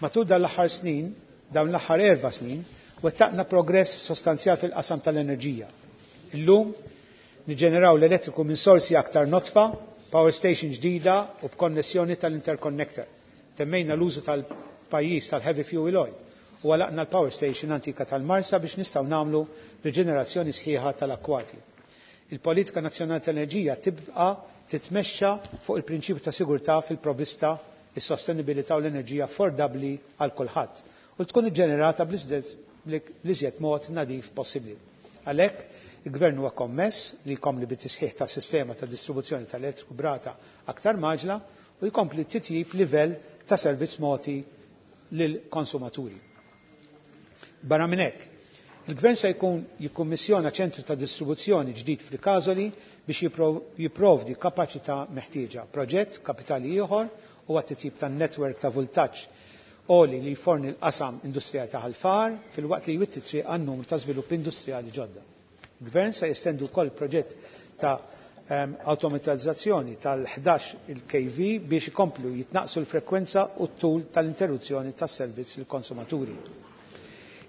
Matul dan l-aħħar snin, dawn l-aħħar erba' snin, wettaqna progress sostanzjal fil-qasam tal-enerġija. Illum niġġeneraw l-elettriku minn sorsi aktar nodfa, power station ġdida u b'konnessjoni tal-interconnector. Temmejna l-użu tal-pajjiż tal-heavy fuel oil u għalaqna l-power station antika tal-Marsa biex nistgħu nagħmlu riġenerazzjoni sħiħa tal-akkwati. Il-politika nazzjonali tal-enerġija tibqa' titmexxa fuq il-prinċipju ta' sigurtà fil-provvista, is-sostenibilità u l-enerġija affordabbli għal kulħadd u tkun iġġenerata bl-iżjed mod nadif possibbli. Għalhekk, il-Gvern huwa kommess li jkompli bit-tisħiħ tas-sistema ta' distribuzzjoni tal-elettriku b'rata aktar mgħaġġla u jkompli titjib livell ta' servizz mogħti lill-konsumaturi. Barra minn hekk, il-Gvern se jkun jikkummissjona ċentru ta' distribuzzjoni ġdid f'Rikasoli biex jipprovdi kapaċità meħtieġa. Proġett kapitali ieħor huwa t-titjib tan-netwerk ta' vultaġġ għoli li jforni l-qasam industrijali ta' Ħal Far filwaqt li jwitti triq għan numru ta' żviluppi industrijali ġodda. Il-Gvern se jestendu wkoll proġett ta' awtomatizzazzjoni tal-11 il-KV biex ikomplu jitnaqqsu l-frekwenza u t-tul tal-interruzzjoni tas-servizz lill-konsumaturi.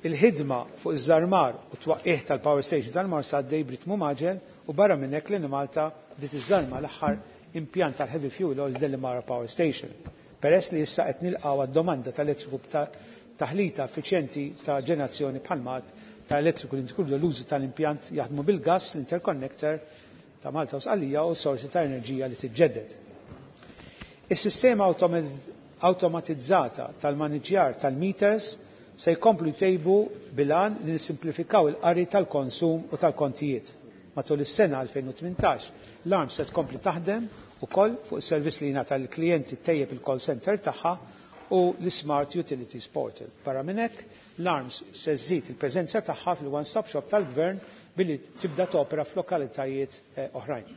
Il-ħidma fuq iż-żarmar u t-twaqqigħ tal-power station tal-Marsa għaddej b'ritmu mgħaġġel u barra minn hekk l-Enemalta bdiet iżżarma l-aħħar impjant tal-heavy fuel oil Delimara Power Station. Peress li issa qed nilqgħu għad-domanda ta' elettriku b'taħlita effiċjenti ta' ġenerazzjoni bħal mat ta' elettriku li inkludu l-użu tal-impjant jaħdmu bil-gass, l-interconnector ta' Malta u Sqallija u sorsi ta' enerġija li tiġġedded. Is-sistema awtomatizzata tal-maniġjar tal-meters se jkomplu jtejbu bil-għan li nissimplifikaw il-qari tal-konsum u tal-kontijiet. Matul is-sena 2018, l-ARMS se tkompli taħdem ukoll fuq is-servizz li jingħata lill-klijenti ttejjeb il-call center tagħha u l-Smart Utilities Portal. Barra minn hekk, l-ARMS se żżid il-preżenza tagħha fil-One Stop Shop tal-Gvern billi tibda topera f'lokalitajiet oħrajn.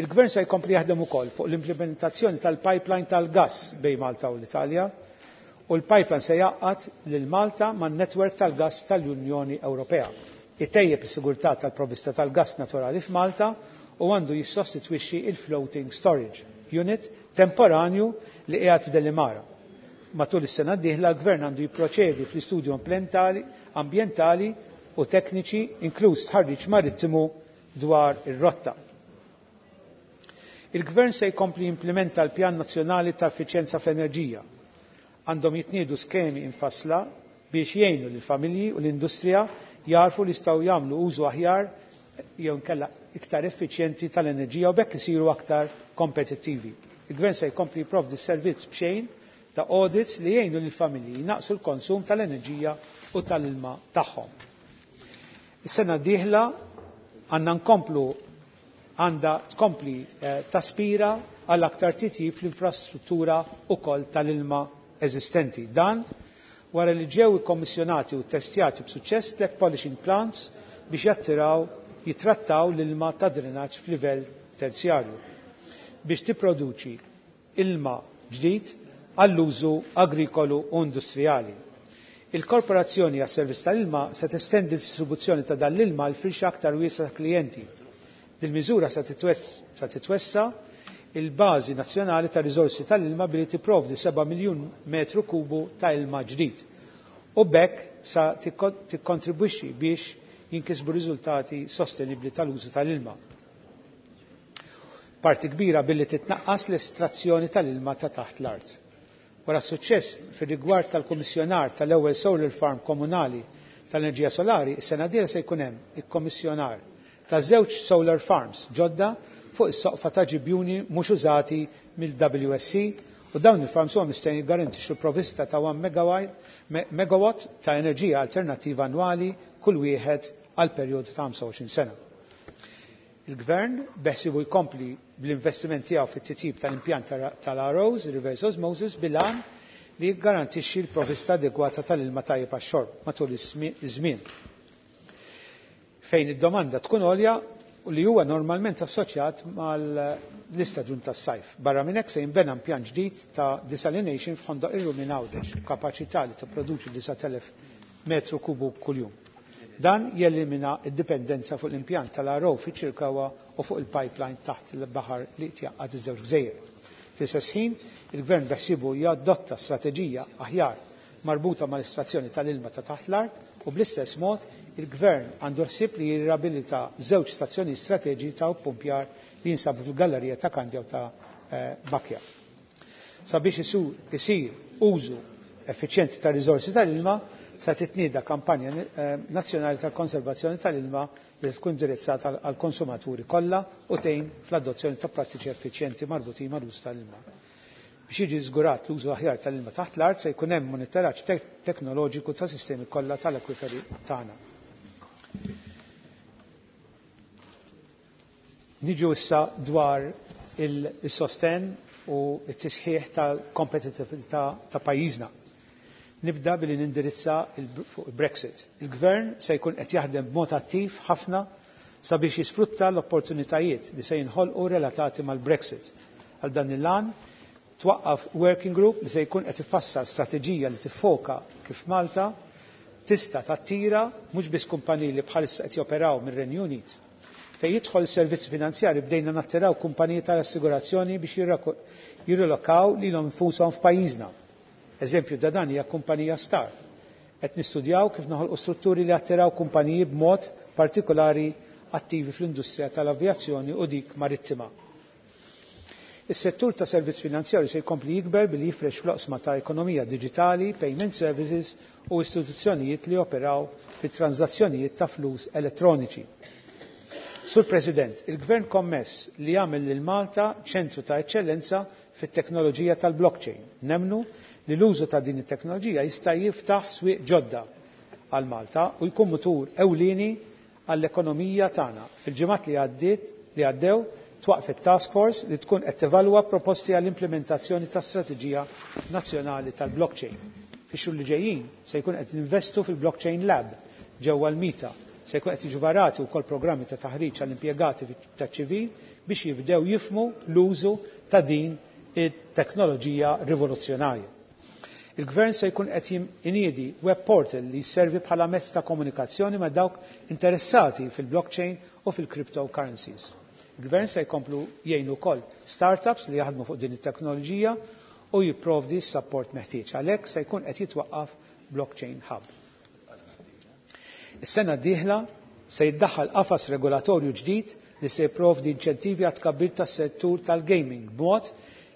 Il-Gvern se jkompli jaħdem ukoll fuq l-implementazzjoni tal-pipeline tal-gass bejn Malta u l-Italja u l-pipeline se jgħaqqad lil Malta man-netwerk tal-gass tal-Unjoni Ewropea. Itejjeb is-sigurtà tal-provvista tal-gass naturali f'Malta u għandu jissostitwixxi il-floating storage unit temporanju li qiegħed f'Delimara. Matul is-sena d-dieħla l-Gvern għandu jipproċedi fl-istudju ambjentali u tekniċi inkluż stħarriġ marittimu dwar ir-rotta. Il-Gvern se jkompli jimplementa l-Pjan Nazzjonali ta' Effiċjenza fl-Enerġija. Għandhom jitniedu skemi infassla biex jgħinu lill-familji u l-industrija jagħrfu li jistgħu jagħmlu użu aħjar jew inkella iktar effiċjenti tal-enerġija u b'hekk isiru aktar kompetittivi. Il-Gvern se jkompli jipprovdi servizz b'xejn ta' audits li jgħinu lill-familji jnaqqsu l-konsum tal-enerġija u tal-ilma tagħhom. Is-sena d-dieħla għandna nkomplu għandha tkompli taspira għal aktar titjib fl-infrastruttura ukoll tal-ilma eżistenti. Dan wara li ġew ikkommissjonati u ttestjati b'suċċess tliet polishing plants biex jattiraw jitrattaw l-ilma ta' drenaġġ f'livell terzjarju biex tipproduċi ilma ġdid għall-użu agrikolu u industrijali. Il-Korporazzjoni għas-Servizz tal-Ilma se testendi d-distribuzzjoni ta' dan l-ilma għal firxa aktar wiesgħa ta' klijenti. Dil-miżura se titwessa' il-bażi nazzjonali ta' riżorsi tal-ilma billi tipprovdi 7 miljun metru kubu ta' ilma ġdid u b'hekk sa tikkontribwixxi biex jinkisbu riżultati sostenibbli tal-użu tal-ilma. Parti kbira billi titnaqqas l-estrazzjoni tal-ilma ta' taħt l-art. Wara s-suċċess fir-rigward tal-kummissjonar tal-ewwel solar farm komunali tal-enerġija solari, is-sena d-dieħla se jkun hemm ikkommissjonar ta' żewġ solar farms ġodda fuq is-soqfa ta' ġibjuni mhux użati mill-WSC u dawn il-farms huwa mistenni jiggarantixxu provvista ta' 1 megawatt ta' enerġija alternattiva annwali kull wieħed għal perjodu ta' 25 sena. Il-Gvern beħsibu jkompli bl-investiment tiegħu fit-titjib tal-impjant tal-ROs, reverse osmosis, bil-għan li jiggarantixxi l-provvista adegwata tal-ilma tajjeb għax-xorb matul iż-żmien. Fejn id-domanda tkun għolja u li huwa normalment assoċjat mal-istaġun tas-sajf. Barra minn hekk se jinbena impjant ġdid ta' desalination f'Ħondoq ir-Rumi Għawdex, b'kapaċità li tipproduċi 9,000 metru kubu kuljum. Dan jelimina d-dipendenza fuq l-impjant tal-RO fiċ-Ċirkewwa u fuq il-pipeline taħt il-baħar li tjaqqad iż-żewġ gżejjer. Fl-istess ħin, il-Gvern beħsiebu jadotta strateġija aħjar marbuta mal-estrazzjoni tal-ilma ta' taħt l-art u bl-istess mod il-Gvern għandu ħsieb li jirriabilita żewġ stazzjoni strateġiċi ta' ppumpjar li jinsabu fil-gallerija ta' Kandja u ta' Bakja. Sabiex isir użu effiċjenti ta' riżorsi tal-ilma, se titnieda kampanja nazzjonali tal-konservazzjoni tal-ilma li tkun indirizzata għall-konsumaturi kollha u tgħin fl-adozzjoni ta' prattiċi effiċjenti marbutin mal-użu tal-ilma. Biex jiġi żgurat l-użu aħjar tal-ilma taħt l-art se jkun hemm monitoraġġ teknoloġiku ta' sistemi kollha tal-akwiferi tagħna. Niġu issa dwar il-sosten u t-tisħiħ tal-kompetitività ta' pajjiżna. Nibda billi nindirizza fuq il-Brexit. Il-Gvern se jkun qed jaħdem b'mod attiv ħafna sabiex jisfrutta l-opportunitajiet li se jinħolqu relatati mal-Brexit. Għal dan il-għan twaqqaf working group li se jkun qed ifassal strateġija li tiffoka kif Malta tista' tattira mhux biss kumpaniji li bħalissa qed joperaw mir-Renju Unit. Fejn jidħol servizzi finanzjari bdejna nattiraw kumpaniji tal-assigurazzjoni biex jirrilokaw lilhom infushom f'pajjiżna. Eżempju da dan hija kumpanija Star. Qed nistudjaw kif noħolqu strutturi li attiraw kumpaniji b'mod partikolari attivi fl-industrija tal-avjazzjoni u dik marittima. Is-settur ta' servizz finanzjarju se jkompli jikber billi jifrex fl-oqsma ta' ekonomija diġitali, payment services u istituzzjonijiet li operaw fi transazzjonijiet ta' flus elettroniċi. Sur President, il-Gvern kommess li jagħmel lil Malta ċentru ta' eċċellenza fit-teknoloġija tal-blockchain. Nemnu li l-użu ta' din it-teknoloġija jista' jiftaħ swieq ġodda għal Malta u jkun mutur ewlieni għall-ekonomija tagħna. Fil-ġimgħat li għaddiet li għaddew twaqfet task force li tkun qed tevalwa proposti għall-implementazzjoni ta' strateġija nazzjonali tal-blockchain. Fix-xhur li ġejjin se jkun qed investu fil-blockchain lab ġewwa l-Mita. Se jkun qed jiġu varati wkoll programmi ta' taħriġ għall-impjegati taċ-ċivil biex jibdew jifhmu l-użu ta' din it-teknoloġija rivoluzzjonarja. Il-Gvern se jkun qed iniedi web portal li jservi bħala mezz ta' komunikazzjoni ma' dawk interessati fil-blockchain u fil-cryptocurrencies. Il-Gvern se jkomplu jgħinu wkoll startups li jaħdmu fuq din it-teknoloġija u jipprovdi s-support meħtieġ. Għalhekk se jkun qed jitwaqqaf blockchain hub. Is-sena d-dieħla se jiddaħħal qafas regolatorju ġdid li se jipprovdi inċentivi għat tkabbir tas-settur tal-gaming b'mod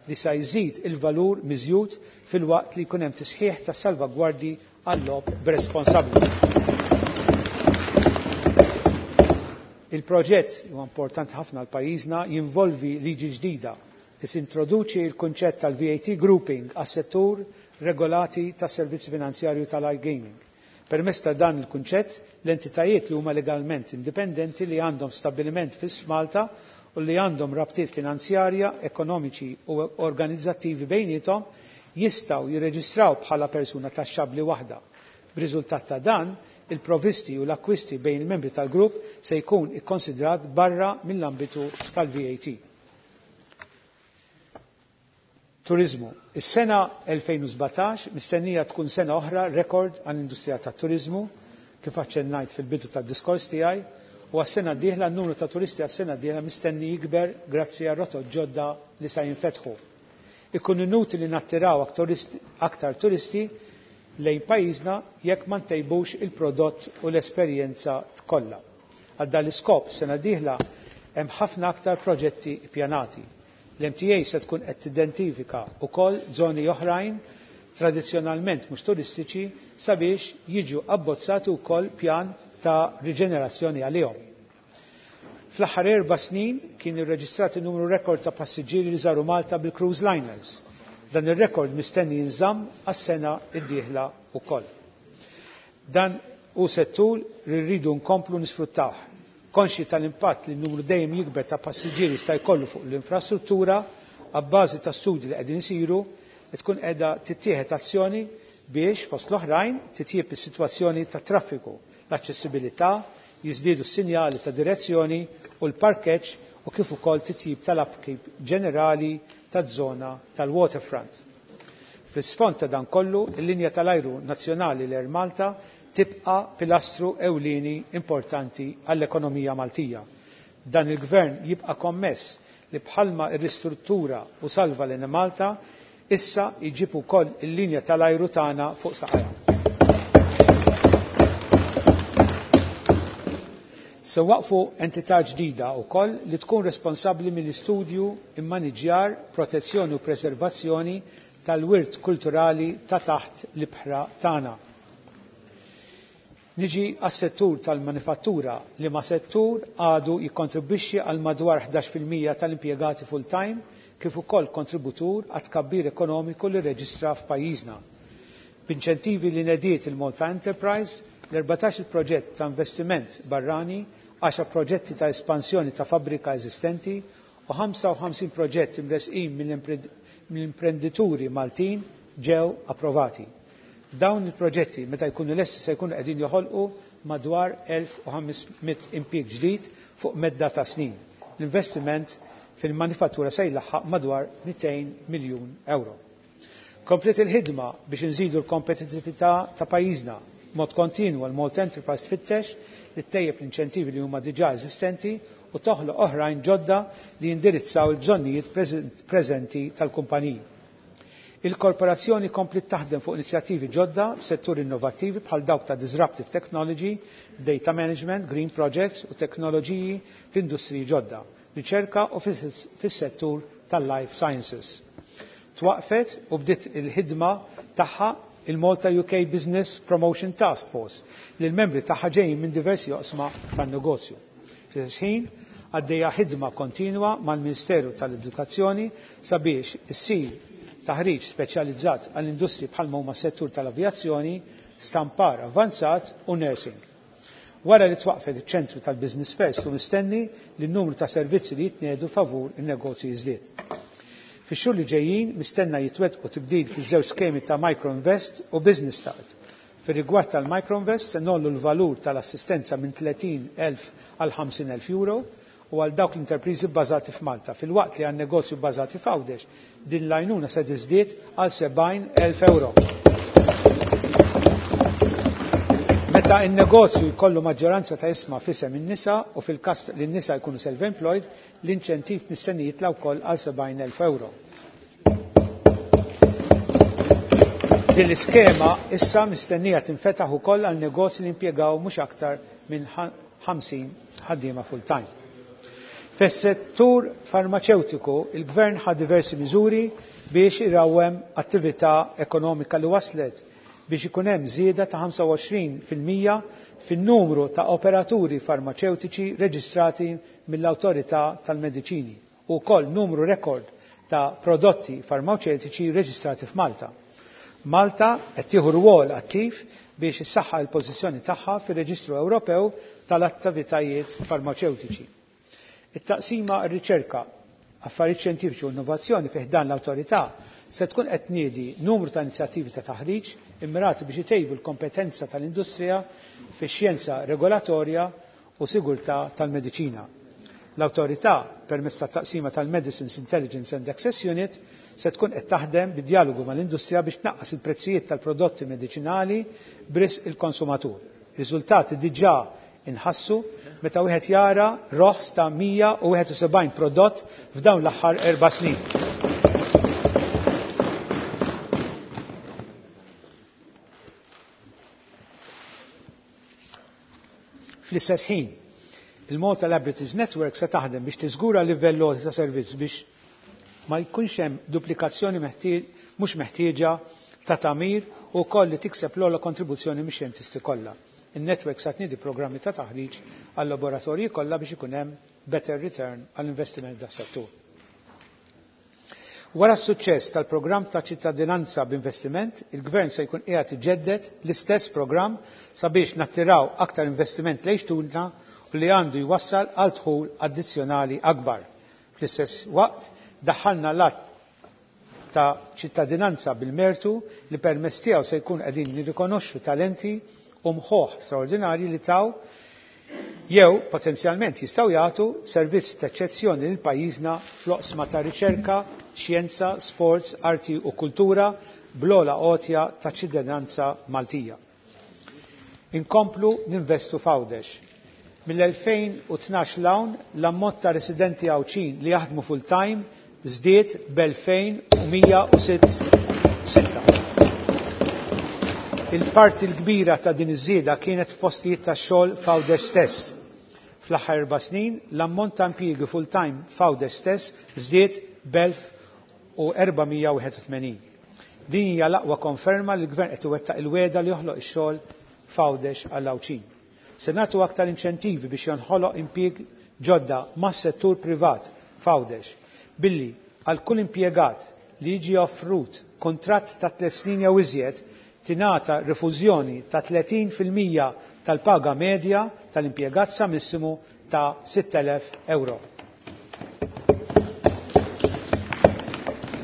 li se jżid il-valur miżjud filwaqt li jkun hemm tisħiħ ta' salvagwardji għal-logħob b'responsabbli. Il-proġett huwa importanti ħafna għal pajjiżna jinvolvi liġi ġdida li tintroduċi l-kunċett tal-VAT grouping għas-settur regolati tas-servizzi finanzjarju tal-iGaming. Permezz ta' dan il-kunċett, l-entitajiet li huma legalment indipendenti li għandhom stabbiliment fis Malta u li għandhom rabtiet finanzjarja, ekonomiċi u organizzattivi bejniethom jistgħu jirreġistraw bħala persuna taxxabbli waħda. B'riżultat ta' dan, il-provisti u l-akkwisti bejn il-membri tal-grupp se jkun ikkonsidrat barra mill-ambitu tal-VAT. Turizmu. Is-sena 2017 mistennija tkun sena oħra rekord għall-industrija tat-turizmu kif aċċennajt fil-bidu tad-diskors tiegħi u għas-sena d-dieħla n-numru ta' turisti għas-sena d-dieħla mistenni jikber grazzi għal rotot ġodda li sa jinfetħu. Ikun inutili nattiraw aktar turisti lejn pajjiżna jekk ma ntejbux il-prodott u l-esperjenza kollha. Għal dan l-iskop sena d-dieħla hemm ħafna aktar proġetti ppjanati. L-MTA se tkun qed tidentifika wkoll żoni oħrajn tradizzjonalment mhux turistiċi sabiex jiġu abbozzati wkoll pjan ta' riġenerazzjoni għalihom. Fl-aħħar 4 snin kien irreġistrat numru rekord ta' passiġġieri li żaru Malta bil-cruise liners. Dan ir-rekord mistenni jinżamm għas-sena d-dieħla wkoll. Dan hu settur li rridu nkomplu nisfruttawh. Konxi tal-impatt li n-numru dejjem jikber ta' passiġġieri sta jkollu fuq l-infrastruttura, abbażi ta' studji li qegħdin isiru, tkun qiegħda tittieħed azzjoni biex fost l-oħrajn titjieb is-sitwazzjoni ta' traffiku, l-aċċessibilità, jiżdiedu s-sinjali ta' direzzjoni u l-parkeġġ u kif ukoll titjib tal-upkeep ġenerali taż-żona tal-waterfront. Fl-isfond ta' dan kollu, il-linja tal-ajru nazzjonali l-Air Malta tibqa' pilastru ewlieni importanti għall-ekonomija Maltija. Dan il-gvern jibqa' kommess li bħalma r-ristruttura u salva l-Enemalta, issa jġib ukoll il-linja tal-ajru tagħna fuq saqajha. Se waqfu entità ġdida wkoll li tkun responsabbli mill-istudju, immaniġjar, protezzjoni u preservazzjoni tal-wirt kulturali ta' taħt l-ibħra tagħna. Niġi għas-settur tal-manifattura li ma settur għadu jikkontribwixxi għal madwar 11% tal-impjegati full-time kif ukoll kontributur għat tkabbir ekonomiku li reġistra f'pajjiżna. B'inċentivi li nediet il-Malta Enterprise, l-14 proġett ta' investiment barrani, 10 proġetti ta' espansjoni ta' fabbrika eżistenti u 55 proġett imresqin mill-imprendituri Maltin ġew approvati. Dawn il-proġetti meta jkunu lesti se jkunu qegħdin joħolqu madwar 1500 impjieg ġdid fuq medda ta' snin. L-investiment fil-manifattura se jlaħħaq madwar 200 miljun euro. Kompliet il-ħidma biex nżidu l-kompetitività ta' pajjiżna mod kontinwu l-Malta Enterprise tfittex li ttejjeb l-inċentivi li huma diġà eżistenti u toħloq oħrajn ġodda li jindirizzaw il-bżonnijiet preżenti tal-kumpaniji. Il-korporazzjoni komplet taħdem fuq inizjattivi ġodda f'setturi innovattivi bħal dawk ta' disruptive technology, data management, green projects u teknoloġiji fl-industriji ġodda, riċerka u fis-settur tal-life sciences. Twaqfet u bdiet il-ħidma tagħha il-Malta UK Business Promotion Task Force li l-membri tagħha ġejjin minn diversi oqsma tan-negozju. Fl-istess ħin għaddejja ħidma kontinwa mal-Ministeru tal-Edukazzjoni sabiex issir taħriġ speċjalizzat għall-industri bħalma huma settur tal-avjazzjoni, stampar avvanzat u nursing. Wara li twaqfet iċ-ċentru tal-Business First u mistenni li n-numru ta' servizzi li jitnedu favur in-negozji jiżdied. Fix-xhur li ġejjin mistenna jitwettqu tibdil fiż-żewġ skemi ta' Microinvest u Business Start. Fir-rigward tal-Microinvest se nollu l-valur tal-assistenza minn 30,000 għal 50,000 euro u għal dawk l-interpriżi bbażati f'Malta, filwaqt li għan negozju bbażati f'Għawdex din l-għajnuna se tiżdied għal 70,000 euro. Meta n-negozju jkollu maġġoranza ta' ishma f'isem in-nisa u fil-każ li n-nisa jkunu self-employed, l-inċentiv mistenni jitla' wkoll għal 70,000 euro. Din l-iskema issa mistennija tinfetaħ ukoll għal negozji li impjegaw mhux aktar minn 50 ħaddiema full-time. Fis-settur farmaceutiku, il-Gvern ħa diversi miżuri biex irawwem attività ekonomika li waslet biex ikun hemm żieda ta' 25% fin-numru ta' operaturi farmaceutiċi reġistrati mill-Awtorità tal-Mediċini u wkoll numru rekord ta' prodotti farmaceutiċi reġistrati f'Malta. Malta qed tieħu rwol attiv biex issaħħa l-pożizzjoni tagħha fir-Reġistru Ewropew tal-Attivitajiet Farmaceutiċi. It-taqsima r-riċerka, affarijiet xjentifiċi u innovazzjoni fi ħdan l-awtorità se tkun qed tniedi numru ta' inizjattivi ta' taħriġ immirati biex itejbu l-kompetenza tal-industrija fix-xjenza regolatorja u sigurtà tal-mediċina. L-awtorità permezz tat-taqsima tal-Medicines Intelligence and Access Unit se tkun qed taħdem bid-dialogu mal-industrija biex tnaqqas il-prezzijiet tal-prodotti mediċinali b'risq il-konsumatur. Riżultati diġà inħassu meta wieħed jara roħs ta' 171 prodott f'dawn l-aħħar 4 snin. Fl-istess ħin, il-Malta Laboratories Network se taħdem biex tiżgura livell għoli ta' servizz biex ma jkunx hemm duplikazzjoni mhux meħtieġa ta' tagħmir u wkoll li tikseb l-ogħla kontribuzzjoni mix-xjentisti kollha. In-network sa tniedi programmi ta' taħriġ għal laboratorji kollha biex ikun hemm better return għall-investiment das-settur. Wara s-suċċess tal-programm ta' ċittadinanza b'investiment, il-Gvern se jkun qiegħed iġedded l-istess programm sabiex nattiraw aktar investiment lejn xtutna u li għandu jwassal għal dħul addizzjonali akbar. Fl-istess waqt, daħħalna l-att ta' ċittadinanza bil-mertu li permezz tiegħu se jkun qegħdin nirrikonoxxu talenti u mħuħ straordinarji li taw jew potenzjalment jistgħu jagħtu servizz ta' eċċezzjoni lil pajjiżna fl-oqsma ta' riċerka, xjenza, sports, arti u kultura bl-ogħla għotja ta' ċittadinanza Maltija. Inkomplu ninvestu f'Għawdex. Mill-2012 'l hawn l-ammont ta' residenti Għawdxin li jaħdmu full-time żdied b'2106. Il-parti l-kbira ta' din iż-żieda kienet f'postijiet ta' xogħol f'Għawdex stess. Fl-aħħar 4 snin, l-ammont ta' impjiegi full-time f'Għawdex stess żdied b'1481. Din hija l-aqwa konferma li l-Gvern qed iwettaq il-wegħda li joħloq ix-xogħol f'Għawdex għall-Għawdxin. Se nagħtu aktar inċentivi biex jonħoloq impjieg ġodda mas-settur privat f'Għawdex, billi għal kull impjegat li jiġi offrut kuntratt ta' 3 snin jew iżjed tingħata rifużjoni ta' 30% tal-paga medja tal-impjegat sa massimu ta' 6,000 euro.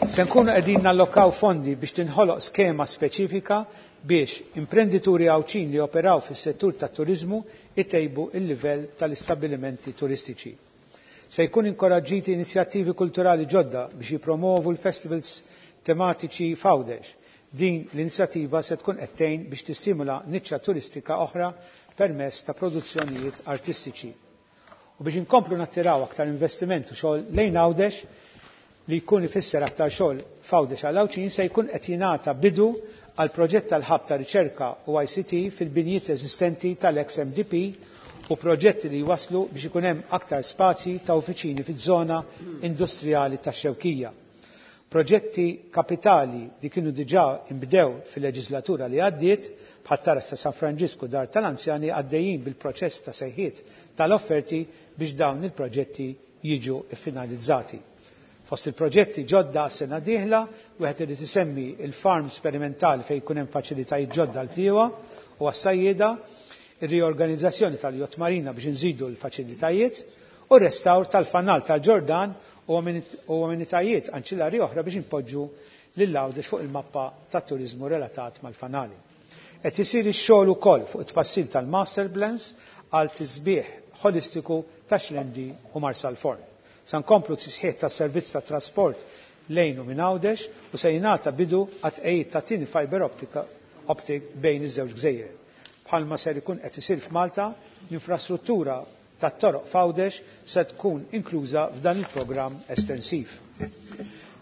Se nkunu qegħdin nallokaw fondi biex tinħoloq skema speċifika biex imprendituri Għawdxin li operaw fis-settur tat-turiżmu itejbu il-livell tal-istabbilimenti turistiċi. Se jkun inkoraġġiti inizjattivi kulturali ġodda biex jipromovu l-festivals tematiċi f'Għawdex. Din l-inizjattiva se tkun qed tgħin biex tistimula niċċa turistika oħra permezz ta' produzzjonijiet artistiċi. U biex inkomplu nattiraw aktar investiment u xogħol lejn Għawdex li jkun ifisser aktar xogħol f'Għawdex għal Għawdxin, se jkun qed jingħata bidu għal proġett tal-ħab ta' riċerka u ICT fil-binjiet eżistenti tal-ex-MDP u proġetti li jwaslu biex ikun hemm aktar spazji ta' uffiċini fiż-żona industrijali tax-Xewkija. Proġetti kapitali li kienu diġà imbdew fil-leġislatura li għaddiet, bħat-taraġ ta' San Franġisku dar tal-anzjani, għaddejjin bil-proċess ta' sejħiet tal-offerti biex dawn il-proġetti jiġu ffinalizzati. Fost il-proġetti ġodda għas-sena dieħla, wieħed irid isemmi il-farm sperimentali fejn jkun hemm faċilitajiet ġodda għall-bdiewa u għas-sajjieda, ir-riorganizzazzjoni tal-Yacht Marina biex inżidu l-faċilitajiet u r-restawr tal-fanal tal-Ġordan u amenitajiet anċillari oħra biex inpoġġu lil Għawdex fuq il-mappa tat-turiżmu relatat mal-fanali. Qed isir ix-xogħol ukoll fuq it-tfassil tal-master plans għal tisbieħ ħolistiku ta' Xlendi u Marsalforn. Sa nkomplu tisħiħ tas-servizz ta' trasport lejn u minn Għawdex u se jingħata bidu għat-tqejjid ta' tieni fiber optic bejn iż-żewġ gżejjer. Bħalma ser ikun qed isir f'Malta, l-infrastruttura tat-toroq f'Għawdex se tkun inkluża f'dan il-programm estensiv.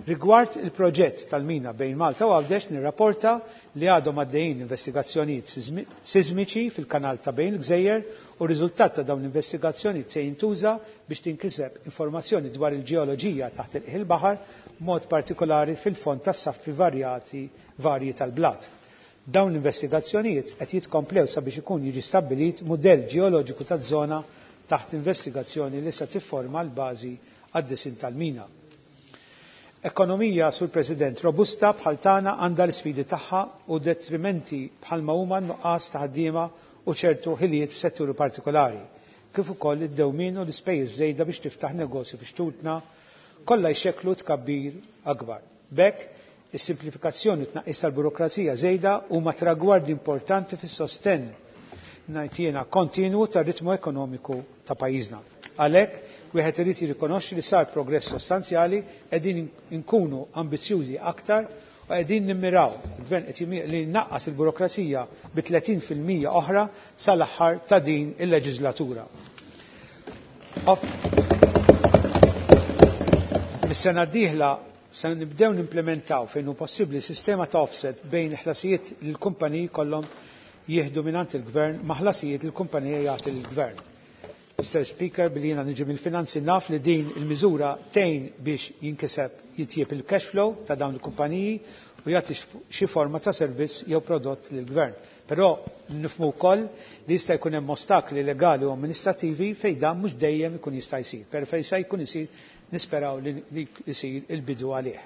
Rigward il-proġett tal-mina bejn Malta u Għawdex nirrapporta li għadhom għaddejjin investigazzjonijiet sismiċi fil-kanal ta' bejn il-gżejjer u r-riżultat ta' dawn l-investigazzjonijiet se jintuża biex tinkiseb informazzjoni dwar il-ġeoloġija taħt il-qiegħ il-baħar, b'mod partikolari fil-fond tas-saffi varjati varji tal-blat. Dawn l-investigazzjonijiet qed jitkomplew sabiex ikun jiġi stabbilit mudell ġeoloġiku taż-żona taħt investigazzjoni li se tifforma l-bażi għad-disin tal-mina. Ekonomija, Sur President, robusta bħal tagħna għandha l-isfidi tagħha u detrimenti bħalma huma n-nuqqas ta' ħaddiema u ċertu ħiliet f'setturi partikolari, kif ukoll id-dewmien u l-ispejjeż żejda biex tiftaħ negozju fi xtutna, kollha jxekklu tkabbir akbar. B'hekk, is-simplifikazzjoni u tnaqqis tal-burokrazija żejda huma tragwardi importanti fis-sostenn ngħid jiena kontinwu tar-ritmu ekonomiku ta' pajjiżna. Għalhekk, wieħed irid jirrikonoxxi li sar progress sostanzjali, qegħdin inkunu ambizzjużi aktar u qegħdin nimmiraw, il-Gvern qed jimira li jnaqqas il-burokrazija bi 30% oħra sal-aħħar ta' din il-leġislatura. Mis-sena d-dieħla se nibdew nimplementaw fejn hu possibbli sistema ta' offset bejn ħlasijiet li l-kumpaniji kollhom jieħdu mingħand il-Gvern ma' ħlasijiet li l-kumpanija jagħti lill-Gvern. Mr. Speaker, billi jiena niġi mill-finanzi naf li din il-miżura tgħin biex jinkiseb jitjieb il-cash flow ta' dawn il-kumpaniji u jagħti xi forma ta' servizz jew prodott lill-gvern. Però nifhmu wkoll li jista' jkun hemm ostakli legali u amministrativi fejn dan mhux dejjem ikun jista' jsir, però fejn se jkun isir nisperaw li jsir il-bidu għalih.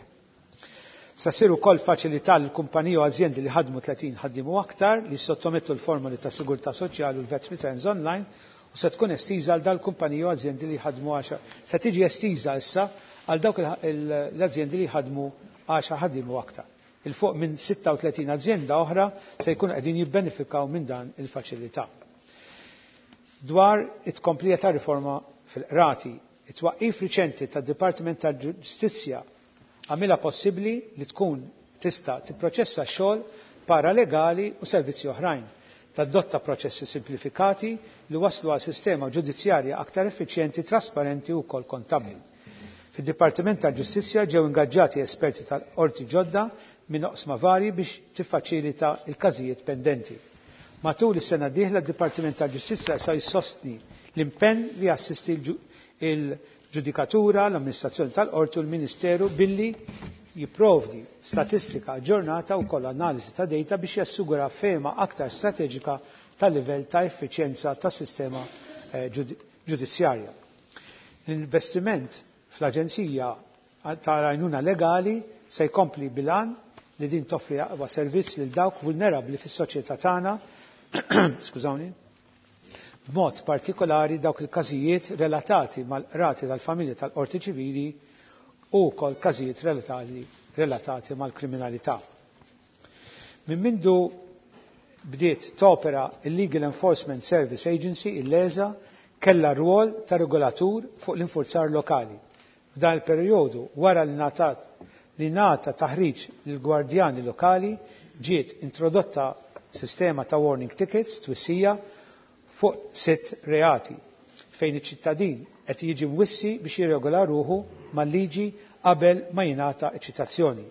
Sa ssir ukoll faċilità lil kumpaniji u azjendi li ħadmu 30 ħaddiem u aktar li sottomettu l-formoli ta' sigurtà soċjali u l-VAT returns online u se tkun estiża għal dal kumpaniji u azjendi li ħadmu 10. Se tiġi estiża issa għal dawk l-azjendi li ħadmu 10 ħaddiem u aktar. 'Il fuq minn 36 azjenda oħra se jkunu qegħdin jibbenefikaw minn dan il-faċilità. Dwar it-tkomplija ta' riforma fil-qrati, it-twaqqif riċenti tad-Dipartiment tal-Ġustizzja għamilha possibbli li tkun tista' tipproċessa xogħol paralegali u servizzi oħrajn, tadotta proċessi simplifikati li waslu għal sistema ġudizzjarja aktar effiċjenti, trasparenti u wkoll kontabbli. Fid-Dipartiment tal-Ġustizzja ġew ingaġġati esperti tal-qorti ġodda minn oqsma varji biex tiffaċilita l-każijiet pendenti. Matul is-sena d-dieħla d-Dipartiment tal-Ġustizzja se jsostni l-impenn li jassisti l-ġudikatura, l-amministrazzjoni tal-qorti u l-Ministeru billi jipprovdi statistika aġġornata u wkoll analiżi ta' data biex jassigura fehma aktar strateġika tal-livell ta' effiċjenza tas-sistema ġudizzjarja. L-investiment fl-Aġenzija tal-Għajnuna Legali se jkompli bil-għan li din toffri aqwa servizz lil dawk vulnerabbli fis-soċjetà tagħna, skużawni, b'mod partikolari dawk il-każijiet relatati mal-qrati tal-familja tal-qorti ċivili u wkoll każijiet relatati, relatati mal-kriminalità. Minn mindu bdiet topera il-Legal Enforcement Service Agency, il-LESA, kella rwol ta' regolatur fuq l-infurzar lokali. F'dan il-perjodu wara li ngħatat li ngħata taħriġ lill-gwardjani lokali ġiet introdotta sistema ta' warning tickets twissija fuq sitt reati fejn iċ-ċittadin qed jiġi mwissi biex jirregola ruħu mal-liġi qabel ma jingħata ċitazzjoni.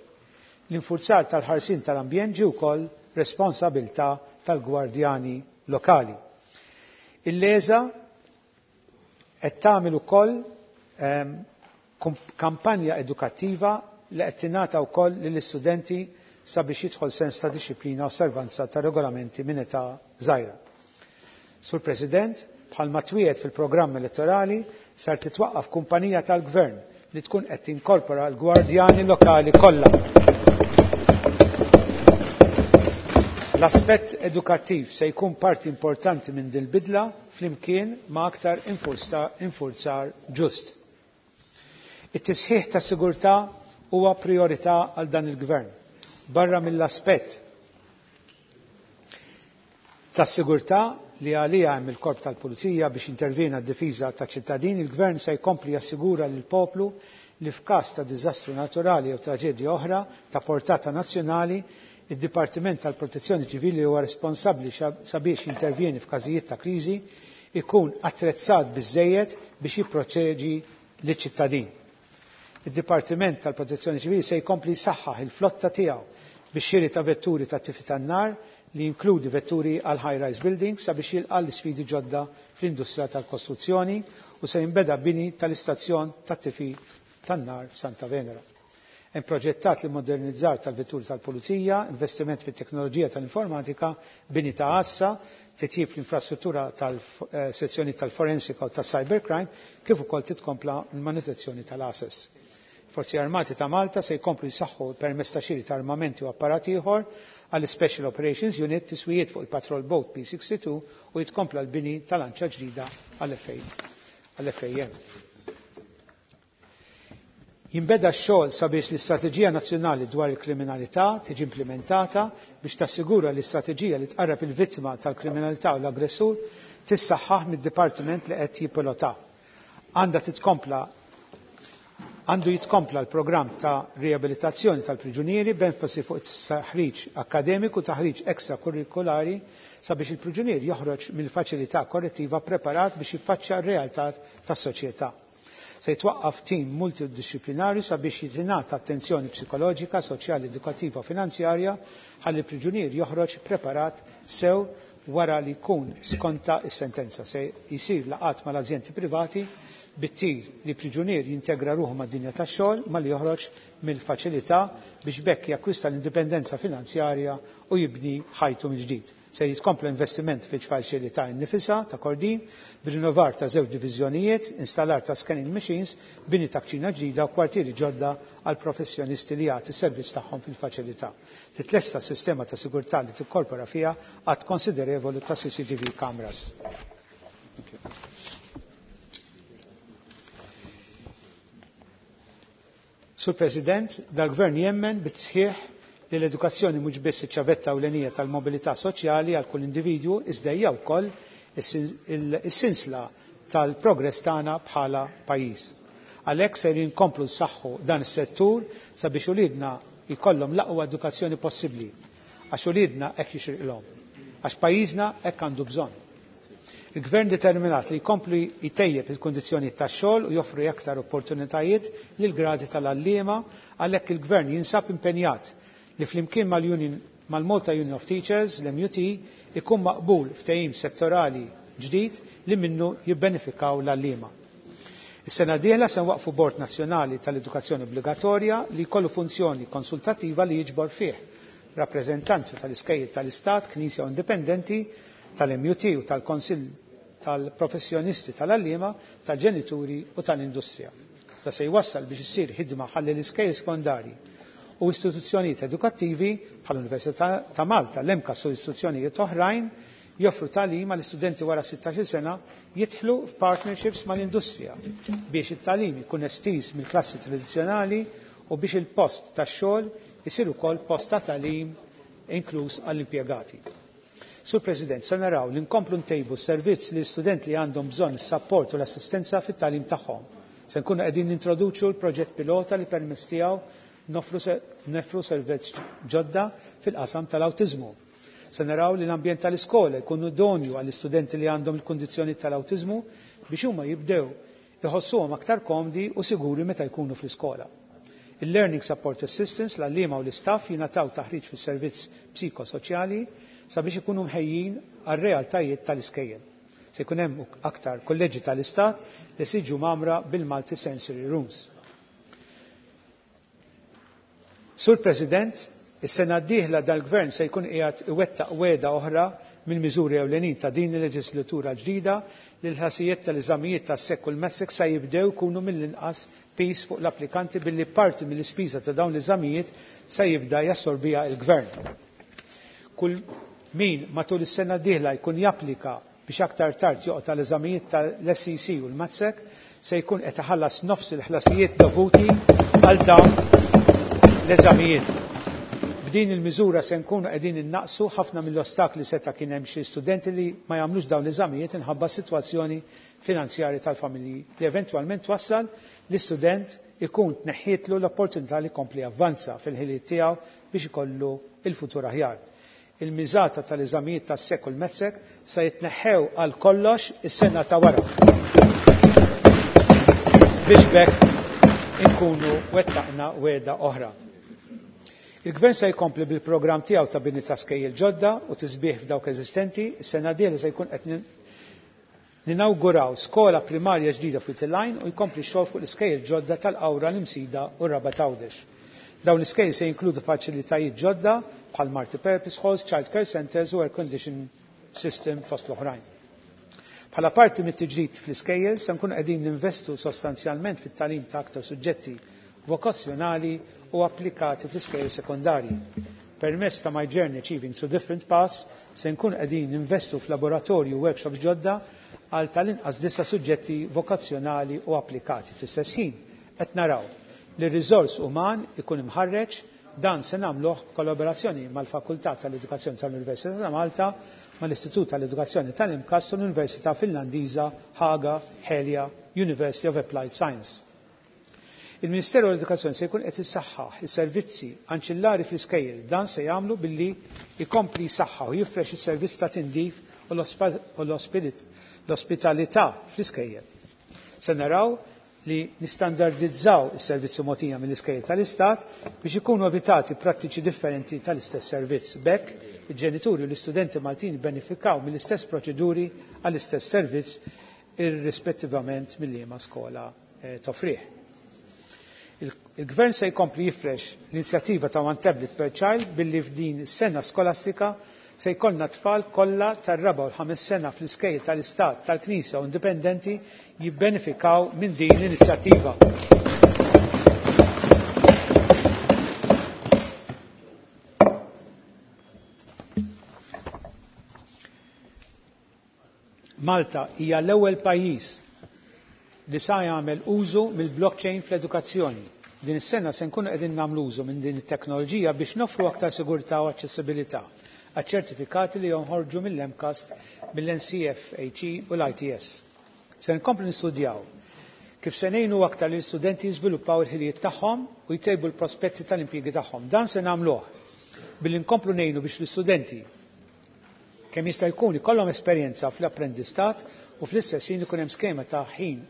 L-infurzar tal-ħarsien tal-ambjent ġie wkoll responsabilità tal-gwardjani lokali. Il-LESA qed tagħmel ukoll kampanja edukattiva li qed tingħata wkoll lill-istudenti sabiex jidħol sens ta' dixxiplina u osservanza ta' regolamenti minn età żgħira. Sur President, bħalma twiegħed fil-programm elettorali, sar titwaqqaf kumpanija tal-Gvern li tkun qed tinkorpora l-gwardjani lokali kollha. L-aspett edukattiv se jkun parti importanti minn din bidla flimkien ma' aktar infurzar ġust. It-tisħiħ ta' sigurtà huwa priorità għal dan il-Gvern. Barra mill-aspett ta' sigurtà li għalija hemm il-korp tal-Pulizija biex intervjena d-difiża ta' ċittadini, il-Gvern se jkompli jassigura lil poplu li f'każ ta' diżastru naturali jew traġedja oħra ta' portata nazzjonali, id-Dipartiment tal-Protezzjoni Ċivili huwa responsabbli sabiex jintervjeni f'każijiet ta' kriżi ikun attrezzat biżejjed biex jipproteġi liċ-ċittadin. Id-Dipartiment tal-Protezzjoni Ċivili se jkompli jsaħħaħ il-flotta tiegħu biex xiri ta' vetturi ta' tifi tan-nar li jinkludi vetturi għal high-rise buildings sabiex jilqa' l-isfidi ġodda fl-industrija tal-kostruzzjoni u se jinbeda bini tal-istazzjon tat-tifi tan-nar f'Santa Venera. Hemm proġettat li modernizzar tal-vetturi tal-pulizija, investiment fit-teknoloġija tal-informatika, bini ta' għassa, titjib l-infrastruttura tal-sezzjoni tal-forensika u tas-cybercrime, kif ukoll titkompla l-manutenzjoni tal-assess. Forzi Armati ta' Malta se jkomplu jsaħħu permezz ta' xiri ta' armamenti u apparat ieħor għall Special Operations Unit, tiswijiet fuq il-Patrol Boat P62 u jitkompla l-bini tal-anċa ġdida għall-FAM. Jinbeda x-xogħol sabiex l-Istrateġija Nazzjonali dwar il-Kriminalità tiġi implementata biex tassigura l-istrateġija li tqarreb il-vittma tal-kriminalità u l-aggressur tissaħħaħ mid-dipartiment li qed jippilota. Għandha titkompla Għandu jitkompla l-programm ta' riabilitazzjoni tal-priġunieri b'enfasi fuq it-taħriġ akkademiku, taħriġ ekstrakurrikulari sabiex il-priġunier joħroġ mill-faċilità korrettiva preparat biex jiffaċċja r-realtà tas-soċjetà. Se jitwaqqaf tim multidisciplinarju sabiex jitingħata attenzjoni psikoloġika, soċjali, edukattiva u finanzjarja ħalli l-priġunier joħroġ preparat sew wara li jkun skonta s-sentenza. Se jsir laqgħat mal-azjendi privati bit-tir li priġunier jintegra ruħu mad-dinja tax-xogħol malli joħroġ mill-faċilità biex b'hekk jakkwista l-indipendenza finanzjarja u jibni ħajtu mill-ġdid. Se jitkompla investiment fil-faċilità nnifisha ta' Kordin b'rinnovar ta' żewġ diviżjonijiet, installar ta' scanning machines, bini ta' kċina ġdida u kwartieri ġodda għal professjonisti li jagħti s-servizz tagħhom fil-faċilità. Titlesta sistema ta' sigurtà li tikkorpora fiha għadd konsiderevoli ta' CCTV cameras. Sur President, dal-Gvern jemmen bit-sħiħ li l-edukazzjoni mhux biss iċ-ċavetta ewlenija tal-mobilità soċjali għal kull individwu iżda hija wkoll is-sinsla tal-progress tagħna bħala pajjiż. Għalhekk se nkomplu nsaħħu dan is-settur sabiex uliedna jkollhom l-aqwa edukazzjoni possibbli għax uliedna hekk jixirqilhom, għax pajjiżna hekk għandu bżonn. Il-Gvern determinat li jkompli jtejjeb il-kundizzjonijiet tax-xogħol u joffri aktar opportunitajiet lil gradi tal-għalliema għalhekk il-Gvern jinsab impenjat li flimkien mal-Union mal-Malta Union of Teachers, l-MUT, ikun maqbul ftehim settorali ġdid li minnu jibbenefikaw l-għalliema. Is-sena d-dieħla se nwaqfu Bord Nazzjonali tal-Edukazzjoni Obbligatorja li jkollu funzjoni konsultattiva li jiġbor fih rappreżentanza tal-iskejjel tal-Istat, Knisja u Indipendenti, tal-MUT u tal-Konsill tal-professjonisti tal-għalliema, tal-ġenituri u tal-industrija. Da se jwassal biex issir ħidma ħalli l-iskejjel sekondarji u istituzzjonijiet edukattivi bħall-Università ta' Malta, l-MCAS u istituzzjonijiet oħrajn joffru tagħlim għal istudenti wara 16 sena jidħlu f'partnerships mal-industrija biex it-tagħlim ikun estiż mill-klassi tradizzjonali u biex il-post tax-xogħol isir ukoll post ta' tagħlim inkluż għall-impjegati. Sur President, se naraw li nkomplu ntejbu s-servizz li studenti li għandhom bżonn is-sapport u l-assistenza fit-tagħlim tagħhom. Se nkunu qegħdin nintroduċu l-proġett pilota li permezz tiegħu nofru servizz ġodda fil-qasam tal-awtiżmu. Se naraw li l-ambjent tal-iskola jkun idonju għall-istudenti li għandhom il-kundizzjoni tal-awtiżmu biex huma jibdew iħossuhom aktar komdi u siguri meta jkunu fl-iskola. Il-Learning Support Assistance, l-għalliema u l-istaff jingħataw taħriġ fis-servizz psikosoċjali sabiex ikunu mħejjin għar-realtajiet tal-iskejjel. Se jkun hemm aktar kolleġġi tal-istat li se jiġu mgħammra bil-multi-sensory rooms. Sur President, is-sena d-dieħla dal-Gvern se jkun qiegħed iwettaq wegħda oħra mill-miżuri ewlenin ta' din il-leġislatura ġdida li l-ħlasijiet tal-eżamijiet tas-SEC u l-METSEC se jibdew jkunu mill-inqas piż fuq l-applikanti billi parti mill-ispiża ta' dawn l-eżamijiet se jibda jassorbiha l-Gvern. Kull min matul is-sena d-dieħla jkun japplika biex aktar tard joqgħod tal-eżamijiet tal-SEC u l-MATSEC se jkun qed iħallas nofs il-ħlasijiet dovuti għal dawn l-eżamijiet. B'din il-miżura se nkunu qegħdin innaqsu ħafna mill-ostakli seta' kien hemm xi studenti li ma jagħmlux dawn l-eżamijiet inħabba s-sitwazzjoni finanzjarja tal-familji li eventwalment twassal li student ikun tneħħietlu l-opportunità li jkompli javvanza fil-ħiliet tiegħu biex ikollu il-futur aħjar. Il-miżata tal-eżamijiet tas-SEC u l-METSEC se jitneħħew għal kollox is-sena ta' wara. Biex b'hekk inkunu wettaqna wegħda oħra. Il-Gvern se jkompli bil-programm tiegħu ta' bini ta' skejjel ġodda u tisbieħ f'dawk eżistenti. Is-sena d-dieħla se jkun qed ninawguraw skola primarja ġdida f'Wied u jkompli x-xogħol fuq l-iskejjel ġodda tal-Qawra, l-Imsida u r-Rabat Għawdex. Dawn l-iskejjel se jinkludu faċilitajiet ġodda bħal multi-purpose halls, child care centers u air condition system fost l-oħrajn. Bħala parti mit-tiġdid fl-iskejjel se nkunu qegħdin ninvestu sostanzjalment fit-tagħlim ta' aktar suġġetti vokazzjonali u applikati fl-iskejjel sekondarji. Permezz ta' My Journey Achieving Through Different Paths se nkunu qegħdin ninvestu f'laboratorju u workshops ġodda għal tal-inqas 9 suġġetti vokazzjonali u applikati. Fl-istess ħin qed naraw li r-riżors uman ikun imħarreġ. Dan se nagħmluh kollaborazzjoni mal-Fakultà tal-Edukazzjoni tal-Università ta' Malta, mal-Istitut tal-Edukazzjoni tal-MCAST u l-Università Finlandiża Haga Helia University of Applied Science. Il-Ministeru għall-Edukazzjoni se jkun qed issaħħaħ is-servizzi anċillari fl-iskejjel. Dan se jagħmlu billi jkompli jsaħħaħ u jifrex is-servizz ta' tindif u l-ospitalità fl-iskejjel. Se naraw li nistandardizzaw is-servizzi mogħtija mill-iskejjel tal-Istat biex ikunu evitati prattiċi differenti tal-istess servizz. B'hekk, il-ġenituri u l-istudenti Maltin benefikaw mill-istess proċeduri għall-istess servizz irrispettivament mill-liema skola toffrih. Il-Gvern se jkompli jifrex l-inizjattiva ta' One Tablet per Child billi f'din is-sena skolastika se jkollna tfal kollha tar-raba' u l-ħames sena fl-iskejjel tal-Istat, tal-Knisja u indipendenti jibbenefikaw minn din l-inizjattiva. Malta hija l-ewwel pajjiż li sa jagħmel użu mill-blockchain fl-edukazzjoni. Din is-sena se nkunu qegħdin nagħmlu użu minn din it-teknoloġija biex noffru aktar sigurtà u aċċessibilità għaċ-ċertifikati li jonħorġu mill-MCAST, mill-NCFHE u l-ITS. Se nkomplu nistudjaw kif se ngħinu aktar lill-istudenti jiżviluppaw il-ħiliet tagħhom u jtejbu l-prospetti tal-impjiegi tagħhom. Dan se nagħmluh billi nkomplu ngħinu biex l-istudenti kemm jista' jkun ikollhom esperjenza fl-apprendistat u fl-istess ħin ikun hemm skema ta' ħin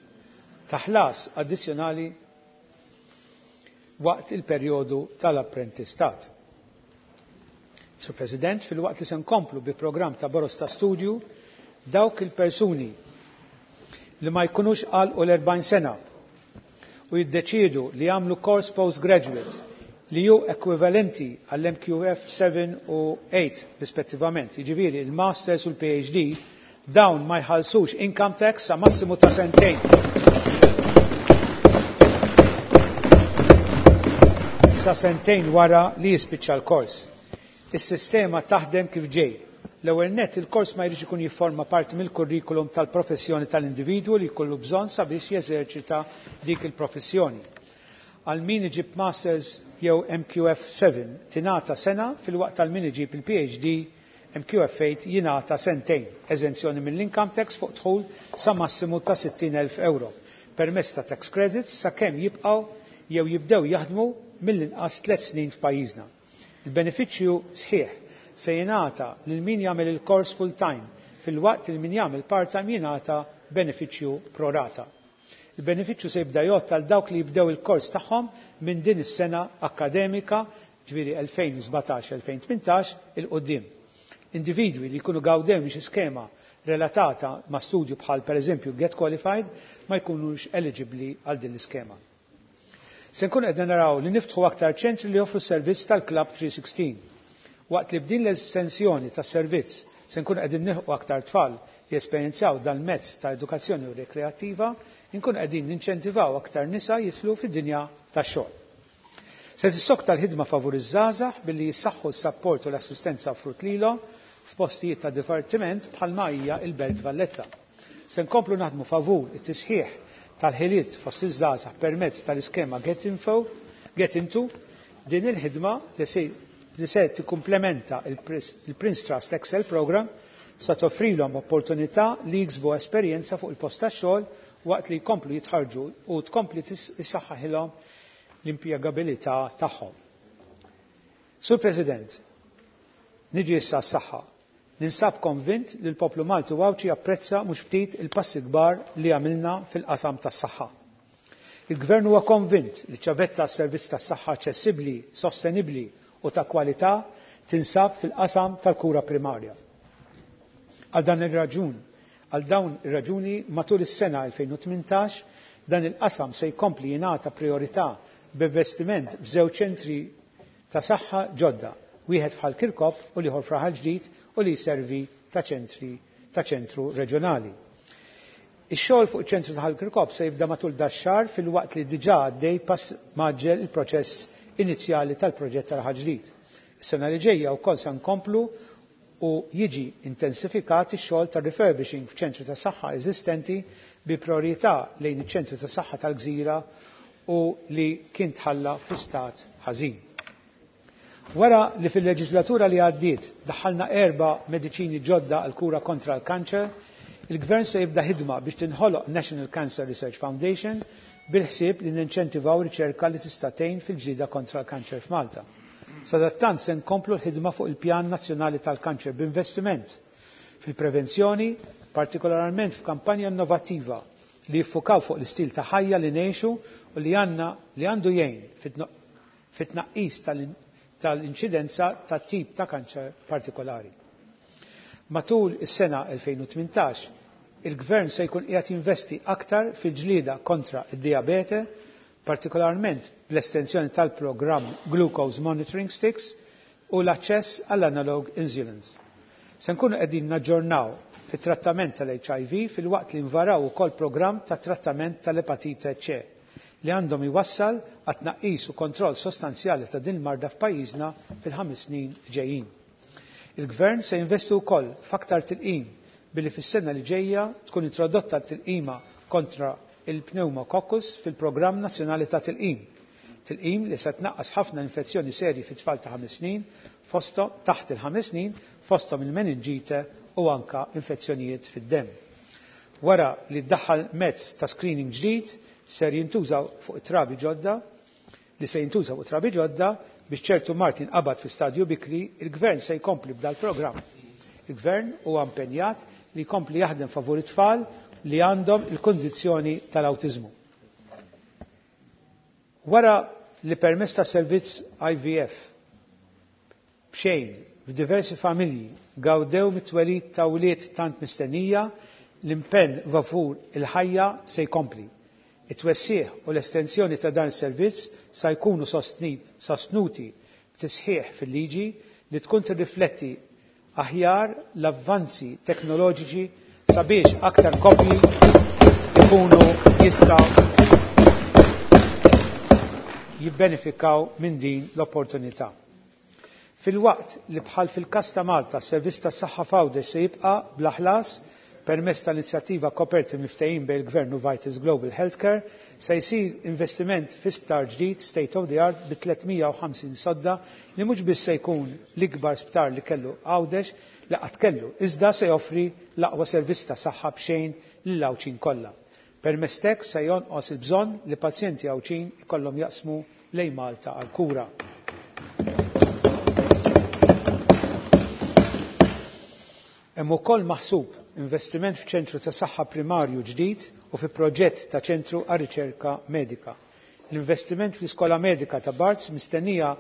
ta' ħlas addizzjonali waqt il-perjodu tal-apprentistat. Sur President, filwaqt li se nkomplu bi programm ta' boros ta' studju, dawk il-persuni li ma jkunux għalqu l-40 sena u jiddeċiedu li jagħmlu course postgraduate li hu ekwivalenti għall-MQF 7 u 8 rispettivament, jiġifieri il-Masters u l-PhD, dawn ma jħallsux income tax sa massimu ta' sentejn. Sa sentejn wara li jispiċċa l-kors. Is-sistema taħdem kif ġej. L-ewwel nett il-kors ma jridx ikun jifforma parti mill-kurrikulum tal-professjoni tal-individwu li jkollu bżonn sabiex jeżerċita dik il-professjoni. Għal min iġib Masters jew MQF 7 tingħata sena filwaqt għal min iġib il-PhD MQF 8 jingħata sentejn, eżenzjoni mill-income tax fuq dħul sa massimu ta' 60,000 euro permezz ta' tax credits sakemm jibqgħu jew jibdew jaħdmu mill-inqas 3 snin f'pajjiżna. Il-benefiċċju sħiħ se jingħata lil min jagħmel il-kors full-time filwaqt li min jagħmel part-time jingħata benefiċċju pro rata. Il-benefiċċju se jibda jgħodd għal dawk li jibdew il-kors tagħhom minn din is-sena akkademika, ġifieri 2017-2018 il quddiem. Individwi li jkunu gawdew minn xi skema relatata ma' studju bħal pereżempju Get Qualified ma jkunux eligibbli għal din l-iskema. Se nkunu qegħdin naraw li niftħu aktar ċentri li joffru s-servizz tal-Club 316. Waqt li b'din l-estensjoni tas-servizz se nkunu qegħdin nilħqu aktar tfal li jesperjenzaw dal-mezz ta' edukazzjoni u rekreattiva, inkunu qegħdin ninċentivaw aktar nisa jidħlu fid-dinja tax-xogħol. Se tissokta l-ħidma favur iż-żgħażagħ billi jissaħħu s-sapport u l-assistenza offrut lilhom f'postijiet ta' divertiment bħalma hija l-Belt Valletta. Se nkomplu naħdmu favur it-tisħiħ tal-ħiliet fost iż-żgħażagħ permezz tal-iskema Get Info, Get Into, din il-ħidma li se li se tikkumplementa il-Prince Trust Excel Program sa toffrilhom opportunità li jiksbu esperjenza fuq il-post tax-xogħol waqt li jkomplu jitħarġu u tkompli tissaħħaħilhom l-impjegabilità tagħhom. Sur President, niġi issa s-saħħa. Ninsab konvint li l-poplu Malti u Għawdxi japprezza mhux ftit il-passi kbar li għamilna fil-qasam tas-saħħa. Il-Gvern huwa konvint li ċavetta għas-servizz tas-saħħa aċċessibbli, sostenibbli u ta' kwalità tinsab fil-qasam tal-kura primarja. Għal dan ir-raġun, għal dawn ir-raġuni matul is-sena 2018 dan il-qasam se jkompli jingħata priorità b'investiment f'żewġ ċentri ta' saħħa ġodda, wieħed f'Ħal Kirkop u l-ieħor f'Raħal Ġdid u li jservi ta' ċentri ta' ċentru reġjonali. Ix-xogħol fuq iċ-ċentru ta' Ħal Kirkop se jibda matul dax-xahar filwaqt li diġà għaddej pass mgħaġġel il-proċess inizjali tal-proġett ta' Raħal Ġdid. Is-sena li ġejja wkoll se nkomplu u jiġi intensifikat ix-xogħol ta' refurbishing f'ċentri ta' saħħa eżistenti bi priorità lejn iċ-ċentri ta' saħħa tal-Gżira u li kien tħalla fi stat ħażin. Wara li fil-leġislatura li għaddiet daħħalna 4 mediċini ġodda għal kura kontra l-kanċer, il-Gvern se jibda ħidma biex tinħoloq National Cancer Research Foundation bil-ħsieb li ninċentivaw riċerka li tista' tgħin fil-ġlieda kontra l-kanċer f'Malta. Sadattant se nkomplu l-ħidma fuq il-Pjan Nazzjonali tal-Kanċer b'investiment fil-prevenzjoni, partikolarment f'kampanja innovattiva li jiffukaw fuq l-istil ta' ħajja li ngħixu u li għandna li għandu jgħin fit-tnaqqis tal-inċidenza ta' tip ta' kanċer partikolari. Matul is-sena 2018, Il-Gvern se jkun qiegħed jinvesti aktar fil-ġlieda kontra id-dijabete, partikolarment bl-estensjoni tal-programm Glucose Monitoring Sticks u l-aċċess għall-analog insulins. Se nkunu qegħdin naġġornaw fit-trattament tal-HIV filwaqt li nvaraw ukoll programm ta' trattament tal-epatite C li għandhom iwassal għat tnaqqis u kontroll sostanzjali ta' din marda f'pajjiżna fil-5 snin ġejjin. Il-Gvern se jinvesti wkoll f'aktar tilqim billi fis-sena li ġejja tkun introdotta t-tilqima kontra il-pneumococcus fil-Programm Nazzjonali ta' Tilqim. Tilqim li se tnaqqas ħafna infezzjoni serji fit-tfal ta' 5 snin, fosthom taħt il-5 snin, fosthom il-meningite u anka infezzjonijiet fid-demm. Wara li ddaħħal mezz ta' screening ġdid ser jintużaw fuq trabi ġodda li se jintuża fuq trabi ġodda biex ċertu mard jinqabad fi stadju bikri, il-Gvern se jkompli b'dal programm. Il-Gvern huwa impenjat li jkompli jaħdem favur it-tfal li għandhom il-kondizzjoni tal-awtiżmu. Wara li permezz ta' servizz IVF b'xejn f'diversi familji gawdew mit-twelid ta' wlied tant mistennija, l-impenn favur il-ħajja se jkompli. It-twessiħ u l-estensjoni ta' dan is-servizz sa jkunu sostnuti b'tisħiħ fil-liġi li tkun tirrifletti aħjar l-avvanzi teknoloġiċi sabiex aktar koppji ikunu jistgħu jibbenefikaw minn din l-opportunità. Filwaqt li bħal fil-kas ta' Malta s-servizz tas-saħħa f'Għawdex se jibqa' bla ħlas permezz tal-inizjattiva koperti mill-ftehim bejn il-Gvern u Vitals Global Healthcare, se jsir investiment fi sptar ġdid state of the art bi 350 sodda li mhux biss se jkun l-ikbar sptar li kellu Għawdex li qatt kellu, iżda se joffri l-aqwa servizz ta' saħħa b'xejn lill-Għawdxin kollha. Permezz t'hekk se jonqos il-bżonn li pazjenti Għawdxin ikollhom jaqsmu lejn Malta għall-kura. Hemm ukoll maħsub investiment f'ċentru ta' saħħa primarju ġdid u fi proġett ta' ċentru għar-riċerka medika. L-investiment fl-iskola medika ta' Barts mistennija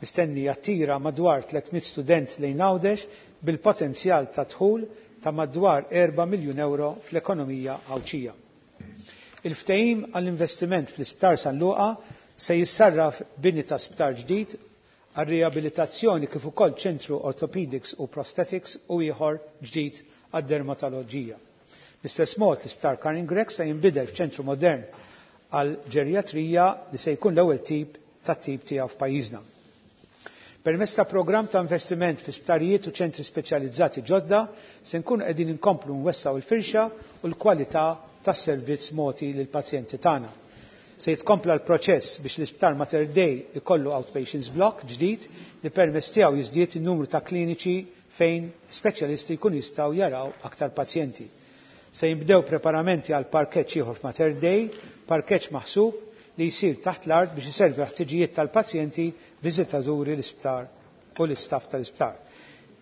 mistenni jattira madwar 300 student lejn Għawdex bil-potenzjal ta' dħul ta' madwar 4 miljun euro fl-ekonomija Għawdxija. Il-ftehim għall-investiment fl-Isptar San Luqa se jissarraf bini ta' sptar ġdid għar-riabilitazzjoni kif ukoll ċentru orthopedics u prosthetics u ieħor ġdid għad-dermatoloġija. Bl-istess mod l-Isptar Karin Grech se jinbidel f'ċentru modern għal ġerjatrija li se jkun l-ewwel tip tat-tip tiegħu f'pajjiżna. Permezz ta' programm ta' investiment fi sptarijiet u ċentri speċjalizzati ġodda se nkunu qegħdin inkomplu nwessaw il-firxa u l-kwalità tas-servizz mogħti lill-pazjenti tagħna. Se jitkompla l-proċess biex l-Isptar Mater Dei ikollu outpatients block ġdid li permezz tiegħu jiżdied in-numru ta' kliniċi fejn speċjalisti jkunu jistgħu jaraw aktar pazjenti. Se jinbdew preparamenti għal parkeġġ ieħor f'Mater Dei, parkeġġ maħsub li jsir taħt l-art biex iservi l-ħtiġijiet tal-pazjenti, viżitaturi l-isptar u l-istaff tal-isptar.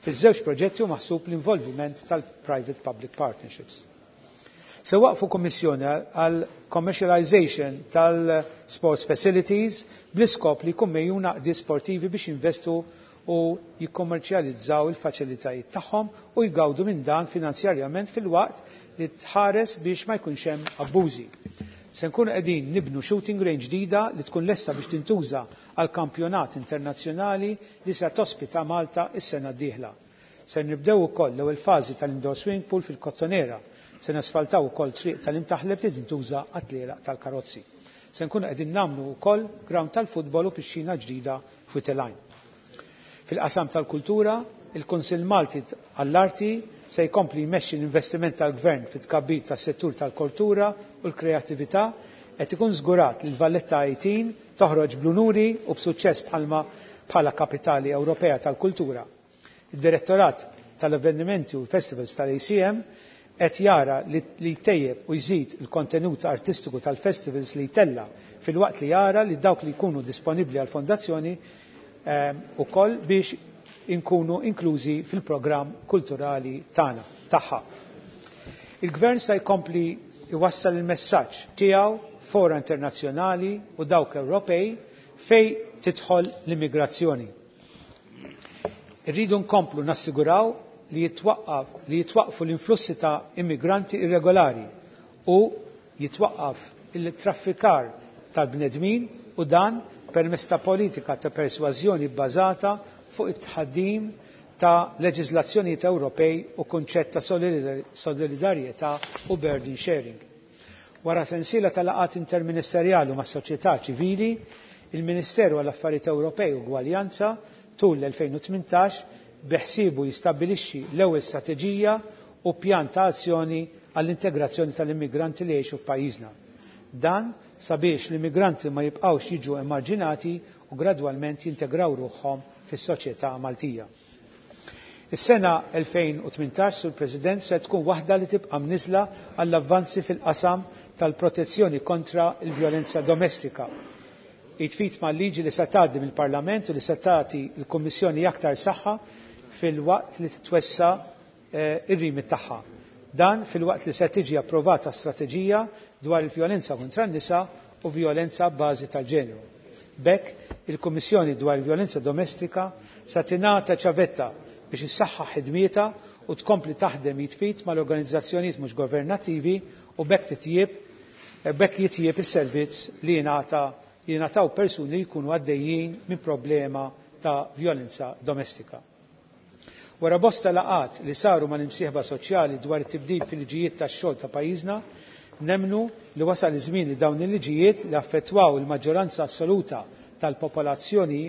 Fiż-żewġ proġetti hu maħsub l-involviment tal-private public partnerships. Se waqfu kummissjoni għal commercialization tal-sports facilities bl-iskop li jkun mejjun għaqdiet sportivi biex jinvestu u jikkommerċjalizzaw il-faċilitajiet tagħhom u jgawdu minn dan finanzjarjament filwaqt li tħares biex ma jkunx hemm abbużi. Se nkunu qegħdin nibnu shooting range ġdida li tkun lesta biex tintuża għal kampjonat internazzjonali li se tospita Malta is-sena d-dieħla. Se nibdew ukoll l-ewwel fażi tal-indoor swimming pool fil-Kottonera. Se nasfaltaw ukoll triq tal-imtaħleb li tintuża għat-tlielaq tal-karozzi. Se nkunu qegħdin nagħmlu wkoll ground tal-futbol u pixxina ġdida f'Witelajn. Fil-qasam tal-kultura, il-Kunsill Malti għall-Arti se jkompli jmexxi l-investiment tal-Gvern fit-tkabbir tas-settur tal-kultura u l-kreattività qed ikun żgurat li l-Valletta 18 toħroġ bl-unuri u b'suċċess bħalma bħala kapitali Ewropea tal-kultura. Id-Direttorat tal-Avvenimenti u l-Festivals tal-ACM qed jara li jtejjeb u jżid il-kontenut artistiku tal-festivals li jtella filwaqt li jara li dawk li jkunu disponibbli għall-fondazzjoni ukoll biex inkunu inklużi fil-programm kulturali tagħna tagħha. Il-Gvern se jkompli jwassal il-messaġġ tiegħu fora internazzjonali u dawk Ewropej fej tidħol l-immigrazzjoni. Irridu nkomplu nassiguraw li jitwaqqaf li jitwaqqfu l-influssi ta' immigranti irregolari u jitwaqqaf il-traffikar tal-bnedmin u dan permezz ta' politika ta' persważjoni bbażata fuq it-tħaddim ta' leġiżlazzjonijiet Ewropej u kunċett ta' solidarjetà u burden sharing. Wara sensiela ta' laqgħat interministerjali mas-soċjetà ċivili, il-Ministeru għall-Affarijiet Ewropej u Gwaljanza tul l-2018 beħsiebu jistabbilixxi l-ewwel strateġija u pjan ta' azzjoni għall-integrazzjoni tal-immigranti li jgħixu f'pajjiżna. Dan sabiex l-immigranti ma jibqgħux jiġu emarġinati u gradwalment jintegraw ruħhom fis-soċjetà Maltija. Is-sena 2018, Sur President, se tkun waħda li tibqa' mniżla għall-avvanzi fil-qasam tal-protezzjoni kontra l-vjolenza domestika. Jitfit ma' liġi li se tgħaddi mill-Parlament u li se tagħti l-Kummissjoni aktar saħħa filwaqt li titwessa ir-rimit tagħha. Dan filwaqt li se tiġi approvata strateġija dwar il-vjolenza kontra n-nisa u vjolenza b'bażi tal-ġeneru. B'hekk, il-Kummissjoni dwar il-Vjolenza Domestika se tingħata ċavetta biex issaħħaħ ħidmietha u tkompli taħdem jitfit mal-organizzazzjonijiet mhux governattivi u b'hekk titjieb b'hekk jitjieb is-servizz li jingħata jingħataw persuni li jkunu għaddejjin minn problema ta' vjolenza domestika. Wara bosta laqgħat li saru mal-imsieħba soċjali dwar it-tibdil fil-liġijiet tax-xogħol ta' pajjiżna, nemmnu li wasal iż-żmien li dawn il-liġijiet li affettwaw il-maġġoranza assoluta tal-popolazzjoni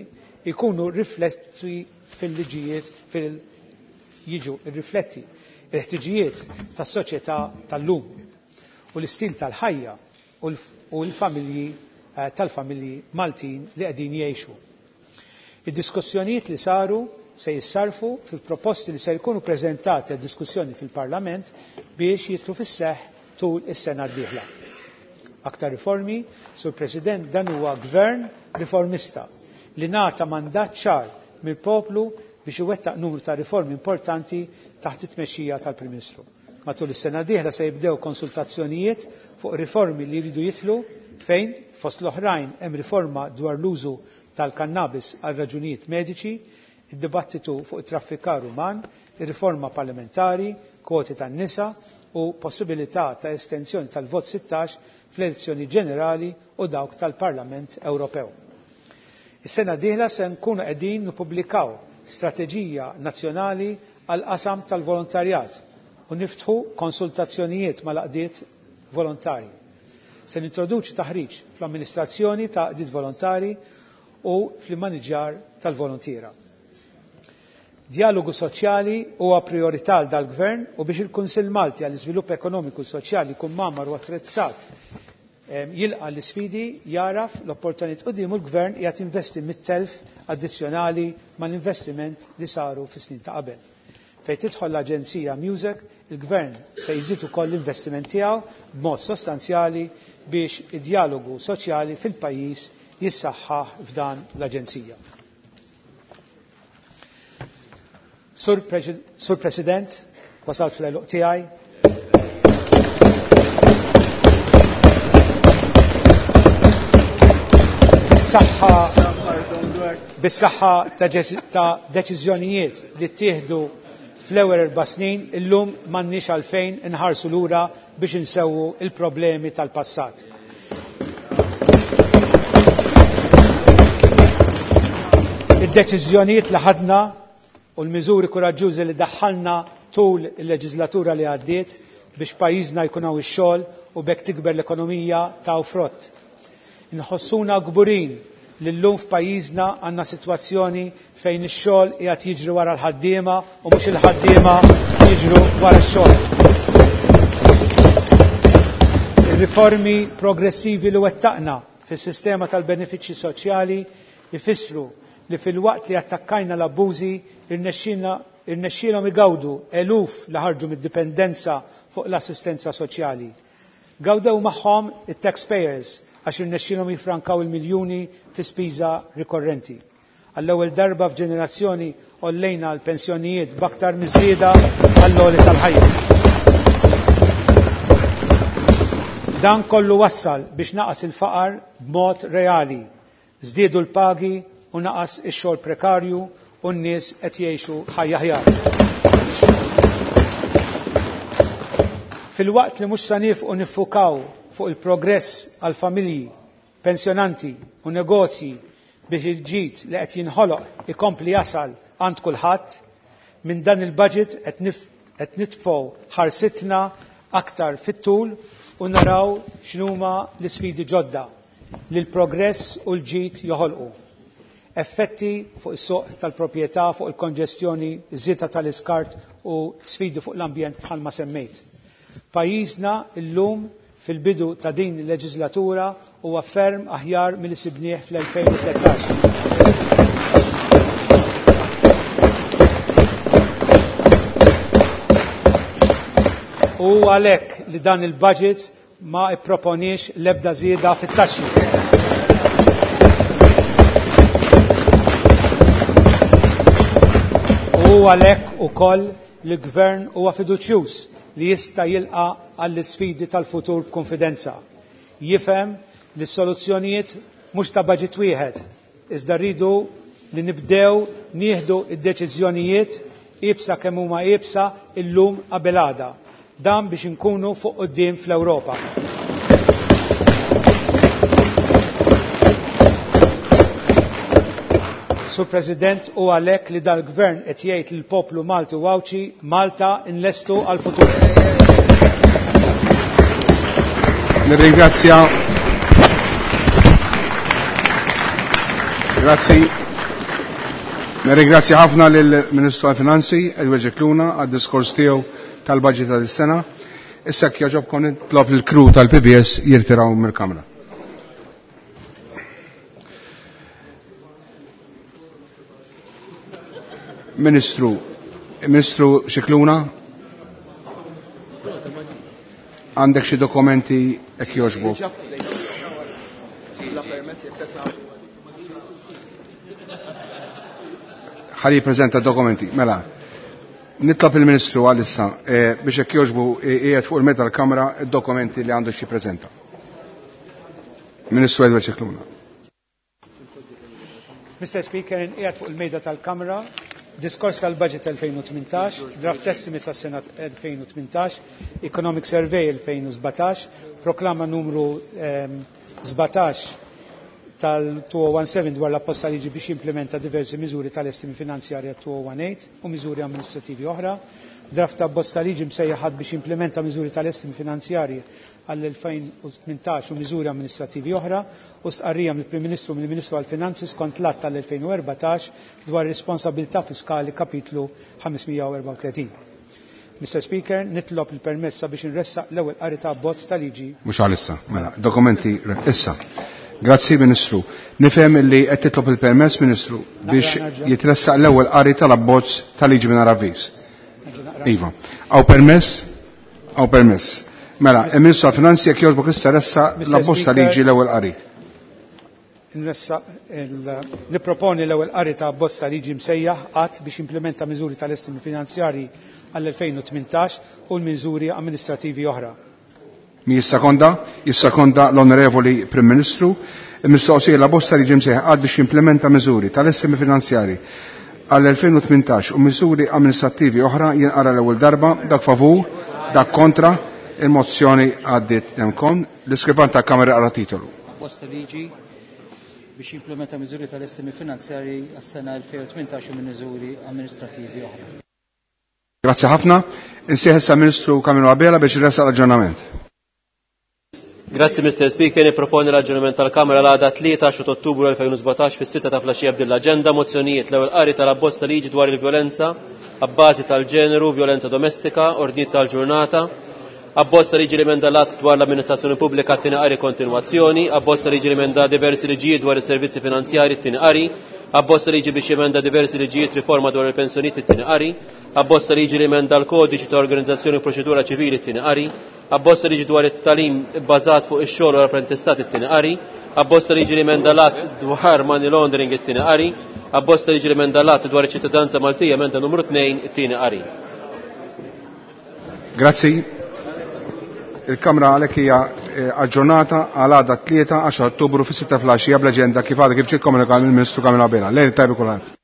jkunu rifletti fil-liġijiet fil jiġu rifletti il-ħtiġijiet tas-soċjetà tal-lum u l-istil tal-ħajja u l-familji tal-familji Maltin li qegħdin jgħixu. Id-diskussjonijiet li saru se jissarfu fil-proposti li se jkunu preżentati għad diskussjoni fil-Parlament biex jidħlu fis-seħħ tul is-sena d-dieħla. Aktar riformi, Sur President, dan huwa gvern riformista li ngħata mandat ċar mill-poplu biex iwettaq numru ta' riformi importanti taħt it-tmexxija tal-Prim Ministru. Matul is-sena d-dieħla se jibdew konsultazzjonijiet fuq riformi li jridu jidħlu fejn fost l-oħrajn hemm riforma dwar l-użu tal-kannabis għal raġunijiet mediċi, id-dibattitu fuq it-traffikar uman, ir-riforma parlamentari, kwoti tan-nisa u possibilità ta' estensjoni tal-vot 16 fl-elezzjoni ġenerali u dawk tal-Parlament Ewropew. Is-sena d-dieħla se nkunu qegħdin nippubblikaw strateġija nazzjonali għal qasam tal-volontarjat u niftħu konsultazzjonijiet mal-għaqdiet volontari. Se nintroduċi taħriġ fl-amministrazzjoni ta' għaqdiet volontari u fl-immaniġġar tal-volontiera. Dialogu soċjali huwa priorità għal dal-Gvern u biex il-Kunsill Malti għall-Iżvilupp Ekonomiku u Soċjali jkun mgħammar u attrezzat jilqa' l-isfidi, jagħraf l-opportunitajiet quddiemu l-Gvern qiegħed jinvesti mit-telf addizzjonali mal-investiment li saru fis-snin ta' qabel. Fejn tidħol l-Aġenzija Music, il-Gvern se jżid ukoll l-investiment tiegħu b'mod sostanzjali biex id-dialogu soċjali fil-pajjiż jissaħħaħ f'dan l-Aġenzija. Sur, Sur President, wasalt fl-għeluq tiegħi. Bis-saħħa bis-saħħa ta' deċiżjonijiet li ttieħdu fl-ewwel 4 snin, illum m'għandniex għalfejn inħarsu lura biex insewwu il-problemi tal-passat. Id-deċiżjonijiet li ħadna u l-miżuri kuraġġużi li daħħalna tul il-leġislatura li għaddiet biex pajjiżna jkun hawn ix-xogħol u b'hekk tikber l-ekonomija taw frott. Inħossuna kburin li llum f'pajjiżna għandna sitwazzjoni fejn ix-xogħol qiegħed jiġri wara l-ħaddiema u mhux il-ħaddiema jiġru wara x-xogħol. Ir-riformi progressivi li wettaqna fis-sistema tal-benefiċċji soċjali jfissru li filwaqt li attakkajna l-abbużi irnexxielhom igawdu eluf li ħarġu mid-dipendenza fuq l-assistenza soċjali. Gawdew magħhom it-taxpayers għax irnexxielhom jifrankaw il-miljuni fi spiża rikorrenti. Għall-ewwel darba f'ġenerazzjoni għollejna l-pensjonijiet b'aktar miż-żieda għall-għoli tal-ħajja. Dan kollu wassal biex naqas il-faqar b'mod reali. Żdiedu l-pagi u naqas ix-xogħol prekarju u n-nies qed jgħixu ħajja aħjar. Filwaqt li mhux se nifqu niffukaw fuq il-progress għal familji, pensjonanti u negozji biex il-ġid li qed jinħoloq ikompli jasal għand kulħadd, minn dan il-budget qed nitfgħu ħarsitna aktar fit-tul u naraw x'numa l-isfidi ġodda li l-progress u l-ġid joħolqu. Effetti fuq is-suq tal-proprjetà, fuq il-konġestjoni, iż-żieda tal-iskart u sfidi fuq l-ambjent bħalma semmejt. Pajjiżna llum fil-bidu ta' din il-leġislatura huwa ferm aħjar milli sibnieh fl-2013. U għalhekk li dan il-budget ma ipproponiex l-ebda żieda fit-taxxi. U għalhekk ukoll li l-Gvern huwa fiduċjuż li jista' jilqa' għall-isfidi tal-futur b'konfidenza. Jifhem li s-soluzzjonijiet mhux ta' budget wieħed, iżda rridu li nibdew nieħdu id-deċiżjonijiet iebsa kemm huma iebsa illum qabel għada. Dan biex inkunu fuq quddiem fl-Ewropa. Sur President, u għalhekk li dal-Gvern qed jgħid lill-poplu Malti u Għawdxi Malta nlestu għall-futur.
Nirringrazzja. Grazzi. Nirringrazzja ħafna lill-Ministru għall-Finanzi, Edward Scicluna, għad-diskors tiegħu tal-budget ta' dis-sena. Issa jekk jogħġobkom nitlob lill-crew tal-PBS jirtiraw mill-Kamra. Ministru, Ministru Scicluna, għandek xi dokumenti jekk jogħġbok? Ħalli jippreżenta dokumenti. Mela, nitlob il-Ministru għalissa biex jekk jogħġbu qiegħed fuq il-mezz tal-Kamra d-dokumenti li għandu xi jippreżenta. Ministru Edward Scicluna.
Mr. Speaker, inqiegħed fuq il-mejda tal-Kamra diskors tal-Budget 2018, draft estimates għas-sena 2018, Economic Survey 2017, proklama numru 17 tal-2017 dwar l-apposta liġi biex jimplementa diversi miżuri tal-estimi finanzjarja 2018 u miżuri amministrativi oħra, draft ta' bosta liġi msejjaħ biex jimplementa miżuri tal-estimi finanzjarji għall-2018 u miżuri amministrativi oħra u stqarrija mill-Prim Ministru mill-Ministru għall-Finanzi skont l-Att tal-2014 dwar responsabilità fiskali kapitlu 534. Mr. Speaker, nitlob il-permessa biex nressaq l-ewwel qari ta' abbozz ta' liġi.
Mhux għalissa, mela, dokumenti issa. Grazzi Ministru. Nifhem li qed titlob il-permess Ministru biex jitressaq l-ewwel qari tal-abbozz ta' liġi mingħajr avviż. Iva. Hawn permess? Hawn permess. Mela, il-Ministru għall-Finanzi jekk jogħġbok issa ressaq l-abbozz ta' liġi l-ewwel qari.
Nipproponi l-ewwel qari ta' abbozz ta' liġi msejjaħ qatt biex implementa miżuri tal-estimi finanzjarji għall-2018 u l-miżuri amministrativi oħra.
Mi jissakonda? Jissakonda l-Onorevoli Prim Ministru. Il-mistoqsija la bosta liġi msejjaħ qatt biex jimplementa miżuri tal-estimi finanzjarji għall-2018 u miżuri amministrativi oħra jinqara l-ewwel darba, dak favur, dak kontra, il-mozzjoni għaddiet nemkon. L-iskrivan ta' Kamra qara titolu.
Bosta liġi biex jimplementa miżuri tal-estimi finanzjarji għas-sena 2018 u miżuri amministrativi oħra.
Grazzi ħafna. Insieħ issa Ministru Camillo Abela biex jressaq l-aġġornament.
Grazzi Mr. Speaker, niproponi l-aġġornament tal-Kamra l-għada 3 Ottubru 2017 fis-6 ta' flaxija b'din l-aġenda mozzjonijiet l-ewwel qari tal-abbozz ta' liġi dwar il-vjolenza abbażi tal-ġeneru, vjolenza domestika, ordnijiet tal-ġurnata, abbozz ta' liġi li emenda l-att dwar l-amministrazzjoni pubblika t-tieni qari kontinwazzjoni, abbozz ta' liġi li emenda diversi liġijiet dwar is-servizzi finanzjarji t-tieni qari, abbozz ta' liġi biex jemenda diversi liġijiet riforma dwar il-pensjonijiet it-tieni qari, abbozz ta' liġi li emenda l-kodiċi ta' organizzazzjoni u proċedura ċivili t-tieni qari, abbozz ta' liġi dwar it-talim bbażat fuq ix-xogħol u l-apprentistat it-tieni qari, abbozz ta' liġi li emenda l-att dwar money laundering it-tieni qari, abbozz ta' liġi li emenda l-att dwar iċ-ċittadinanza Maltija emenda numru 2 it-tieni qari.
Grazzi. Il-Kamra għalhekk hija aġġornata għal għada 3 10 Ottubru fis-6 flaxija bl-aġenda kif għadha kif ġiet komunikat mill-Ministru Camillo Abela. Lejl tajbi kulħadd.